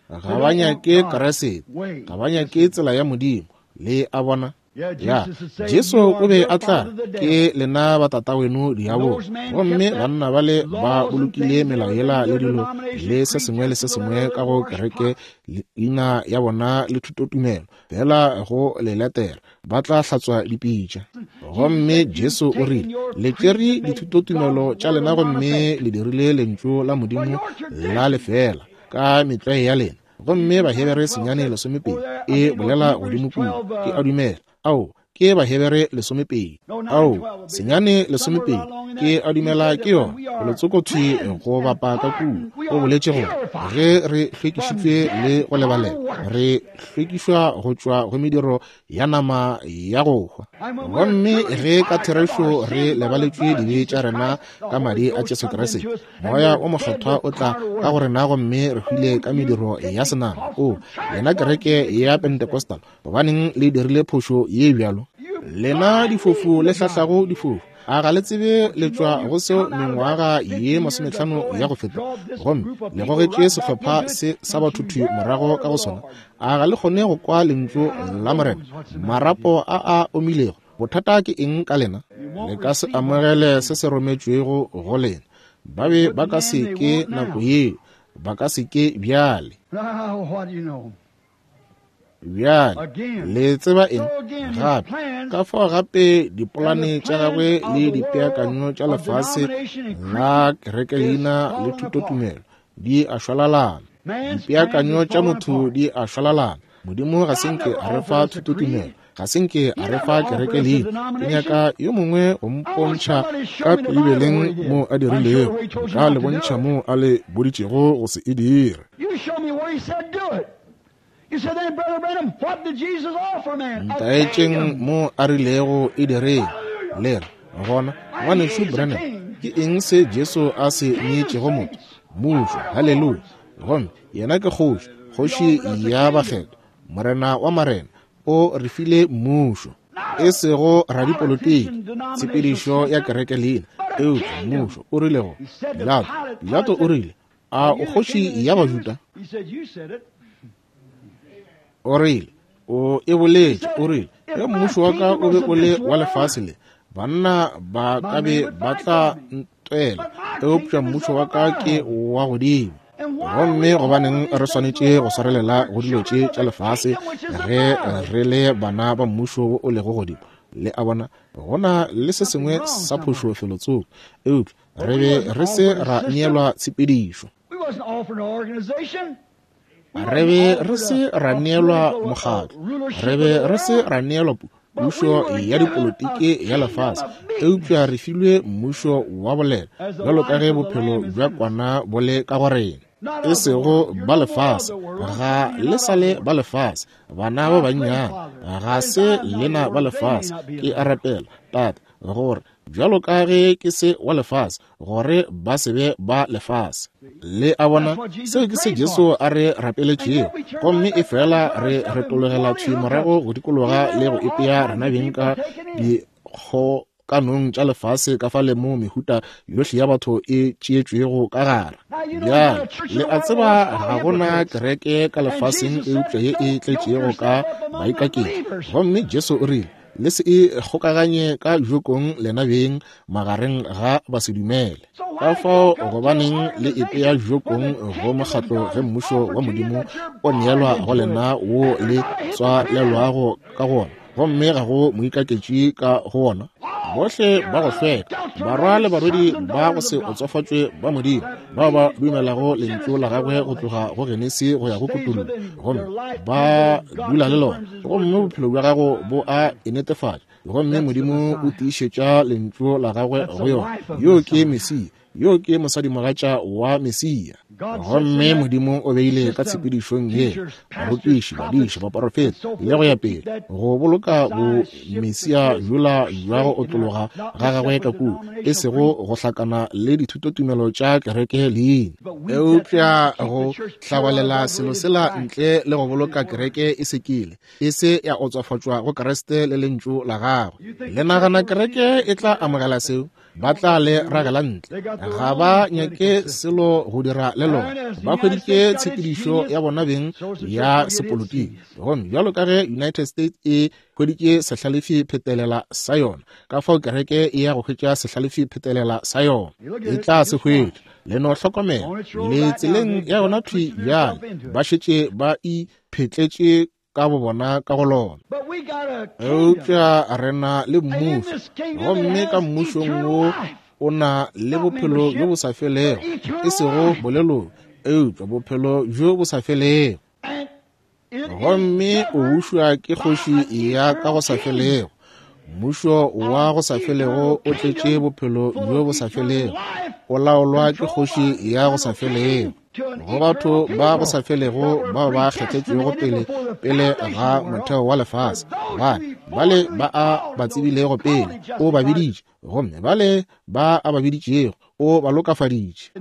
Ga ba nyake Kriste, ga ba nyake tsela ya Modimo. Le a bona? Ya, Jesu o be a tla ke lena ba tataweno diabolo. Gomme banna bale ba bolokile melao yela le dilo le se sengwe le se sengwe ka go kereke leina ya bona le thutotumelo, fela go le latela ba tla hlatswa dipitša. Gomme Jesu o rile, le tšere dithutotumelo tša lena gomme le dirile lentšu la Modimo la lefela ka metlwae ya lena. Gomme Bahebere senyane lesomepedi e bolela godimo kua, ke a dumela. Ao, ke Bahebere lesomepedi. Ao, senyane lesomepedi, ke a dumela ke yona. Letsokothwi go bapa ka kua. O boletše gore ge re hlwekišitšwe le go lebalela, re hlwekišwa go tšwa go mediro ya nama ya go hwa. Gomme ge ka therešo re lebaletšwe dibe tša rena ka madi a Jesu Kriste, Moya o Mokgethwa o tla ka go rena gomme re hwile ka mediro ya senama. O, lena kereke ya Pentecostal, gobaneng le dirile phošo ye bjalo? Lena difofu le hlahlago difofu, a ga le tsebe le tšwa go seo mengwaga ye masomehlano ya go feta, gomme le gogetše sehlopha se sa batho thwi morago ka go sona? A ga le kgone go kwa lentšu la Morena? Marapo a a omilego, bothata ke eng ka lena? Le ka se amogele se se rometšwego go lena. Ba be ba ka se ke nako yeo, ba ka se ke bjale. Bjale, le tseba eng? Gape, ka fao gape dipolane tša gagwe le dipeakanyo tša lefase la kereke leina le thutotumelo di a šwalalana. Dipeakanyo tša motho di a šwalalana. Modimo ga se nke a re fa thutotumelo, ga se nke a re fa kereke leina. Ke nyaka yo mongwe go mpontšha ka Beibeleng mo a dirilego, nka le bontšha mo a le boditšego go se e dire. Ntaetšeng mo a rilego e direng. Le re, gona, ngwanešu Branham, ke eng se Jesu a se neetšego motho? Mmušo, haleluya. Gomme yena ke kgoši, kgoši ya bakgethwa, Morena wa marena, o re file mmušo. E sego radipolotiki, tshepedišo ya kereke leina, eupša mmušo. O rile go Pilato, Pilato o rile, a o kgoši ya Bajuda? O rile, o e boletše, o rile, ge mmušo wa ka o be o le wa lefase le, banna ba ka be ba tla ntwela, eupša mmušo wa ka ke wa godimo. Gomme gobaneng re swanetše go swarelela go dilo tše tša lefase ge re le bana ba mmušo wo o lego godimo? Le a bona, gona le se sengwe sa phošo felotsoko, eupša re be re se ra neelwa tshepedišo. Re be re se ra neelwa mokgatlo, re be re se ra neelwa pušo ya dipolotiki ya lefase, eupša re filwe mmušo wa bolela, bjalo ka ge bophelo bja kwana bo le ka go rena. E sego ba lefase, ga le sa le ba lefase, bana ba bannyane, ga se lena ba lefase. Ke a rapela, Tate, gore bjalo ka ge ke se wa lefase, gore ba se be ba lefase. Le a bona, seo ke se Jesu a re rapeletšego. Gomme e fela re retologela thwi morago go dikologa le go ipea rena beng ka dikgokanong tša lefase ka fale mo mehuta yohle ya batho e tšeetšwego ka gare. Bjale, le a tseba ga gona kereke ka lefaseng eupša ye e tletšego ka baikaketši. Gomme Jesu o rile, le se e kgokaganye ka jokong lena beng magareng ga basedumele. Ka fao gobaneng le ipea jokong go mokgatlo ge mmušo wa Modimo o neelwa go lena wo le tswalelwago ka gona, gomme ga go moikaketši ka go wona? Bohle ba go hlweka, barwa le barwedi ba go se otsofatšwe ba Modimo, bao ba dumelago lentšu la gagwe go tloga go Genesi go ya go Kutullo, gomme ba dula le lona, gomme bophelo bja gago bo a e netefatša, gomme Modimo o tiišetša lentšu la gagwe go yona. Yo ke Mesia, Yo ke mosadimogatša wa Mesia. Gomme Modimo o beile ka tshepedišong ye barutiši, badiši, baporofeta le go ya pele, go boloka bo Mesia bjola bja go otlologa ga gagwe ka kua, e sego go hlakana le dithutotumelo tša kereke leina, eupša go hlabalela selo sela ntle le go boloka kereke e sekile, e se ya otswafatšwa go Kriste le lentšu la gagwe. Le nagana kereke e tla amogela seo? Ba tla le ragela ntle. Ga ba nyake selo go dira le lona. Ba hweditše tshepedišo ya bona beng ya sepolotiki. Gomme bjalo ka ge United States e hweditše sehlalefi phetelela sa yona, ka fao kereke e ya go hwetša sehlalefi phetelela sa yona. E tla se hwetša. Le no hlokomela, le tseleng ya yona thwi bjale. Ba šetše ba iphetletše ka bo bona ka go lona. Eupša re na le mmušo, gomme ka mmušong wo o na le bophelo bjo bo sa felego, e sego boleloko, eupša bophelo bjo bo sa felego. Gomme o bušwa ke kgoši ya ka go sa felego. Mmušo wa go sa felego o tletše bophelo bjo bo sa felego, o laolwa ke kgoši ya go sa felego. Go batho ba go sa felego bao ba kgethetšwego pele pele ga motheo wa lefase, bale bale ba a ba tsebilego pele o ba biditše, gomme bale ba a ba biditšego o ba lokafaditše.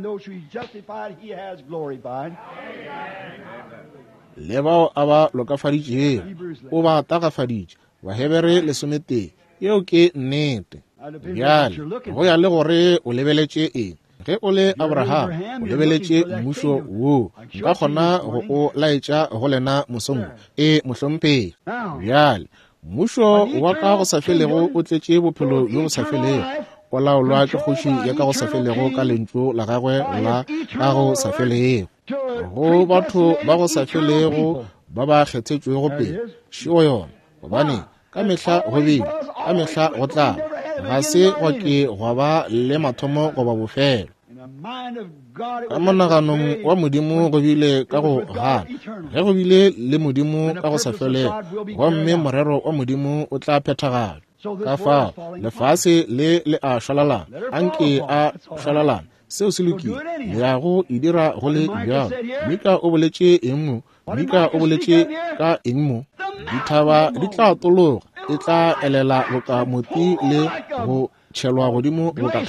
Le bao a ba lokafaditšego o ba tagafaditše. Bahebere lesometee. Yeo ke nnete. Bjale go ya le gore o lebeletše eng. Ge o le Abraham, o lebeletše mmušo wo, nka kgona go o laetša go lena mosong. E mohlomphegi. Bjale mmušo wa ka go sa felego o tletše bophelo bjo bo sa felego, o laolwa ke kgoši ya ka go sa felego ka lentšu la gagwe la ka go sa felego. Go batho ba go sa felego ba ba kgethetšwego pele, šeo yona, gobane ka mehla go bile, ka mehla go tla, ga se gwa ke gwa ba le mathomo goba bofelo. Ka monaganong wa Modimo go bile ka go gana, ge go bile le Modimo ka go sa felego, gomme morero wa Modimo o tla phethagala. Ka fao lefase le le a šwalalana, anke a šwalalana, seo se lokile, le ya go e dira go le bjalo. Mika o boletše eng mo? Mika o boletše ka eng mo? Dithaba di tla tologa, e tla elela boka moti le go tšhelwa godimo boka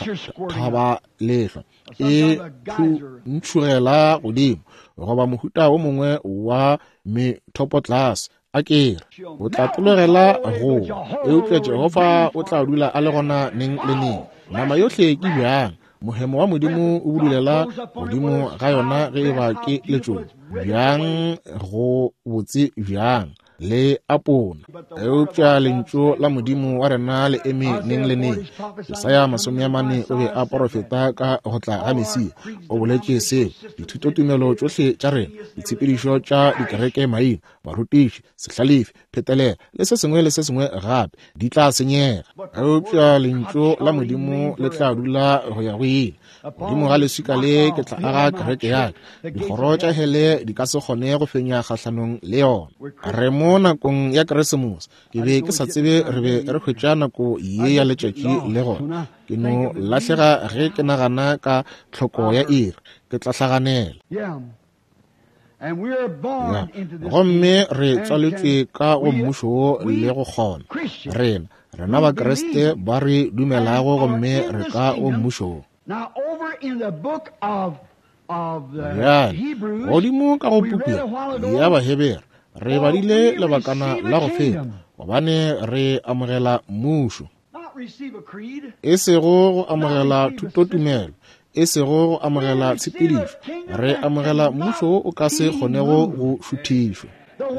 thaba lehlwa, e phuntšhugela godimo goba mohuta wo mongwe wa methopotlase. A kere o tla tologela go, eupša Jehofa o tla dula a le gona neng le neng. Nama yohle ke bjang, mohemo wa Modimo o budulela godimo ga yona ge e ba ke letšoba. Bjang go botse bjang le apona, eupša lentšu la Modimo wa rena le eme neng le neng. Jesaya masome a mane o be a porofeta ka go tla ga Mesia. O boletše seo dithutotumelo tšohle tša rena, ditshepedišo tša dikereke maina, barutiši, sehlalefi, phetelela le se sengwe le se sengwe gape di tla senyega, eupša lentšu la Modimo le tla dula go ya go ile. Godimo ga leswika le ke tla aga kereke ya ka, dikgoro tša hele di ka se kgone go fenya kgahlanong le yona. Re mo nakong ya Keresemose. Ke be ke sa tsebe re be re hwetša nako ye ya letšatši le gona. Ke no lahlega ge ke nagana ka tlhoko ya iri, ke tla hlaganela. Ya, gomme re tswaletšwe ka go mmušo wo le go kgona. Rena, rena Bakriste ba re dumelago gomme re ka go mmušo wo. Bjale, godimo ka go puku ya Bahebere, re badile lebakana la go feta, gobane re amogela mmušo, e sego go amogela thutotumelo, e sego go amogela tshepedišo, re amogela mmušo wo o ka se kgonego go šuthišwa.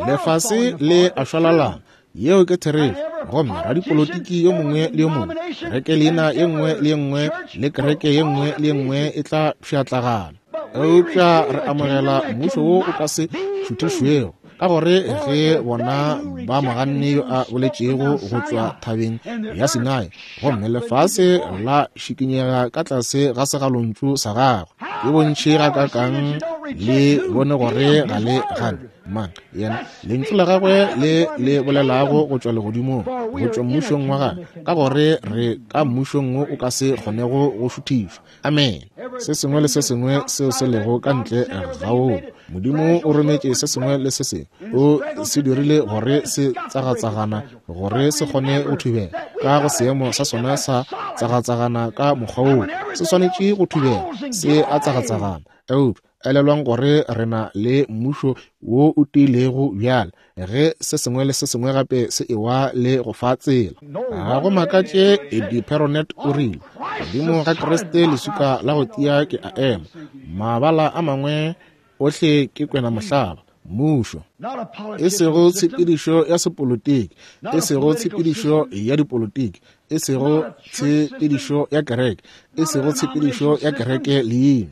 Lefase le a šwalalana, yeo ke therešo, gomme radipolotiki yo mongwe le yo mongwe, kereke leina ye nngwe le ye nngwe le kereke ye nngwe le ye nngwe e tla pšhatlagana. Eupša re amogela mmušo wo o ka se šuthišwego, ka gore ge bona ba moganne yo a boletšego go tšwa thabeng ya Sinai, gomme lefase la šikinyega ka tlase ga segalontšu sa gagwe. Ke bontši gakakang le bone gore ga le gane. Mang? Yena, lentšu la gagwe le le bolelago go tšwa legodimong, go tšwa mmušong wa gagwe, ka gore re ka mmušong wo o ka se kgonego go šuthišwa. Amen. Se sengwe le se sengwe seo se lego ka ntle ga woo, Modimo o rometše se sengwe le se sengwe, o se dirile gore se tsagatsagana, gore se kgone go thubela ka go seemo sa sona sa tsagatsagana ka mokgwa woo se swanetše go thubela, se a tsagatsagana. Eupša elelwang gore re na le mmušo wo o tiilego bjale, ge se sengwe le se sengwe gape se ewa le go fa tsela. Ga go makatše Eddie Perronet o rile, godimo ga Kriste leswika la go tia ke a ema, mabala a mangwe ohle ke kwena mohlaba. Mmušo, e sego tshepedišo ya sepolotiki, e sego tshepedišo ya dipolotiki, e sego tshepedišo ya kereke, e sego tshepedišo ya kereke leina.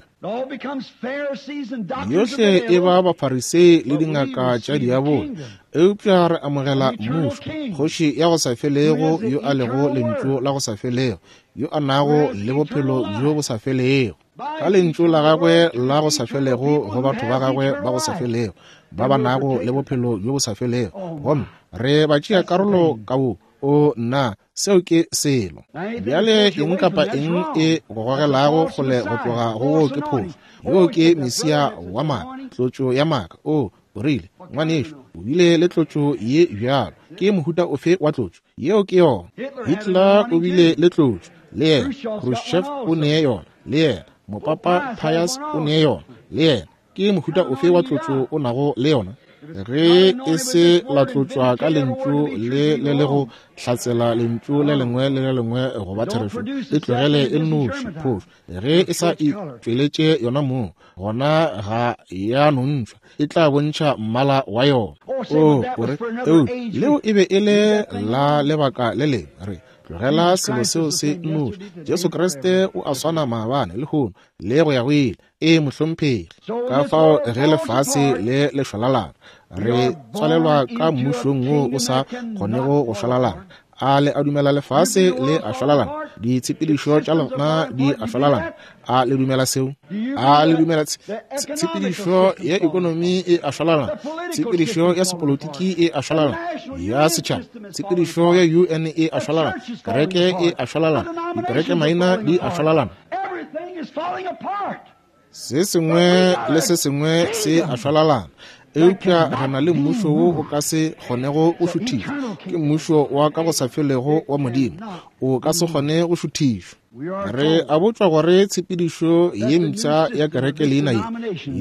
Yohle e ba Bafarisei le dingaka tša diabolo, eupša re amogela mmušo, kgoši ya go sa felego, yo a lego lentšu la go sa felego, yo a nago le bophelo bjo bo sa felego. Ka lentšu la gagwe la go sa felego go batho ba gagwe ba go sa felego, ba ba nago le bophelo bjo bo sa felego, gomme re ba tšea karolo ka wo. O nna, seo ke selo. Bjale eng kapa eng e go gogelago kgole go tloga go wo ke phošo. Yoo ke Mesia wa maaka, tlotšo ya maaka. O o rile, ngwanešu, o bile le tlotšo ye bjalo. Ke mohuta ofe wa tlotšo? Yeo ke yona. Hitler o bile le tlotšo, le yena. Khrushchev o ne yona, le yena. Mopapa Pius o ne yona, le yena. Ke mohuta ofe wa tlotšo o nago le yona? Ge e se la tlotšwa ka lentšu le le le go hlatsela lentšu le lengwe le le lengwe go ba therešo, e tlogele e nnoši phošo. Ge e sa e tšweletše yona mong, gona ga ya nontšhwa, e tla bontšha mmala wa yona. O o re, eu, leo e be e le la lebaka le lengwe. Re tlogela selo seo se nnoši. Jesu Kriste o a swana maabane, lehono le go ya go ile. E mohlomphegi. Ka fao ge lefase le le šwalalana, re tswalelwa ka mmušong wo o sa kgonego go šwalalana. A le a dumela lefase le a šwalalana? Ditshepedišo tša lona di a šwalalana. A le dumela seo? A le dumela tshepedišo ya ekonomi e a šwalalana, tshepedišo ya sepolotiki e a šwalalana, ya setšhaba, tshepedišo ya U N e a šwalalana, kereke e a šwalalana, dikereke maina di a šwalalana. Se sengwe le se sengwe se a šwalalana. Eupša re na le mmušo wo o ka se kgonego go šuthišwa. Ke mmušo wa ka go sa felego wa Modimo, o ka se kgone go šuthišwa. Re a botšwa gore tshepedišo ye mpsha ya kereke leina ye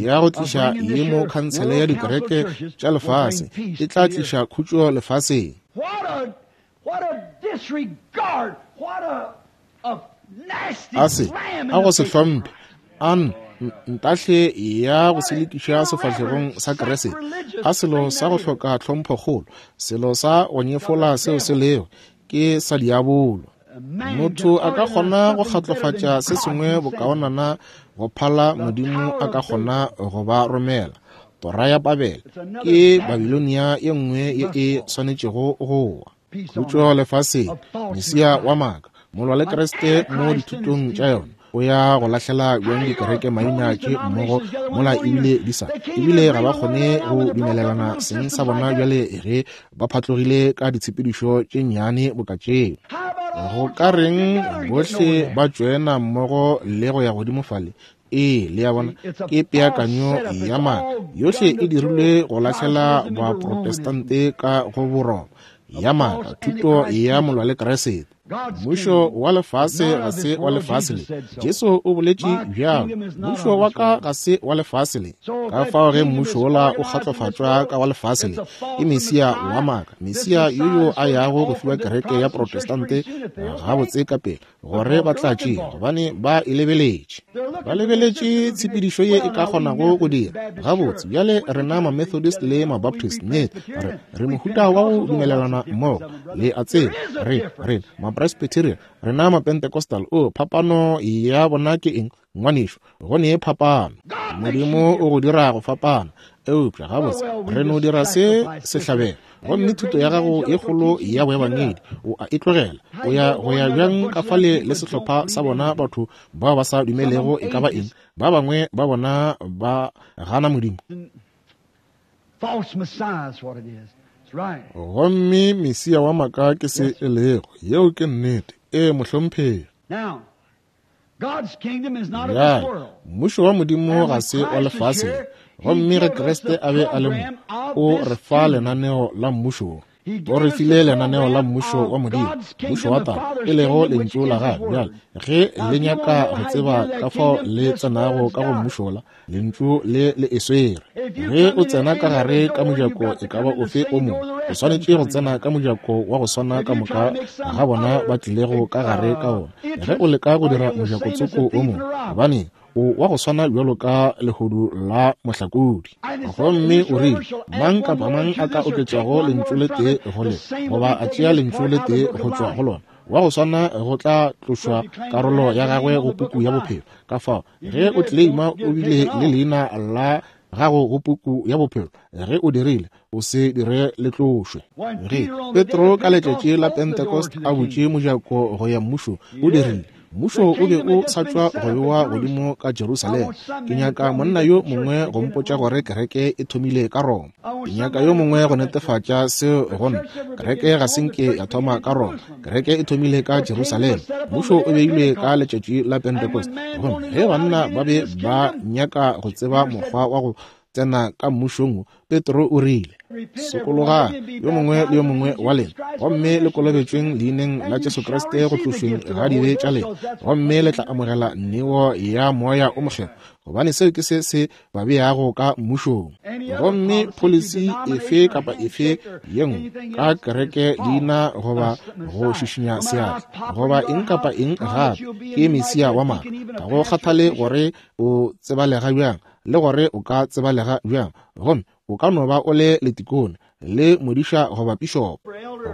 ya go tliša ye mo khansele ya dikereke tša lefase e tla tliša khutšo lefaseng. A se a go se hlomphe, a ntahle ya go selekiša sefahlegong sa Kriste, a selo sa go hloka tlhomphokgolo, selo sa go nyefola seo se lego ke sa diabolo. Motho a ka kgona go kgatlofatša se sengwe bokaonana go phala Modimo a ka kgona go ba romela. Tora ya Babele ke Babilonia ye nngwe ye e swanetšego go wa. Khutšo lefaseng, Mesia wa maaka, molwa le Kriste mo dithutong tša yona, o ya go lahlela bjang dikereke maina tše mmogo mola ebile di sa ebile ga ba kgone go dumelelana seng sa bona bjale ge ba phatlogile ka ditshepedišo tše nnyane boka tšeo. Go ka reng bohle ba tšoena mmogo le go ya godimo fale? Ee, le ya bona, ke peakanyo ya maaka. Yohle e dirilwe go lahlela baprotestante ka go Boroma ya maaka, thuto ya molwa le Kriste. Mmušo wa lefase ga se wa lefase le. Jesu o boletše bjalo, mmušo wa ka ga se wa lefase le. Ka fao ge mmušo wola o kgatlofatšwa ka wa lefase le, ke Mesia wa maaka, Mesia yo yo a yago go fiwa kereke ya Protestante gabotse ka pele, gore ba tla tšea, gobane ba e lebeletše. Ba lebeletše tshepedišo ye e ka kgonago go dira gabotse. Bjale rena ma-Methodist le ma-Baptist, nnete re re mohuta wa go dumelelana mmogo, le a tseba, re re ma-Presbyterian, rena ma-Pentecostal. O phapano ya bona ke eng, ngwanešu? Go ne phapano. Modimo o go dira go fapana, eupša gabotse re no dira se sehlabelo. Gomme thuto ya gago ye kgolo ya boebangedi o a e tlogela, o ya go ya bjang ka fale le sehlopha sa bona batho bao ba sa dumelego e ka ba eng? Ba bangwe ba bona ba gana Modimo. False Messiah is what it is. That's right. Gomme Mesia wa maaka ke se e lego. Yeo ke nnete. Ee, mohlomphegi. Now, God's kingdom is not of Bjale, this world. mmušo wa Modimo ga se wa lefase le. Gomme ge Kriste a be a le mo, o re fa lenaneo la mmušo wo. O re file lenaneo la mmušo wa Modimo, mmušo wa Tate, e lego lentšu la gagwe. Bjale, ge le nyaka go tseba ka fao le tsenago ka go mmušo la, lentšu le le e swere. Ge o tsena ka gare ka mojako e ka ba ofe o mongwe, o swanetše go tsena ka mojako wa go swana ka moka ga bona ba tlilego ka gare ka ona. Ge o leka go dira mojako tsoko o mongwe, gobane o wa go swana bjalo ka lehodu la mohlakodi. Gomme o rile, mang kapa mang a ka oketšago lentšu le tee go le, goba a tšea lentšu le tee go tšwa go lona, wa go swana go tla tlošwa karolo ya gagwe go puku ya bophelo. Ka fao, ge o tleleima o bile le leina la gago go puku ya bophelo, ge o dirile, o se dire le tlošwe. Ge Petro ka letšatši la Pentecost a butše mojako go ya mmušo, o dirile. Mmušo o be o sa tšwa go bewa godimo ka Jerusalema. Ke nyaka monna yo mongwe go mpotša gore kereke e thomile ka Roma. Ke nyaka yo mongwe go netefatša seo go nna. Kereke ga se nke ya thoma ka Roma. Kereke e thomile ka Jerusalema. Mmušo o beilwe ka letšatši la Pentecost. Gomme ge banna ba be ba nyaka go tseba mokgwa wa go tsena ka mmušong, Petro o rile, sokologang yo mongwe le yo mongwe wa lena, gomme le kolobetšweng leineng la Jesu Kriste go tlošweng ga dibe tša lena, gomme le tla amogela neo ya Moya o Mokgethwa, gobane seo ke se se ba beago ka mmušong. Gomme policy efe kapa efe ye nngwe ka kereke leina goba go šišinya seatla goba eng kapa eng gape ke Mesia wa maaka. Ga go kgathale gore o tsebalega bjang le gore o ka tsebalega bjang, gomme o ka no ba o le letikone le modiša goba pišopo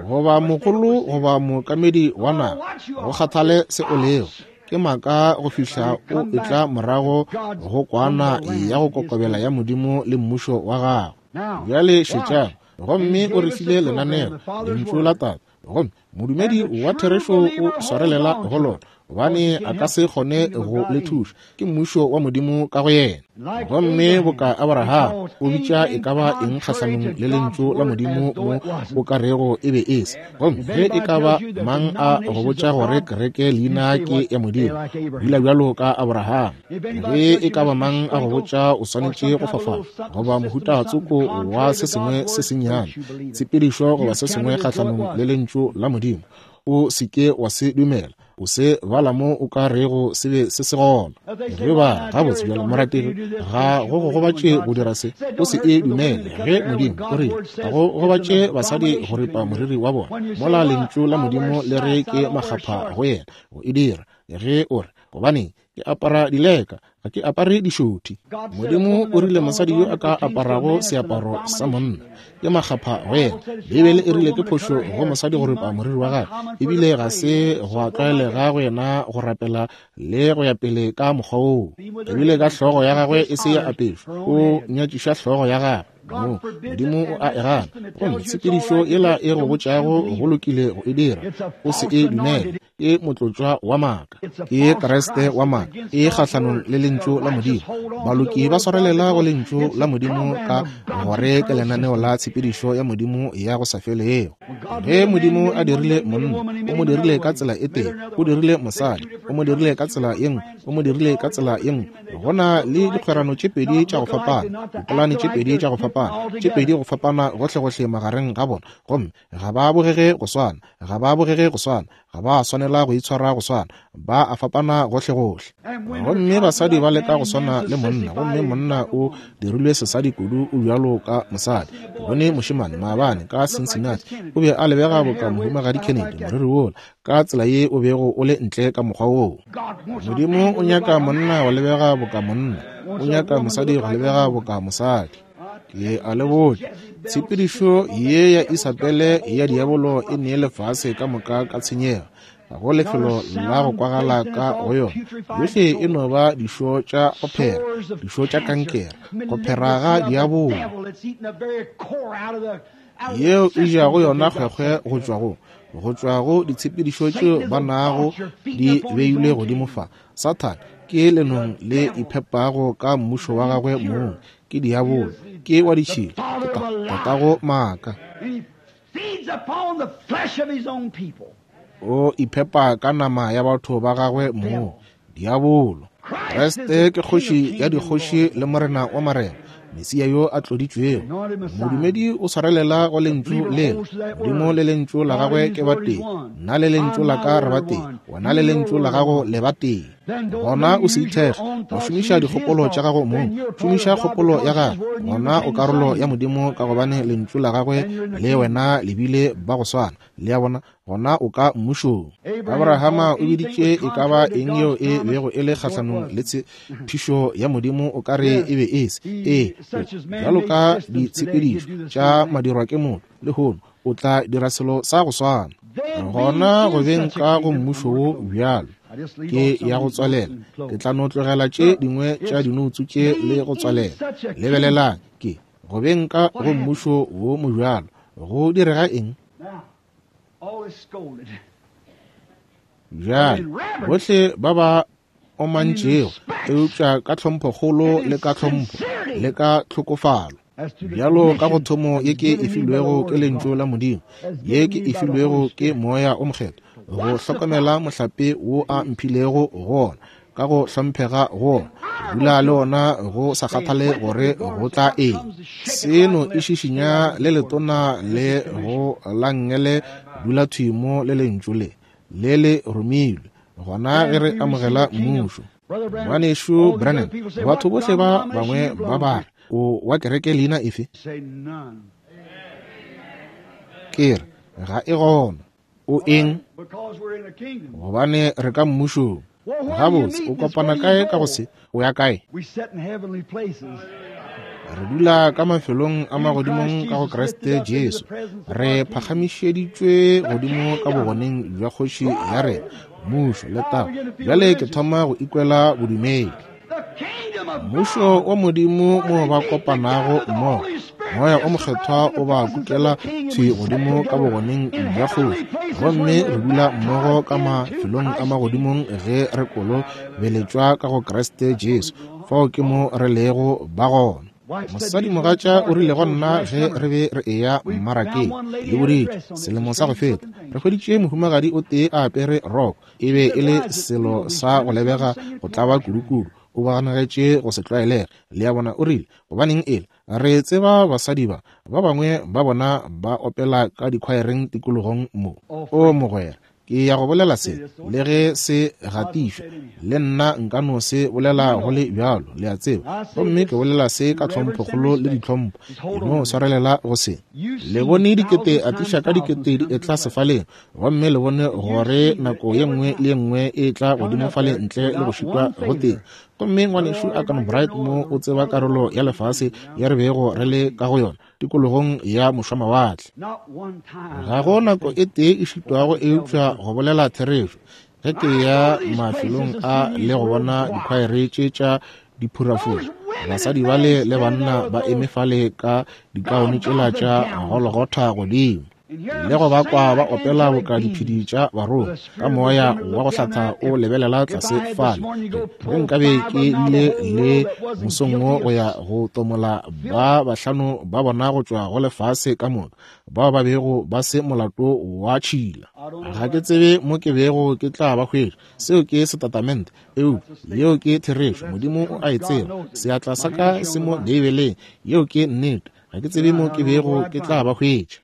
goba mogolo goba mookamedi wa naga, go kgathale se o lego, ke maaka go fihla o etla morago go kwana ya go kokobela ya Modimo le mmušo wa gagwe. Bjale šetšang. Gomme o re file lenaneo, lentšu la Tate, gomme modumedi wa therešo o swarelela go lona, gobane a ka se kgone go le thuša. Ke mmušo wa Modimo ka go yena. Gomme boka Abraham o bitša e ka ba eng kgahlanong le lentšu la Modimo mo o ka rego e be e se. Gomme ge e ka ba mang a go botša gore kereke leina ke ya Modimo, dula bjalo ka Abraham. Ge e ka ba mang a go botša o swanetše go fafala goba mohuta tsoko wa se sengwe se sennyane, tshepedišo goba se sengwe kgahlanong le lentšu la Modimo, o se ke wa se dumela. O se bala mo o ka rego se be se se gona. Ge ba gabotse bjalo morategi, ga go go gobatše go dira se, o se e dumele. Ge Modimo o rile ga go gobatše basadi go ripa moriri wa bona, mola lentšu la Modimo le re ke makgapha go yena go e dira. Ge o re, gobaneng ke apara dileka, ga ke apare dišothi. Modimo o rile mosadi yo a ka aparago seaparo sa monna ke makgapha go yena. Beibele e rile ke phošo go mosadi go ripa moriri wa gagwe, ebile ga se go tlwaelega go yena go rapela le go ya pele ka mokgwa woo. Ebile ka hlogo ya gagwe e se ya apešwa, o nyatšiša hlogo ya gagwe. Mo, Modimo o a e gana. Gomme tshepedišo yela e go botšago go lokile go e dira, o se e dumele. Ke motlotšwa wa maaka, ke Kriste wa maaka, e kgahlanong le lentšu la Modimo. Baloki ba swarelela go lentšu la Modimo ka gore ke lenaneo la tshepedišo ya Modimo ya go sa felego. Ge Modimo a dirile monna, o mo dirile ka tsela e tee, o dirile mosadi, o mo dirile ka tsela ye nngwe, o mo dirile ka tsela ye nngwe. Go na le dikgwerano tše pedi tša go fapana, dipolane tše pedi tša go fapana, tše pedi go fapana gohlegohle magareng ga bona, gomme ga ba bogege go swana, ga ba bogege go swana, ga ba swanela go itshwara go swana, ba a fapana gohlegohle. Gomme basadi ba leka go swana le monna, gomme monna o dirilwe sesadi kudu o bjalo ka mosadi. Ke bone mošemane maabane ka Cincinnati, o be a lebega boka mohumagadi Kennedy, moriri wola ka tsela ye o bego o le ntle ka mokgwa woo. Modimo o nyaka monna go lebega boka monna, o nyaka mosadi go lebega boka mosadi. Ke a le botša, tshepedišo ye ya Isabele ya diabolo e nee lefase ka moka ka tshenyego. Ga go lefelo la go kwagala ka go yona. Yohle e no ba dišo tša go phera, dišo tša kankere, go phera ga diabolo yeo e jago yona kgwekgwe go tšwa go go tšwa go ditshepedišo tšeo ba nago di beilwe godimo fa. Sathane Ke lenong le iphepago ka mmušo wa gagwe mong. Ke diabolo, ke wa ditšhila, ke tatago maaka. O iphepa ka nama ya batho ba gagwe mong, diabolo. Kriste ke kgoši ya dikgoši le morena wa marena, Mesia yo a tloditšwego. Modumedi o swarelela go lentšu lela. Modimo le lentšu la gagwe ke batee. Nna le lentšu la ka re batee. Wena le lentšu la gago le batee. Gona o se ithekge go šomiša dikgopolo tša gago mong. Šomiša kgopolo ya gagwe. Gona o karolo ya Modimo ka gobane lentšu la gagwe le wena le bile ba go swana. Le a bona? Gona o ka mmušong. Abrahama o biditše e ka ba eng yeo e bego e le kgahlanong le tshepišo ya Modimo o ka re e be e se. Ee, bjalo ka ditshepedišo tša madirwa ke motho lehono o tla dira selo sa go swana. Gona go beng ka go mmušo wo bjalo ke ya go tswalela. Ke tla no tlogela tše dingwe tša dinoutsu tše le go tswalela. Lebelelang, ke go beng ka go mmušo wo mobjalo go direga eng? Bjale bohle ba ba omantšego, eupša ka tlhomphokgolo le ka tlhompho le ka tlhokofalo, bjalo ka go thomo ye ke e filwego ke lentšu la Modimo, ye ke e filwego ke Moya o Mokgethwa, go hlokomela mohlape wo a mphilego go ona, ka go hlomphega go ona, dula le ona go sa kgathale gore go tla eng. Seno e šišinya le letona le go la nngele, dula thwi mo le lentšu le le le romilwe. Gona ge re amogela mmušo. Ngwanešu Branham, batho bohle ba bangwe ba ba re, o wa kereke leina efe? Ke re, ga e gona. O eng? Gobane re ka mmušong. Gabotse, o kopana kae ka go se? O ya kae? Re dula ka mafelong a magodimong ka go Kriste Jesu. Re phagamišeditšwe godimo ka bogoneng bja kgoši ya rena, mmušo le taba. Bjale ke thoma go ikwela bodumedi. Mmušo wa Modimo mo ba kopanago mmogo, Moya o Mokgethwa o ba kukela thwi godimo ka bogoneng bja kgoši, gomme re dula mmogo ka mafelong a magodimong ge re kolobeletšwa ka go Kriste Jesu. Fao ke mo re lego ba gona. Mosadimogatša o rile go nna ge re be re eya mmarakeng le boditše selemo sa go feta, re hweditše mohumagadi o tee a apere roko. E be e le selo sa go lebega go tlaba kudukudu. O baganegetše go se tlwaelege. Le a bona? O rile, gobaneng ele re tseba basadi ba ba bangwe ba bona ba opela ka dikhwaereng tikologong mo. O mogwera, ke ya go bolela se le ge se gatišwa, le nna nka no se bolela go le bjalo, le a tseba. Gomme ke bolela se ka tlhomphokgolo le ditlhompho, e no swarelela go se. Le bone dikete atiša ka dikete di etla sefaleng, gomme le bone gore nako ye nngwe le ye nngwe e tla godimo fale ntle le go šitwa go teng. Gomme ngwanešu Akan Bright mo o tseba karolo ya lefase ya re bego re le ka go yona tikologong ya mošwamawatle. Ga go nako e tee e šitwago eupša go bolela therešo. Ge ke ya mafelong a le go bona dikhwaere tše tša diphurafura, basadi bale le banna ba eme fale ka dikaone tšela tša Golgotha godimo, le go ba kwa ba opela boka diphedi tša barongwa ka moya wa go hlatha o lebelela tlase fale. Ge nkabe ke bile le mosong wo go ya go tomola ba bahlano ba bona go tšwa go lefase ka moka, bao ba bego ba se molato wa tšhila, ga ke tsebe mo ke bego ke tla ba hwetša. Seo ke setatamente, eupša yeo ke therešo. Modimo o a e tseba. Seatla sa ka se mo Beibeleng. Yeo ke nnete. Ga ke tsebe mo ke bego ke tla ba hwetša.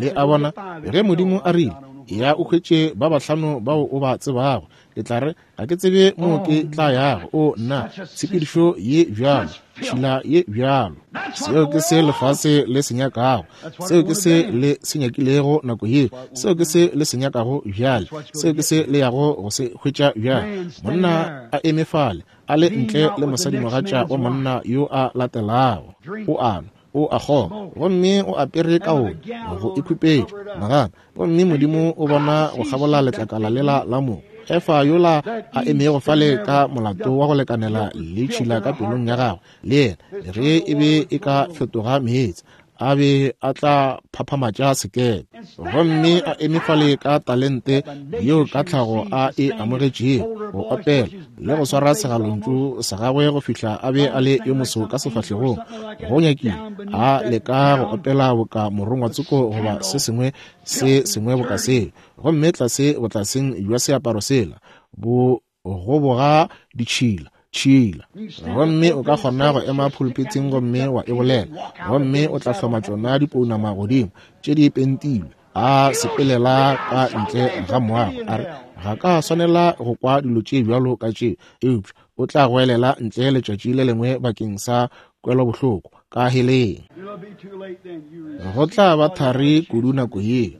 Le a bona? Ge Modimo a rile, ya o hwetše ba bahlano bao o ba tsebago, ke tla re, ga ke tsebe mo ke tla yago. O nna, tshepedišo ye bjalo, tšhila ye bjalo. Seo ke se lefase le se nyakago. Seo ke se le se nyakilego nako yeo. Seo ke se le se nyakago bjale. Seo ke se le yago go se hwetša bjale. Monna a eme fale, a le ntle le mosadimogatša wa monna yo a latelago. O a nwa, o a kgoma, gomme o apere kaone go ikhupetša nagana. Gomme Modimo o bona go kgabola letlakala lela la mo Efa yola a emego fale ka molato wa go lekanela le tšhila ka pelong ya gagwe, le yena ge e be e ka fetoga meetse a be a tla phaphamatša sekepe. Gomme a eme fale ka talente yeo ka tlhago a e amogetšego, go opela le go swara segalontšu sa gagwe go fihla a be a le yo moso ka sefahlegong, go nyakile a leka go opela boka morongwa tsoko goba se sengwe se sengwe boka seo. Gomme tlase botlaseng bja seaparo sela bo goboga ditšhila tšhila. Gomme o ka kgona go ema pulpiteng gomme wa e bolela, gomme o tla hloma tšona dipounama godimo tše di pentilwe, a sepelela ka ntle ga moago, a re ga ka swanela go kwa dilo tše bjalo ka tše, eupša o tla goelela ntle letšatši le lengwe bakeng sa kwelobohloko ka heleng. Go tla ba thari kudu nako ye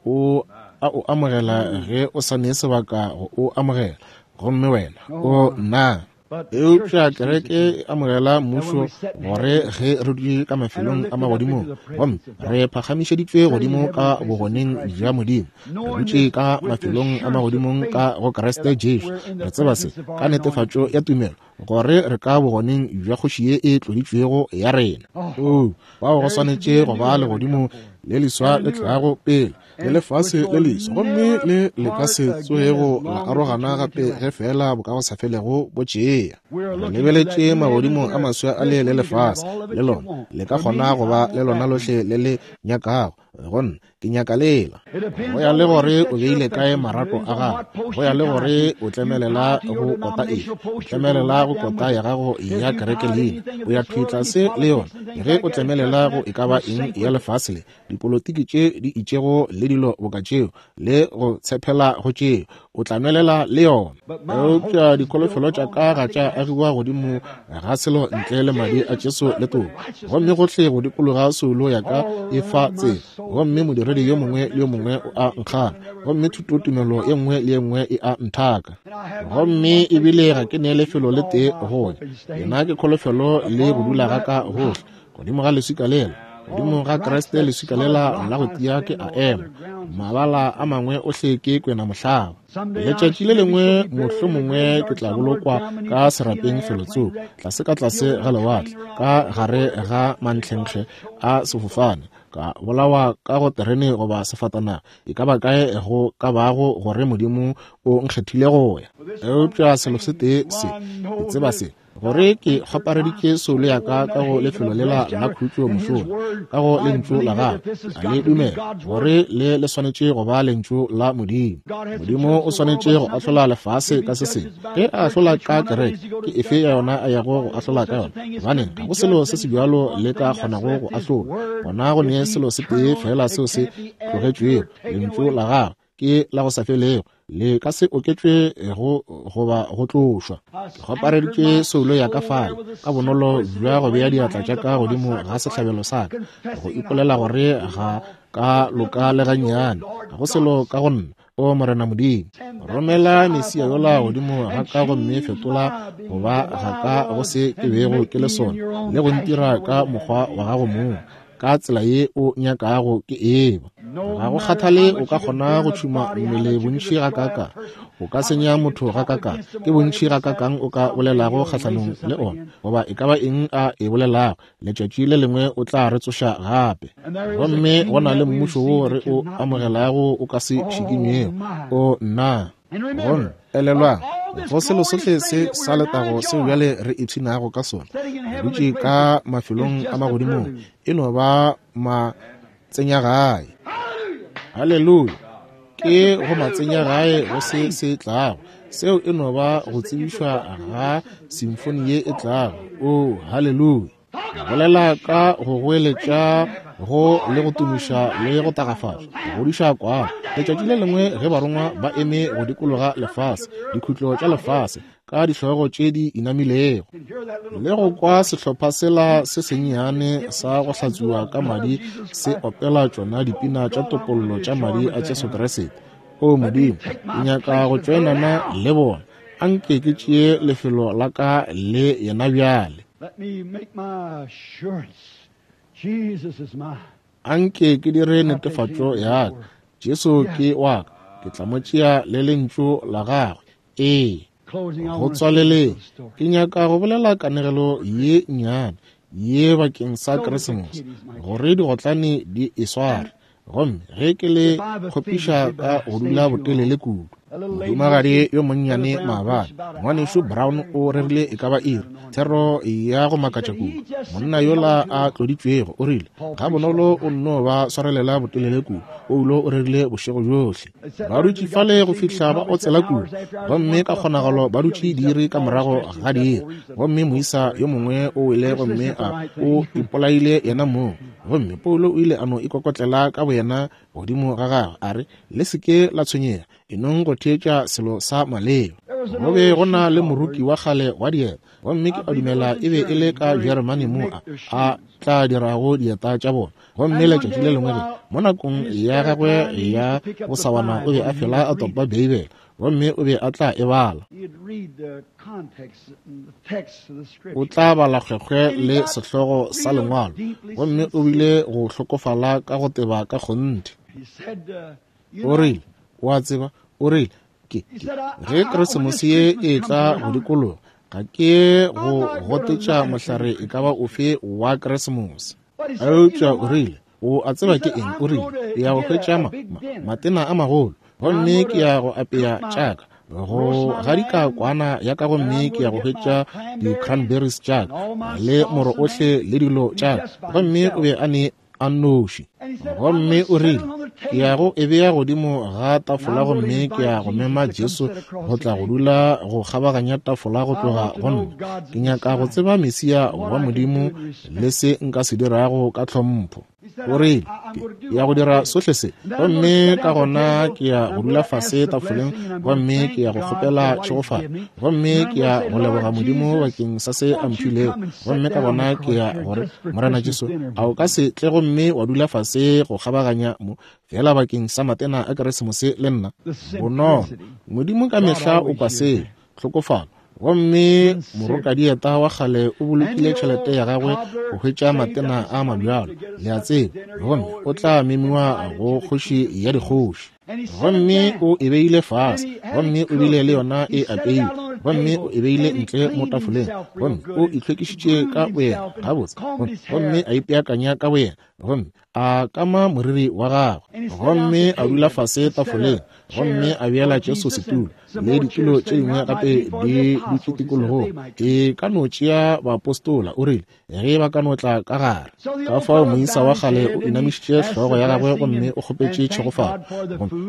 o a o amogela ge o sa ne sebaka go o amogela, gomme wena o nna. Eupša kereke e amogela mmušo gore ge re dutše ka mafelong a magodimong, gomme re phagamišeditšwe godimo ka bogoneng bja Modimo, re dutše ka mafelong a magodimong ka go Kriste Jesu. Re tseba se ka netefatšo ya tumelo gore re ka bogoneng bja kgoši ye e tloditšwego ya rena. Oo, bao go swanetše go ba legodimo le leswa le tlago pele, le lefase le leswa, gomme le le ka se tsoego la arogana gape ge fela bokagosafelego bo tšea. Re lebeletše magodimo a maswa a le le lefase, le lona le ka kgona go ba le lona lohle le le nyakago. Gonna ke nyaka lela, go ya le gore o beile kae marapo a gago, go ya le gore o tlemelela go kota efe, o tlemelela go kota ya gago ya kereke leina, o ya thwi tlase le yona. Ge o tlemelela go e ka ba eng ya lefase le, dipolotiki tše di itšego le dilo boka tšeo, le go tshepela go tšeo, o tla nwelela le yona. Eupša dikholofelo tša ka ga tša agiwa godimo ga selo ntle le madi a Jesu le toka, gomme gohle go dikologa soulo ya ka e fa tsela, gomme modiredi yo mongwe le yo mongwe o a nkgana, gomme thutotumelo ye nngwe le ye nngwe e a nthaka, gomme ebile ga ke ne lefelo le tee go ya. Yena ke kholofelo le go dula ga ka gohle godimo ga leswika lela, godimo ga Kriste leswika lela la go tia ke a ema, mabala a mangwe ohle ke kwena mohlaba. Letšatši le lengwe mohlomongwe ke tla bolokwa ka serapeng felotsoko, tlase ka tlase ga lewatle, ka gare ga mantlhenkge a sefofane, ka bolawa ka go terene goba sefatanaga, e ka ba kae go ka bago gore Modimo o nkgethile go ya. Eupša selo se tee se, ke tseba se, gore ke kgopareditše soulo ya ka ka go lefelo lela la khutšo mošola, ka go lentšu la gagwe. A le dumela gore le le swanetše go ba lentšu la Modimo. Modimo o swanetše go ahlola lefase ka se sengwe. Ge a ahlola ka kereke, ke efe ya yona a yago go ahlola ka yona? Gobane ga go selo se se bjalo le ka kgonago go ahlola. Gona go ne selo se tee fela seo se tlogetšwego, lentšu la gagwe ke la go sa felego, le ka se oketšwe go goba go tlošwa. Ke kgopareditše soulo ya ka fale ka bonolo bja go bea diatla tša ka godimo ga sehlabelo sa ka, go ipolela gore ga ka loka le gannyane, ga go selo ka go nna. O Morena Modimo, romela Mesia yola godimo ga ka gomme fetola go ba ga ka go se ke bego ke le sona, le go ntira ka mokgwa wa gago mong, ka tsela ye o nyakago ke eba. Ga go kgathale o ka kgona go tšhuma mmele bontši ga kaka, o ka senya motho ga kaka, ke bontši ga kakang o ka bolelago kgahlanong le ona, goba e ka ba eng a e bolelago, letšatši le lengwe o tla re tsoša gape. Gomme go na le mmušo wo re o amogelago o ka se šikinywego. O nna. Gomme elelwang, go selo sohle se sa letago seo bjale re ipshinago ka sona, re dutše ka mafelong a magodimong, e no ba matsenyagae. Haleluya! Ke go matsenyagae go se se tlago. Seo e no ba go tsebišwa ga simfoni ye e tlago. O haleluya! Bolela ka go goeletša go le go tumiša le go tagafatša, go godiša kwana. Letšatši le lengwe ge barongwa ba eme go dikologa lefase, dikhutlo tša lefase, ka dihlogo tše di inamilego, le go kwa sehlopha sela se sennyane sa go hlatswiwa ka madi se opela tšona dipina tša topollo tša madi a Jesu Kriste. O Modimo, ke nyaka go tšoenana le bona. Anke ke tšee lefelo la ka le yena bjale. Let me make my assurance. Jesus is mine. Anke ke dire netefatšo ya ka. Jesu ke wa ka. Ke tla mo tšea le lentšu la gagwe. Ee. Closing, I Go want to say a tswaleleng, little story. ke nyaka go bolela kanegelo ye nnyane. ye bakeng sa Keresemose, gore digotlane di e sware. Gomme ge ke le kgopiša ka go dula botelele kudu. Mohumagadi yo monnyane maabane, ngwanešu Brown o rerile e ka ba iri, thero ya go makatša kudu. Monna yola a tloditšwego o rile, ga bonolo o nno ba swarelela botelele kudu. Paulo o rerile bošego bjohle. Ba dutše fale go fihla ba otsela kudu, gomme ka kgonagalo ba dutše diiri ka morago ga diiri. Gomme moisa yo mongwe o wele gomme a o ipolaile yena mong. Gomme Paulo o ile a no ikokotlela ka boyena godimo ga gagwe, a re, le se ke la tshwenyega, enong go theetša selo sa maleba. Go be go na le moruki wa kgale wa dieta, gomme ke a dumela e be e le ka Jeremane mo a a tla dirago dieta tša bona. Gomme letšatši le lengwe ge mo nakong ya gagwe ya bosawana o be a fela a topa Beibele, gomme o be a tla e bala. O tla bala kgwekgwe le sehlogo sa lengwalo, gomme o bile go hlokofala ka go teba ka kgonthe. O rile, o a tseba, o rile, ke ge Keresemose ye e tla go dikologa, ga ke go gotetša mohlare e ka ba ofe wa Keresemose. Eupša o rile, o a tseba ke eng? O rile, ke ya go hwetša ma, ma, matena a magolo, gomme ke ya go apea tšaka, go gadika kwana ya ka, gomme ke ya go hwetša di-cranberries tšaka le moro ohle le dilo tšaka. Gomme o be a ne a nnoši. Gomme o rile, ke ya go e bea godimo ga tafola, gomme ke ya go mema Jesu go tla go dula go kgabaganya tafola go tloga go nna. Ke nyaka go tseba Mesia wa Modimo le se nka se dirago ka tlhompho. O rile, ke ya go dira sohle se, gomme ka gona ke ya go dula fase tafoleng, gomme ke ya go kgopela tšhegofalo, gomme ke ya go leboga Modimo bakeng sa se a mphilego. Gomme ka gona ke ya gore, Morena Jesu, a o ka se tle gomme wa dula fase go kgabaganya mo fela bakeng sa matena a Keresemose le nna? Bonolo, Modimo ka mehla o kwa seo, tlhokofalo. Gomme morokadieta wa kgale o bolokile tšhelete ya gagwe go hwetša matena a mabjalo, le a tseba, gomme o tla memiwa go kgoši ya dikgoši. Gomme o e beile fase, gomme o bile le yona e apeilwe, gomme o e beile ntle mo tafoleng, gomme o itlhwekišitše ka boyena gabotse, gomme a ipeakanya ka boyena, gomme a kama moriri wa gagwe, gomme a dula fase tafoleng, gomme a beela Jesu setulo le ditulo tše dingwe gape di dutše tikologong. E ka no tšea baapostola, o rile, ge ba ka no tla ka gare. Ka fao moisa wa kgale o inamišitše hlogo ya gagwe gomme o kgopetše tšhegofalo,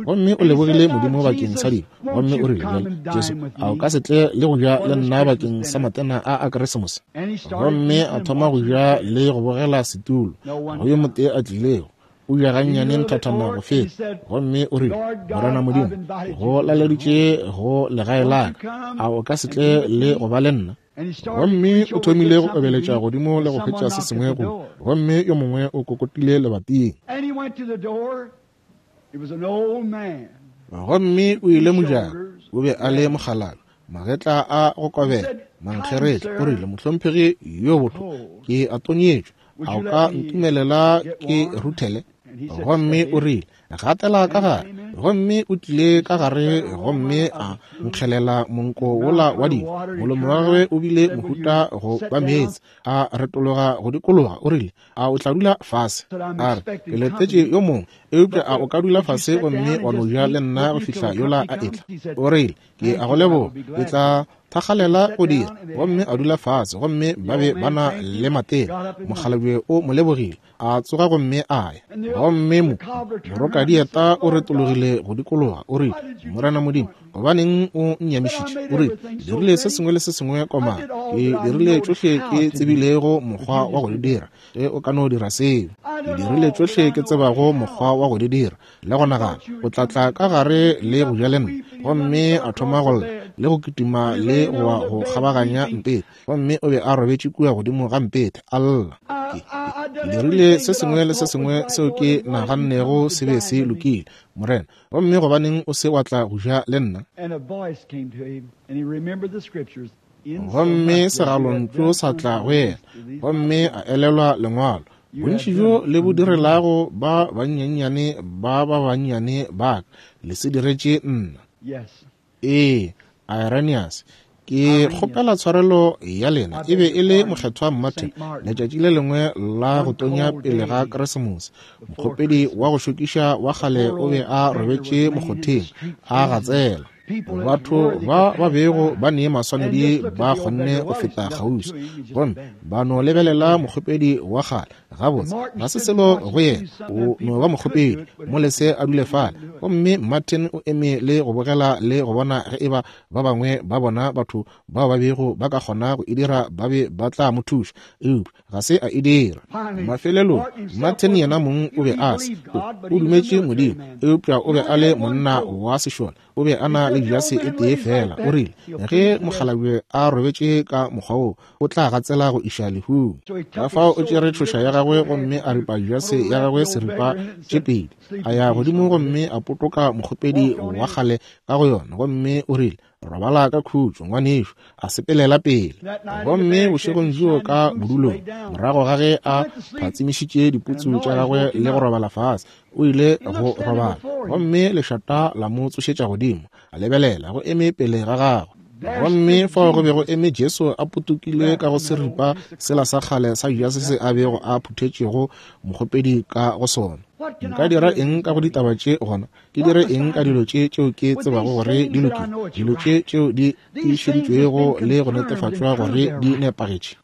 gomme o lebogile Modimo bakeng sa dijo, gomme o rile, bjale Jesu, a o ka se tle le go ja le nna bakeng sa matena a a Keresemose? Gomme a thoma go ja le go bogela setulo, go yo motee a tlilego, o ja gannyane nthathana go feta, gomme o rile, Morena Modimo, go laleditše go legae la ka, a o ka se tle le go ba le nna? Gomme o thomile go obeletša godimo le go hwetša se sengwe go, gomme yo mongwe o kokotile lebating. Gomme o ile mojako, o be a le mokgalabje, magetla a go kobela, mankgeretla. O rile, mohlomphegi yo botho, ke a tonyetšwe, a o ka ntumelela ke ruthele? Gomme o rile, gatela ka gare. Gomme o tlile ka gare gomme a nkgelela monko wola wa dijo. Molomo wa gagwe o bile mohuta go ba meetse, a retologa go dikologa. O rile, a o tla dula fase? A re, ke letetše yo mongwe, eupša a o ka dula fase gomme wa no ja le nna go fihla yola a etla? O rile, ke a go leboga, ke tla thakgalela go dira. Gomme a dula fase, gomme ba be ba na le matena. Mokgalabje o mo lebogile, a tsoga gomme a ya. Gomme mo morokadieta o retologile go dikologa, o rile, Morena Modimo, gobaneng o nnyamišitše? O rile, dirile se sengwe le se sengwe komana, ke dirile tšohle ke tsebilego mokgwa wa go di dira. Ge o ka no dira seo, ke dirile tšohle ke tsebago mokgwa wa go di dira, le go nagana o tla tla ka gare le go ja le nna. Gomme a thoma go lla le go kitima le go wa go kgabaganya mpete, gomme o be a robetše kua godimo ga mpete a lla. Ke dirile se sengwe le se sengwe seo ke nagannego se be se lokile, Morena, gomme gobaneng o se wa tla go ja le nna? Gomme segalontšu sa tla go yena, gomme a elelwa lengwalo, bontši bjo le bo direlago ba bannyane ba ba bannyane ba ka, le se diretše nna. Ee, Irenaeus, Ke kgopela tshwarelo ya lena. E be e le Mokgethwa Martin, letšatši le lengwe la go tonya pele ga Keresemose. Mokgopedi wa go šokiša wa kgale o be a robetše mokgotheng a gatsela. Batho ba ba bego ba ne maswanedi ba kgonne go feta kgauswi, gomme ba no lebelela mokgopedi wa kgale. Gabotse, ga se selo go yena, o no ba mokgopedi, mo lese a dule fale. Gomme Martin o eme le go bogela le go bona ge eba ba bangwe ba bona batho bao ba bego ba ka kgona go e dira ba be ba tla mo thuša, eupša ga se a e dira. Mafelelong Martin yena mong o be a se, o dumetše Modimo, eupša o be a le monna wa sešole. O be a na le jase e tee fela. O rile ge mokgalabje a robetše ka mokgwa wo, o tla gatsela go iša lehung. Ka fao o tšere tšhoša ya gagwe gomme a ripa jase ya gagwe seripa tše pedi, a ya godimo gomme a potoka mokgopedi wa kgale ka go yona, gomme o rile, robala ka khutšo ngwanešo, a sepelela pele. Gomme bošegong bjoo ka bodulong, morago ga ge a phatsimišitše diputsu tša gagwe le go robala fase, o ile go robala, gomme lešata la mo tsošetša godimo. A lebelela go eme pele ga gagwe, gomme fao go be go eme Jesu a potokile ka go seripa sela sa kgale sa jase se a bego a phuthetšego mokgopedi ka go sona. Nka dira eng ka go ditaba tše gona? Ke dire eng ka dilo tše tšeo ke tsebago gore di lokile, dilo tše tšeo di tiišeditšwego le go netefatšwa gore di nepagetše?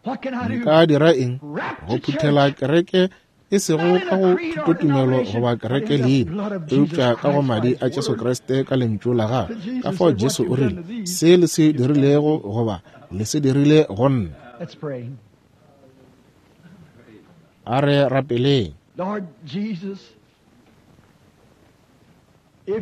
Nka dira eng go phuthela kereke, e sego ka go thutotumelo goba kereke leina, eupša ka go madi a Jesu Kriste ka lentšu la gagwe? Ka fao Jesu o rile, se le se dirilego goba le se dirile go nna. A re rapeleng.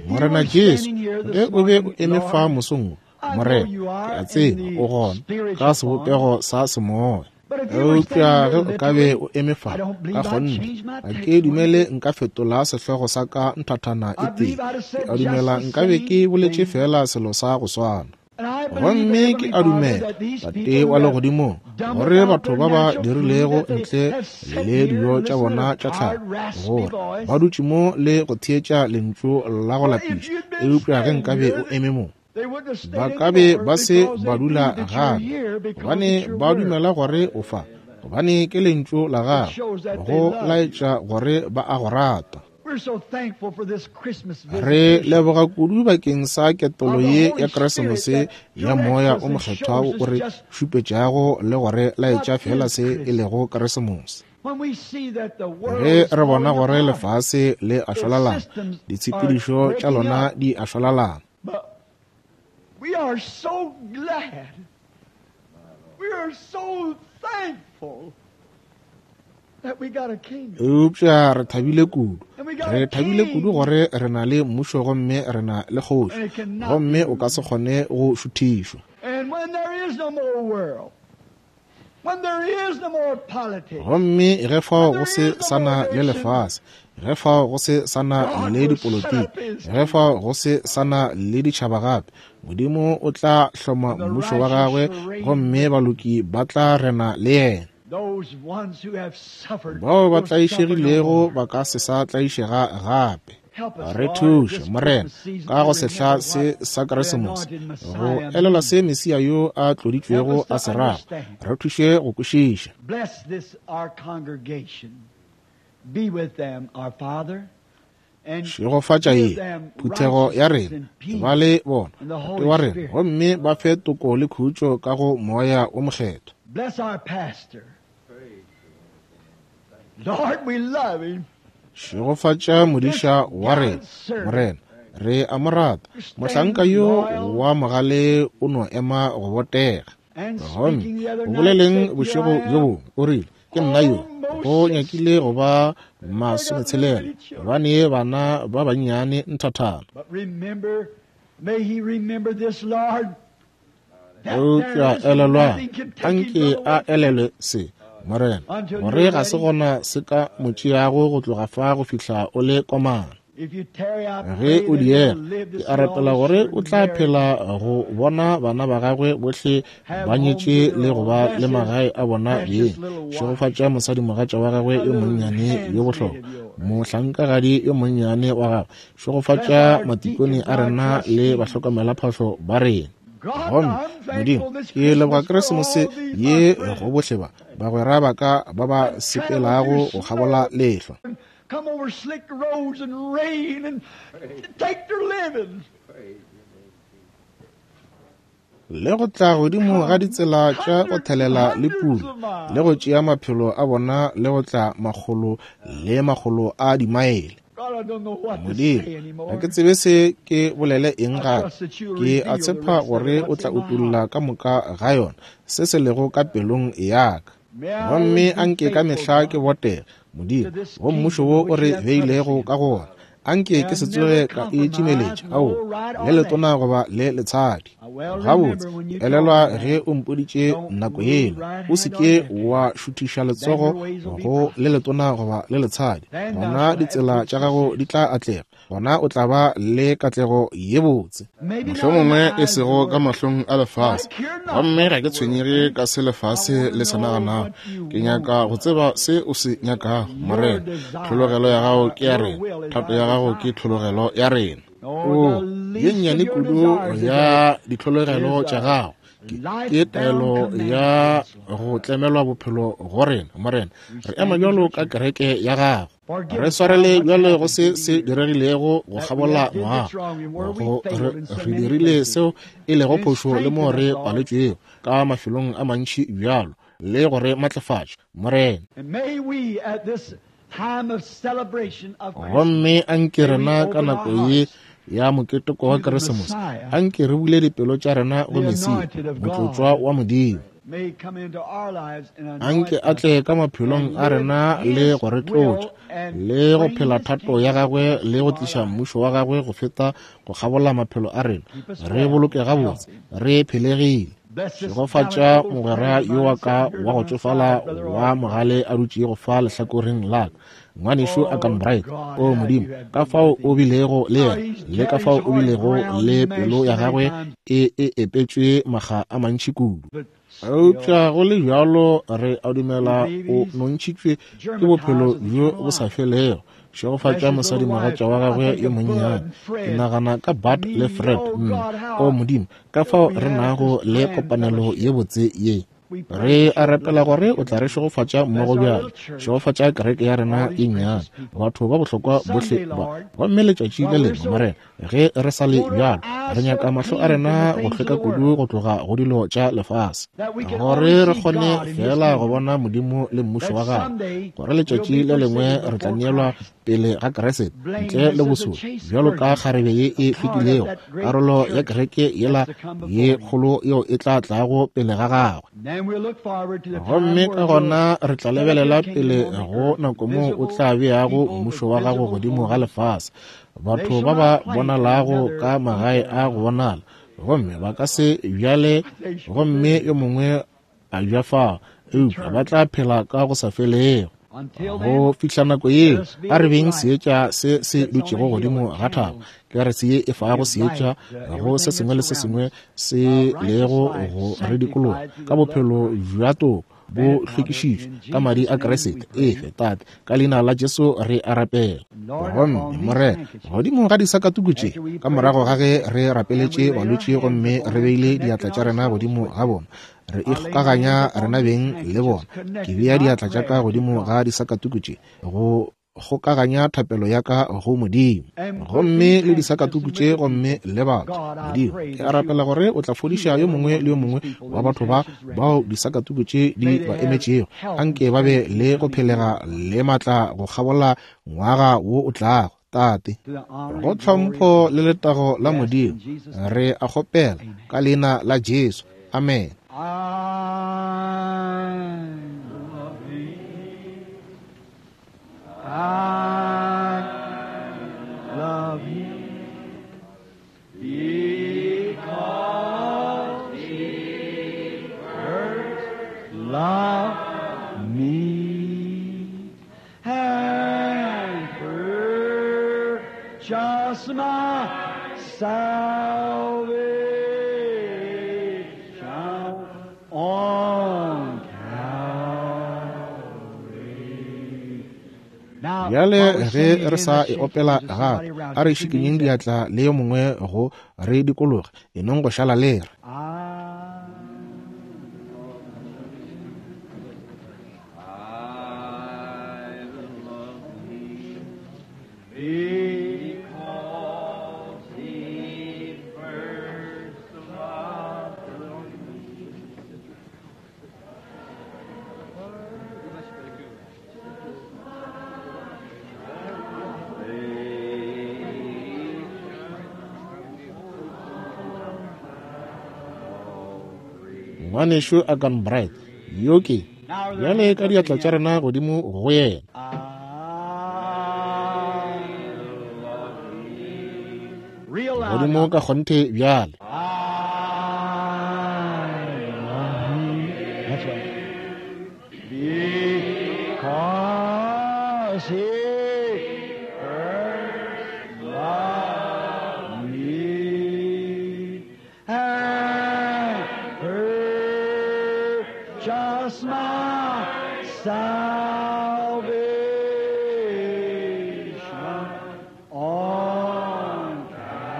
Morena Jesu, ge o be o eme fa mosong wo, Morena, ke a tseba o gona ka sebopego sa semoya. Eupša ge o ka be o eme fa ka kgonthe, ga ke dumele nka fetola sehlogo sa ka nthathana e tee. Ke a dumela nka be ke boletše fela selo sa go swana. Gomme ke a dumela, Tate wa legodimong, gore batho ba ba dirilego ntle le dijo tša bona tša tlhago, gore ba dutše mo le go theetša lentšu la go lapiša, eupša ge nka be o eme mo, ba ka be ba se ba dula gape, gobane ba dumela gore o fa, gobane ke lentšu la gago, go laetša gore ba a go rata. Re leboga kudu bakeng sa ketolo ye ya Keresemose ya Moya o Mokgethwa wo o re šupetšago le gore laetša fela se e lego Keresemose. Ge re bona gore lefase le a šwalalana, ditshepedišo tša lona di a šwalalana, we are so glad. We are so thankful that we got a kingdom. Eupša re thabile kudu. Re thabile kudu gore re na le mmušo gomme re na le kgoši, gomme o ka se kgone go šuthišwa. And when there is no more world, when there is no more politics, gomme ge fao go se sana le lefase, ge fao go se sana le dipolotiki, ge fao go se sana le ditšhaba gape, Modimo o tla hloma mmušo wa gagwe, gomme baloki ba tla rena le yena. Bao ba tlaišegilego ba ka se sa tlaišega gape. Re thuše, Morena, ka go sehla se sa Keresemose, go elelwa se Mesia yo a tloditšwego a se rago. Re thuše go kwešiša. Bless this our congregation. Be with them, our Father. Šegofatša ye phuthego ya rena, ba le bona, Tate wa rena, gomme ba fe toko le khutšo ka go Moya o Mokgethwa. Bless our pastor. Lord, we love him. Šegofatša modiša wa rena, Morena, re a mo rata. Mohlanka yo wa mogale o no ema go botega. Gomme o boleleng bošego bjo bongwe, o rile, ke nna yo, go nyakile go ba masometshelela, gobane bana ba bannyane nthathana. But remember, may he remember this, Lord. Eupša elelwang, anke a elelwe se, Morena, gore ga se gona se ka mo tšeago go tloga fa go fihla o le komana. Ge o diega, ke a rapela gore o tla phela go bona bana ba gagwe bohle ba nyetše le go ba le magae a bona beng. Šegofatša mosadimogatša wa gagwe yo monnyane yo bohlokwa, mohlankagadi yo monnyane wa gagwe. Šegofatša matikone a rena le bahlokomelaphahlo ba rena. Gomme Modimo, ke leboga Keresemose ye go bohle ba bagwera ba ka ba ba sepelago go kgabola lehlwa. Come over slick roads and rain and take their living. Le go tla godimo ga ditsela tša go thelela le pula, le go tšea maphelo a bona le go tla makgolo le makgolo a dimaele. Modimo, ga ke tsebe se ke bolele eng gape. Ke a tshepa gore o tla utolla ka moka ga yona se se lego ka pelong ya ka. Gomme anke ka mehla ke botege, Modimo, go mmušo wo o re beilego ka go ona. Anke ke se tsoge ka e tšimeletša, ao, le letona goba le letshadi. Gabotse, elelwa ge o mpoditše nako yela, o se ke wa šuthiša letsogo go le letona goba le letshadi. Gona ditsela tša gago di tla atlega, gona o tla ba le katlego ye botse. Mohlomongwe e sego ka mahlong a lefase, gomme ga ke tshwenyege ka se lefase le se naganago. Ke nyaka go tseba se o se nyakago, Morena. Tlhologelo ya gago ke ya rena, thato ya gago ke tlhologelo ya rena. O ye nnyane kudu ya ditlhologelo tša gago ke taelo ya go tlemelwa bophelo go rena, Morena. Re ema bjalo ka kereke ya gago. Re swarele bjalo go se se diregilego go kgabola ngwaga. Go re, re dirile seo e lego phošo le mo re paletšwego ka mafelong a mantši bjalo, le go re matlafatša, Morena. Gomme anke rena ka nako ye ya moketeko wa Keresemose, anke re bule dipelo tša rena go Mesia, motlotswa wa Modimo. Anke a tle ka maphelong a rena le go re tlotša, le go phela thato ya gagwe le go tliša mmušo wa gagwe go feta go kgabola maphelo a rena. Re boloke gabotse, re phelegile. Šegofatša mogwera yo wa ka wa go tšofala wa mogale a dutšego fa lehlakoreng la ka, ngwanešu Akan Bright. O Modimo, ka fao o bilego le yena, le ka fao o bilego le pelo ya gagwe e e epetšwe makga a mantši kudu. Eupša go le bjalo re a dumela o nontšhitšwe ke bophelo bjo bo sa felego. Šegofatša mosadimogatša wa gagwe yo monnyane. Ke nagana ka Bart le Fred. Mm. O Modimo, ka fao re nago le kopanelo ye botse ye. Re a rapela gore o tla re šegofatša mmogo bjalo. Šegofatša kereke ya rena e nnyane, batho ba bohlokwa bohle ba. Gomme letšatši le lengwe, Morena, ge re sa le bjalo, re nyaka mahlo a rena go hlweka kudu go tloga go dilo tša lefase, gore re kgone fela go bona Modimo le mmušo wa gagwe, gore letšatši le lengwe re tla neelwa pele ga Kriste ntle le bosolo, bjalo ka kgarebe ye e hlwekilego, karolo ya kereke yela ye kgolo yeo e tla tlago pele ga gagwe. Gomme ka gona re tla lebelela pele go nako moo o tla beago mmušo wa gago godimo ga lefase, batho ba ba bonalago ka magae a go bonala, gomme ba ka se bjale gomme yo mongwe a bja fao, eupša ba tla phela ka go sa felego. Go fihla nako yeo, a re beng seetša se se dutšego godimo ga thaba, ke re se ye e fago seetša go se sengwe le se sengwe se lego go re dikologa ka bophelo bja toko bo hlwekišitšwe ka madi a Kriste. Efe Tate, ka leina la Jesu re a rapela. Gomme Morena, godimo ga disakatuku tše, ka morago ga ge re rapeletše balwetši gomme re beile diatla tša rena godimo ga bona, re ikgokaganya rena beng le bona. Ke bea diatla tša ka godimo ga disakatuku tše go kgokaganya thapelo ya ka go Modimo. Gomme le disakatuku tše gomme le batho, Modimo, ke a rapela gore o tla fodiša yo mongwe le yo mongwe wa batho ba bao disakatuku tše di ba emetšego. Anke ba be le go phelega le matla go kgabola ngwaga wo o tlago. Tate, go tlhompho le letago la Modimo, re a kgopela ka leina la Jesu. Amen. I love him. I love him because he first loved me and purchased my salvation on Calvary. Bjale ge re sa e opela gape, a re šikinyeng diatla le yo mongwe go re dikologe, e nong go šala le re. Ngwanešu Arganbright, yo ke bjale ka diatla tša rena godimo go yena. Godimo ka kgonthe bjale. Because he first loved me and purchased my salvation on Calvary.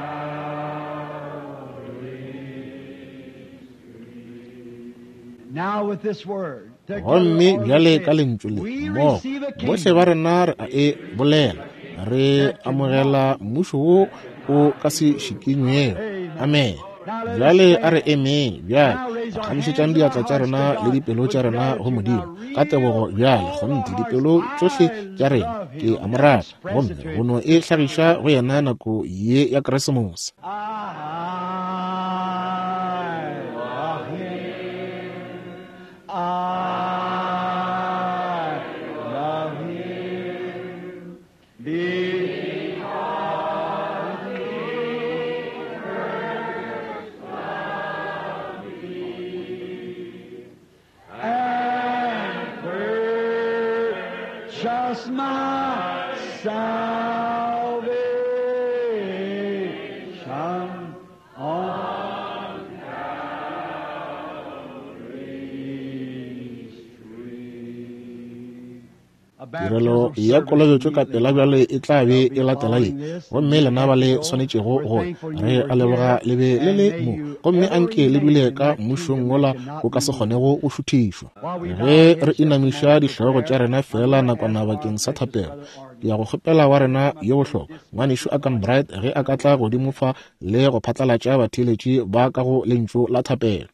Now with this word, Gomme bjale ka lentšu le mmogo bohle ba rena re a e bolela, re amogela mmušo wo o ka se šikinywego. Amen. Bjale a re emeng bjale, phagamišetšang diatla tša rena le dipelo tša rena go Modimo ka tebogo bjale. Kgonthe dipelo tšohle tša rena ke a mo rata, gomme go no e hlagiša go yena nako ye ya Keresemose. I love him. I love him. Because he first loved me and purchased my salvation on Calvary's tree. Tirelo ya kolobetšo ka pela bjale e tla be e latela ye, gomme lena ba le swanetšego go re a leboga le be le le mo, gomme anke le dule ka mmušong wola o ka se kgonego go šuthišwa. Ge re inamiša dihlogo tša rena fela nakwana bakeng sa thapelo, ke ya go kgopela wa rena yo bohlokwa ngwanešu Arganbright ge a ka tla godimo fa le go phatlalatša batheeletši ba ka go lentšu la thapelo.